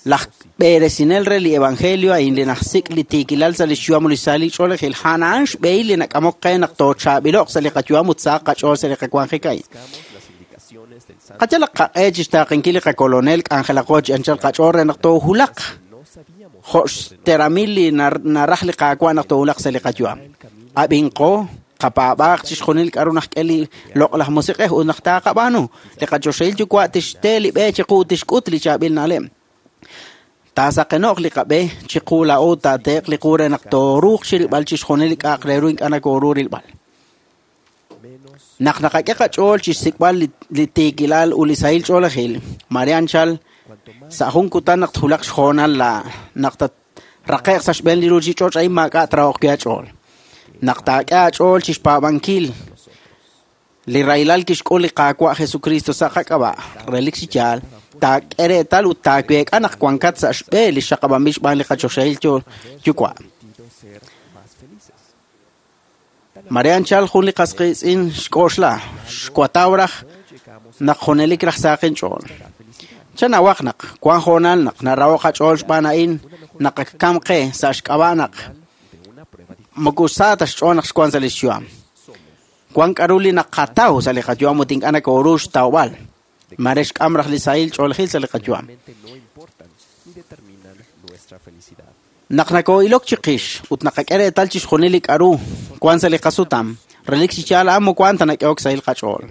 Laj b'eresinel re li evangelio a'in li najsik' li tiikilal sa' li xyu'am li sa' li ch'oolejil a'an xb'ehil li nak'amok qe naq toochaab'ilo'q sa' li qayu'am ut sahaq qach'ool sa' li qawanjik a'in. Qayalaq qaq'e chixtaaqinkil li qakolonel k'anjelaqo chi anchal qach'ool re naq toohulaq jo' xteramil li naraj li Qaawa' naq toohulaq sa' li qayu'am. Ab'inqo qapaab'aaq chixjunil k'aru najk'e li loq'laj musiq'ej ut naq taaqab'aanu. Li qachoxahil yuwa' tixte li b'e chiqu ut tixk'ut li chaab'il na'leb'. Taasaqeno'q li qab'e chiqu laa'o taateeq li qu re naq tooruuq chirilb'al chixjunil li k'a'aq re ru ink'a' nakooru rilb'al. Naq naqak'e qach'ool chixsik'b'al li tiikilal ut li sahil ch'oolejil, mare anchal sa' jun kutan naq tjulaq xhoonal naq tatraqe'q sa' xb'een li ruuchich'och' a'in maak'a' trahoq wi' aach'ool. Naq taak'e aach'ool chixpaab'ankil li rahilal kixk'ul li Qaawa' Jesucristo sa' qak'ab'a', relik chi yaal, taak'e reetal ut taaweek'a naq wankat sa' xb'e li xaqab'anb'il xb'aan li qachoxahil yuwa'. Mare anchal jun li qas qiitz'in xk'oxla, xwataw raj naq junelik raj saqin ch'ool. Chanawaq naq wan hoonal naq naraho qach'ool xb'aan a'in naq kam qe sa' xk'ab'a' naq moko sa ta xch'ool naq xwan sa' li xyu'am. Wan k'aru li naqataw sa' li qayu'am ut ink'a' nakooru xtawb'al. Mare xk'am raj li sahil ch'oolejil sa' li qayu'am. Naq nakoo'ilok chiqix ut naqak'e reetal chixjunil li k'aru wan sa' li qasutam, relik chi yaal a'an moko wan ta nak'ehok sahil qach'ool.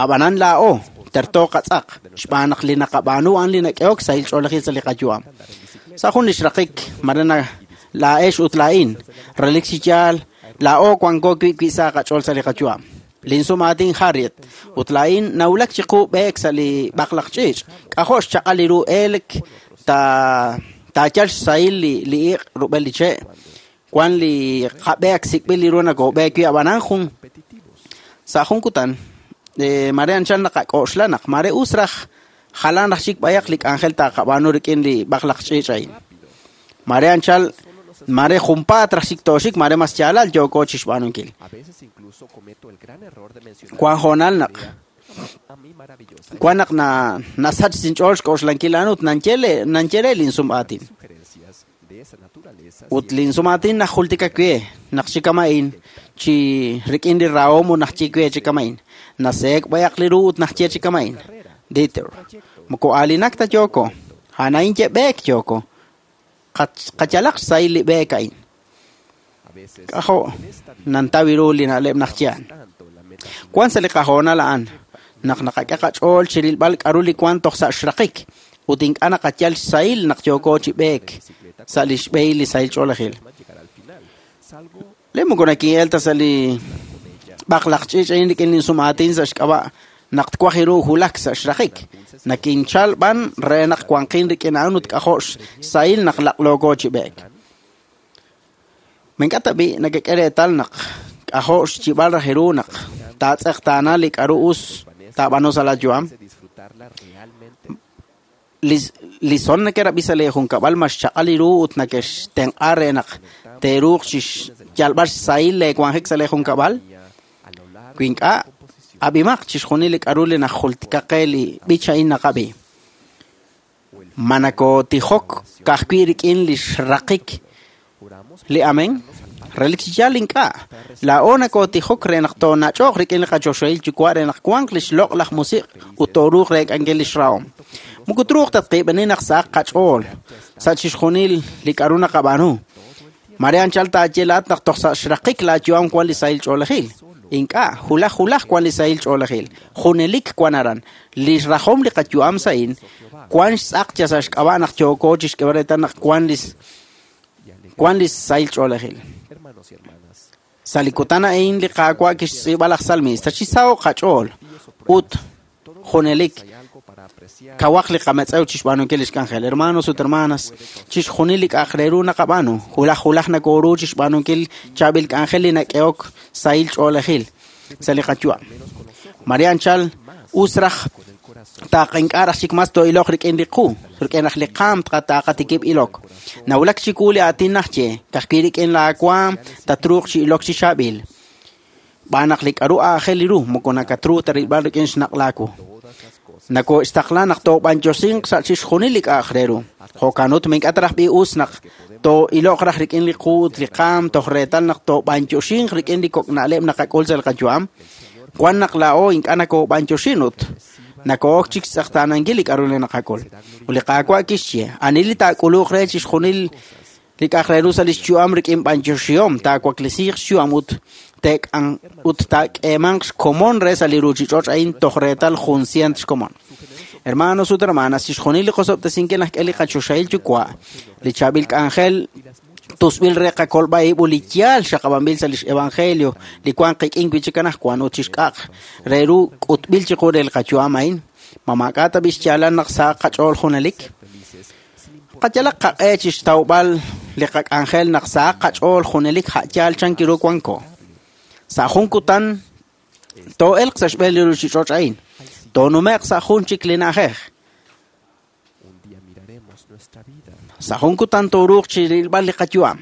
Ab'anan laa'o terto qatz'aq xb'aan naq li naqab'aanu a'an li nak'ehok sahil ch'oolejil sa' li qayu'am. Sa' jun li xraqik mare laa'ex ut laa'in, relik chi yaal laa'o wanko wi' sa' qach'ool sa' li qayu'am. Linsumaatin Harriet ut laa'in nawulak chiqu b'eek sa' li b'aqlaq ch'iich', k'ajo' xchaq'al li ru elk taayal xsahil li iq' rub'el li che', wan li qab'e ak sik'b'il li ru nakoob'eek wi' ab'anan jun sa' jun kutan mare anchal naqak'oxla naq mare us raj jalan raj chik b'ayaq li k'anjel taaqab'aanu rik'in li b'aqlaq ch'iich' a'in. Mare anchal mare junpaat raj chik tooxik mare mas yaalal yooko chixb'aanunkil. Wan hoonal naq wan naq nasach sinch'ool xk'oxlankil a'an ut nanye re linsum'aatin. Ut linsum'aatin najultika we naq chikama'in chi rik'in li rahom ut najye we chikama'in. Naseek b'ayaq li ru ut najye chikama'in. Dieter, moko aalinak ta yooko, a'an ye b'eek yooko. Qayalaq xsahil li b'eek a'in. K'ajo' nantaw ru li na'leb' najye a'an. Wan sa' li qahoonal a'an naq naqak'e qach'ool chirilb'al k'aru li wan toj sa' xraqik ut ink'a' naqayal xsahil naq yooko chi b'eek sa' li xb'ehil li sahil ch'oolejil. Le moko nakin'el ta sa' li b'aqlaq ch'iich' a'in rik'in linsum'aatin sa' xk'ab'a' Naq twaj ru wulak sa' xraqik. Nakinchal b'an re naq wanqin rik'in a'an ut k'ajo' xsahil naq laq'looko chi b'eek. Ma ink'a' tab'i' nakak'e reetal naq k'ajo' xyib'al raj ru naq taatz'eqtaana li k'aru us taab'aanu sa' laayu'am? Li son neke'rab'i sa' leejunkab'al ma xchaq'al ru ut nakextenq'a re naq te'ruuq chi xyalb'al xsahil leewanjik sa' leejunkab'al? Wi ink'a', ab'imaq chixjunil li k'aru li najultika qe li b'ich a'in naqab'i. Ma nakootijok ka'ajwi' rik'in li xraqik li amén? Relik chi yaal ink'a'. Laa'o nakootijok re naq toonach'oq rik'in li qachoxahil Yuwa' re naq wanq li xloq'laj musiq' ut tooruuq reek'ankil li xrahom. Moko truuq tatqiib'eni naq sahaq qach'ool sa' chixjunil li k'aru naqab'aanu. Mare anchal taaye laa'at naq toj sa' xraqik laayu'am wank li sahil ch'oolejil. Ink'a', wulaj wulaj wank li sahil ch'oolejil. Junelik wank aran. Li xrajom li qayu'am sa'in wank xtz'aq yal sa' xk'ab'a' naq yooko chi xk'eeb'al reetal naq wank li sahil ch'oolejil. Sa' li kutan a'in li Qaawa' kixtz'iib'a laj salmista chi saho'q qach'ool ut junelik kawaq li qametz'ew chi xb'aanunkil li xk'anjel. Hermanos ut hermanas, chixjunil li k'a'aq re ru naqab'aanu, wulaj wulaj nakooru chi xb'aanunkil chaab'il k'anjel li nak'ehok sahil ch'oolejil sa' li qayu'am. Mare anchal us raj taaqink'a' raj chik mas too'iloq rik'in li qu, rik'in raj li qaam taqatikib' ilok. Nawulak chiwu li aatin naxye, ka'ajwi' rik'in laawaam tatruuq chi ilok chi chaab'il. Xb'aan naq li k'aru aajel ru moko nakatru ta rilb'al rik'in xnaq' laawu. Nakooxtaqla naq toob'anyoxinq sa' chixjunil li k'a'aq re ru. Jo'kan ut ma ink'a' ta raj b'i us naq too'iloq raj rik'in li qu ut li qaam toj reetal naq toob'anyoxinq rik'in li kok' na'leb' naqak'ul sa' li qayu'am? Wan naq laa'o ink'a' nakoob'anyoxin ut nakoo'ok chik xtz'eqtaanankil li k'aru li naqak'ul. Ut li Qaawa' kixye, ani li taak'uluq re chixjunil li k'a'aq re ru sa' li xyu'am rik'in b'anyoxihom taawaklesiiq xyu'am ut ut taak'eemanq xkomon re sa' li ruuchich'och' a'in toj reetal jun sient xkomon. Hermanos ut hermanas, chixjunil li qosob'tesinkil naxk'e li qachoxahil Yuwa', li chaab'il k'anjel tusb'il re qakolb'a ib' ut li yaal xaqab'anb'il sa' lix evangelio li wank qik'in wi' chik anaqwan ut chixk'a'aq re ru k'utb'il chiqu re li qayu'am a'in. Ma maak'a' tab'i' xyaalal naq sahaq qach'ool junelik? Qayalaq qaq'e chi xtawb'al li qak'anjel naq sahaq qach'ool junelik a' yaal chan ru wanko. Sa' jun kutan too'elq sa' xb'een li ruuchich'och' a'in, toonume'q sa' jun chik li na'ajej. Sa' jun kutan tooruuq chi rilb'al li qayu'am.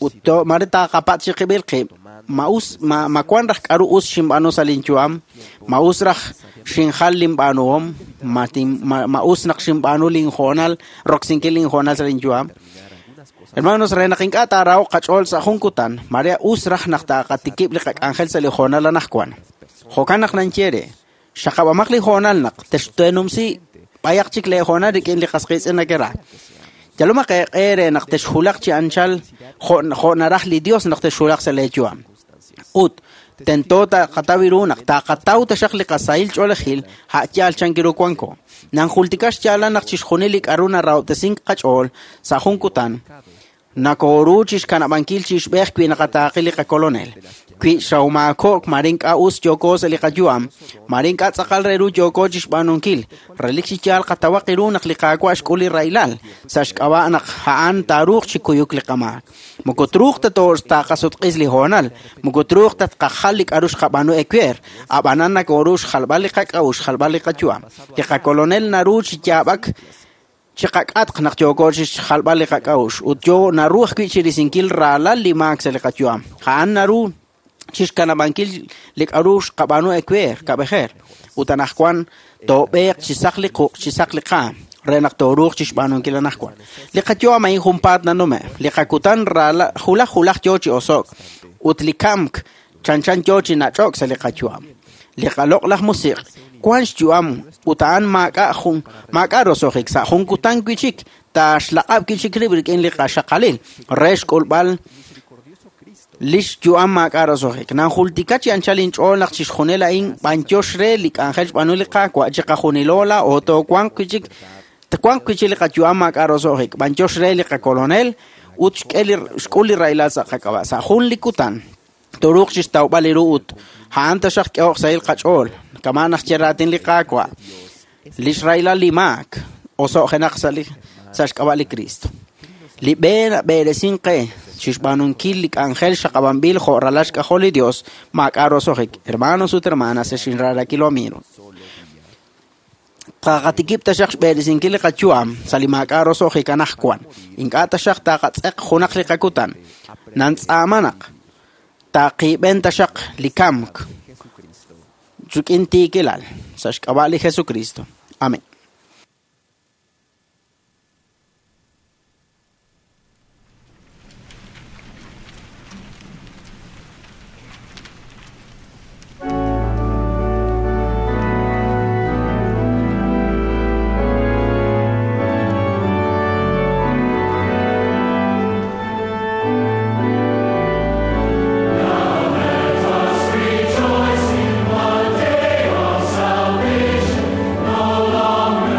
Ut mare taaqapatz' chiqib'il qib', ma us ma wank raj k'aru us xinb'aanu sa' linyu'am, ma us raj xinjal linb'aanuhom, ma us naq xinb'aanu linhoonal, roksinkil linhoonal sa' linyu'am. Hermanos, re naq ink'a' taaraho'q qach'ool sa' jun kutan, mare us raj naq taaqatikib' li qak'anjel sa' li hoonal anaqwan. Jo'kan naq nanye re, xaqab'amaq li hoonal naq texteenumsi b'ayaq chik leehoonal rik'in li qas qiitz'in nakera. Yalomaq eeq'e re naq texwulaq chi anchal jo' naraj li Dios naq texwulaq sa' leeyu'am. Ut tento taqataw ru naq taqataw taxaq li qasahil ch'oolejil a' yaal chan ru wanko. Nanjultika xyaalal naq chixjunil li k'aru narahob'tesink qach'ool sa' jun kutan nakooru chi xkanab'ankil chi ixb'ej wi naqataaqi li qakolonel. Wi xawmaako'k mare ink'a' us yooko sa' li qayu'am, mare ink'a' tz'aqal re ru yooko chi xb'aanunkil. Relik chi yaal qatawaq ru naq li Qaawa' xk'ul li rahilal, sa' xk'ab'a' naq a'an taaruuq chi kuyuk li qamaak. Moko truuq ta taaqasutq'is li hoonal, moko truuq ta tqajal li k'aru xqab'aanu ewer, ab'anan nakooru xjalb'al li qak'a'uxl, xjalb'al li qayu'am. Li qakolonel naru chi yaab'ak chiqak'atq naq yooko chi xjalb'al li qak'a'uxl ut yo naru ajwi' chi risinkil raalal li maak sa' li qayu'am. A'an naru chi xkanab'ankil li k'aru xqab'aanu ewer, kab'ejer. Ut anaqwan toob'eeq chi saq li quq', chi saq li qaam, re naq tooruuq chi xb'aanunkil anaqwan. Li qayu'am a'in junpaat nanume', li qakutan wulaj wulaj yo chi oso'k ut li kamk chanchan yo chi nach'ok sa' li qayu'am. Li qaloq'laj musiq' wank xyu'am ut a'an maak'a' roso'jik sa' jun kutan wi' chik taaxlaq'ab' wi' chik rib' rik'in li qaxaqalil re xk'ulb'al li xyu'am maak'a' roso'jik. Nanjultika chi anchal inch'ool naq chixjunil a'in b'anyox re li k'anjel xb'aanu li Qaawa' chiqajunilo laa'o toowanq wi' chik twanq wi' chik li qayu'am maak'a' roso'jik. B'anyox re li qakolonel ut xk'ul li rahilal sa' qak'ab'a'. Sa' jun li kutan tooruuq chixtawb'al li ru ut a'an taxaq k'ehoq sahil qach'ool kama' naq ye raatin li Qaawa' lix rahilal li maak oso'jenaq sa' xk'ab'a' li Cristo. Li b'e nab'eresin qe chixb'aanunkil li k'anjel xaqab'anb'il jo' ralal xk'ajol li Dios maak'a' roso'jik. Hermanos ut hermanas, ex inraarakil amigo. Taqatikib' taxaq xb'eresinkil li qayu'am sa' li maak'a' roso'jik anaqwan. Ink'a' taxaq taqatz'eq junaq li qakutan. Nantz'aamanaq taqiib'en taxaq li kamk rik'in tiikilal sa' xk'ab'a' li Jesucristo. Amén. Rejoice in the day of salvation, no longer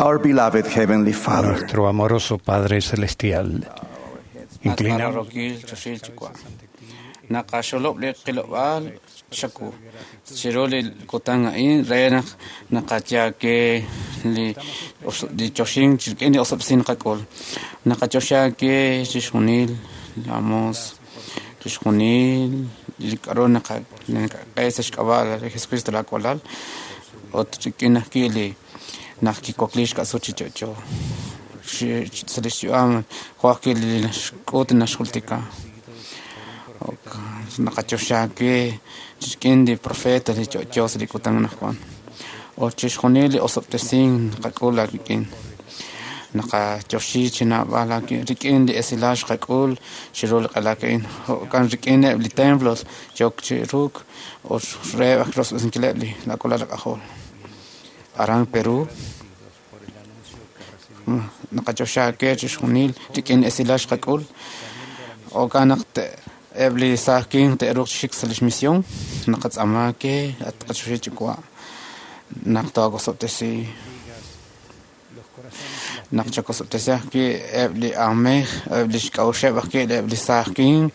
Our beloved Heavenly Father, Nuestro amoroso Padre Celestial, inclinamos Rokil choxil chukwa. Naqaxolob li qilob'al xaku. Chiru li kutan a'in re naq naqayaake li li choxin chirk'in li osob'sin qak'ul. Naqachoxa ke chixjunil lamos chixjunil li k'aru naqak'e sa' xk'ab'a' li Jesucristo la walal ut rik'in ajwi' li naq kiwakli xk'asut chi yo'yo sa' li xyu'am jo' ajwi' li naxk'ut naxjultika. Naqachoxa ke rik'in li profeta li yo'yo sa' li kutan anaqwan ut chixjunil li osob'tesink naqak'ul aawik'in. Naqayoxi chi naab'al rik'in li esilal xqak'ul chiru li q'elak a'in jo'kan rik'ineb' li templos yook chi ruuk ut reheb' aj rosob'tesinkileb' li lak'ulal k'ajol. Aran Perú naqachoxa ke chixjunil rik'in esilal xqak'ul jo'kan naq eb' li saaj winq te'ruuq chi xik sa' lix misión naqatz'aama ke at qachoxahil Yuwa' naq tookosob'tesi naq chakosob'tesi ajwi' eb' li aamej eb' li xk'a'uxeb' ajwi' eb' li saaj winq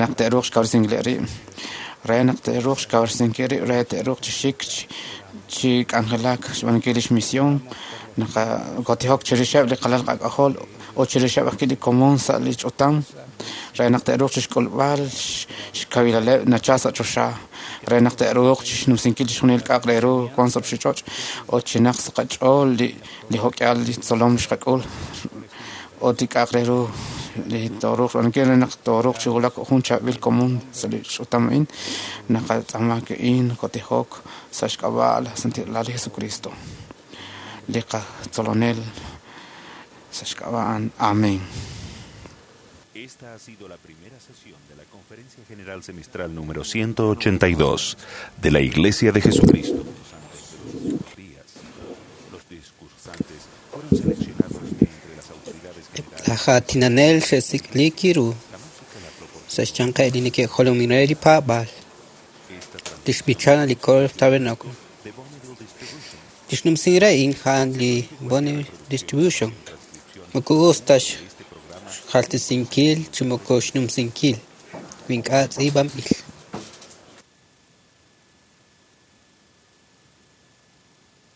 naq te'ruuq xkawresinkileb' rib' re naq te'ruuq xkawresinkil rib' re te'ruuq chi xik chi k'anjelak xb'aanunkil lix misión naqakotijok chirixeb' li qalal qak'ajol ut chirixeb' ajwi' li komon sa' li ch'utam re naq te'ruuq chixk'ulb'al xkawilaleb' nachal sa' choxa re naq te'ruuq chixnumsinkil chixjunil k'a'aq re ru wan sa' ruuchich'och' ut chinaq sa' qach'ool li jo'k'ihal li tzolom xqak'ul ut li k'a'aq re ru li tooruuq xb'aanunkil re naq tooruuq chi wulak jun chaab'il komon sa' li ch'utam a'in naqatz'aama a'in kotijok sa' xk'ab'a' la santilal li Jesucristo li qatzolonel sa' xk'ab'a' a'an. Amén. Esta ha sido la primera sesión de la Conferencia General Semestral número 182 de la Iglesia de Jesucristo de los Santos de los Últimos Días. Los discursantes fueron seleccionados de entre las autoridades generales. Laj aatinanel xe'sik'liik ru sa' xyanqeb' li neke'jolomin re li paab'aal li xb'ichan li Coro Tabernacle. Li xnumsin re a'in a'an li Bonnie Distribution. Moko us ta xjaltesinkil chi moko xnumsinkil wi ink'a' tz'iib'anb'il.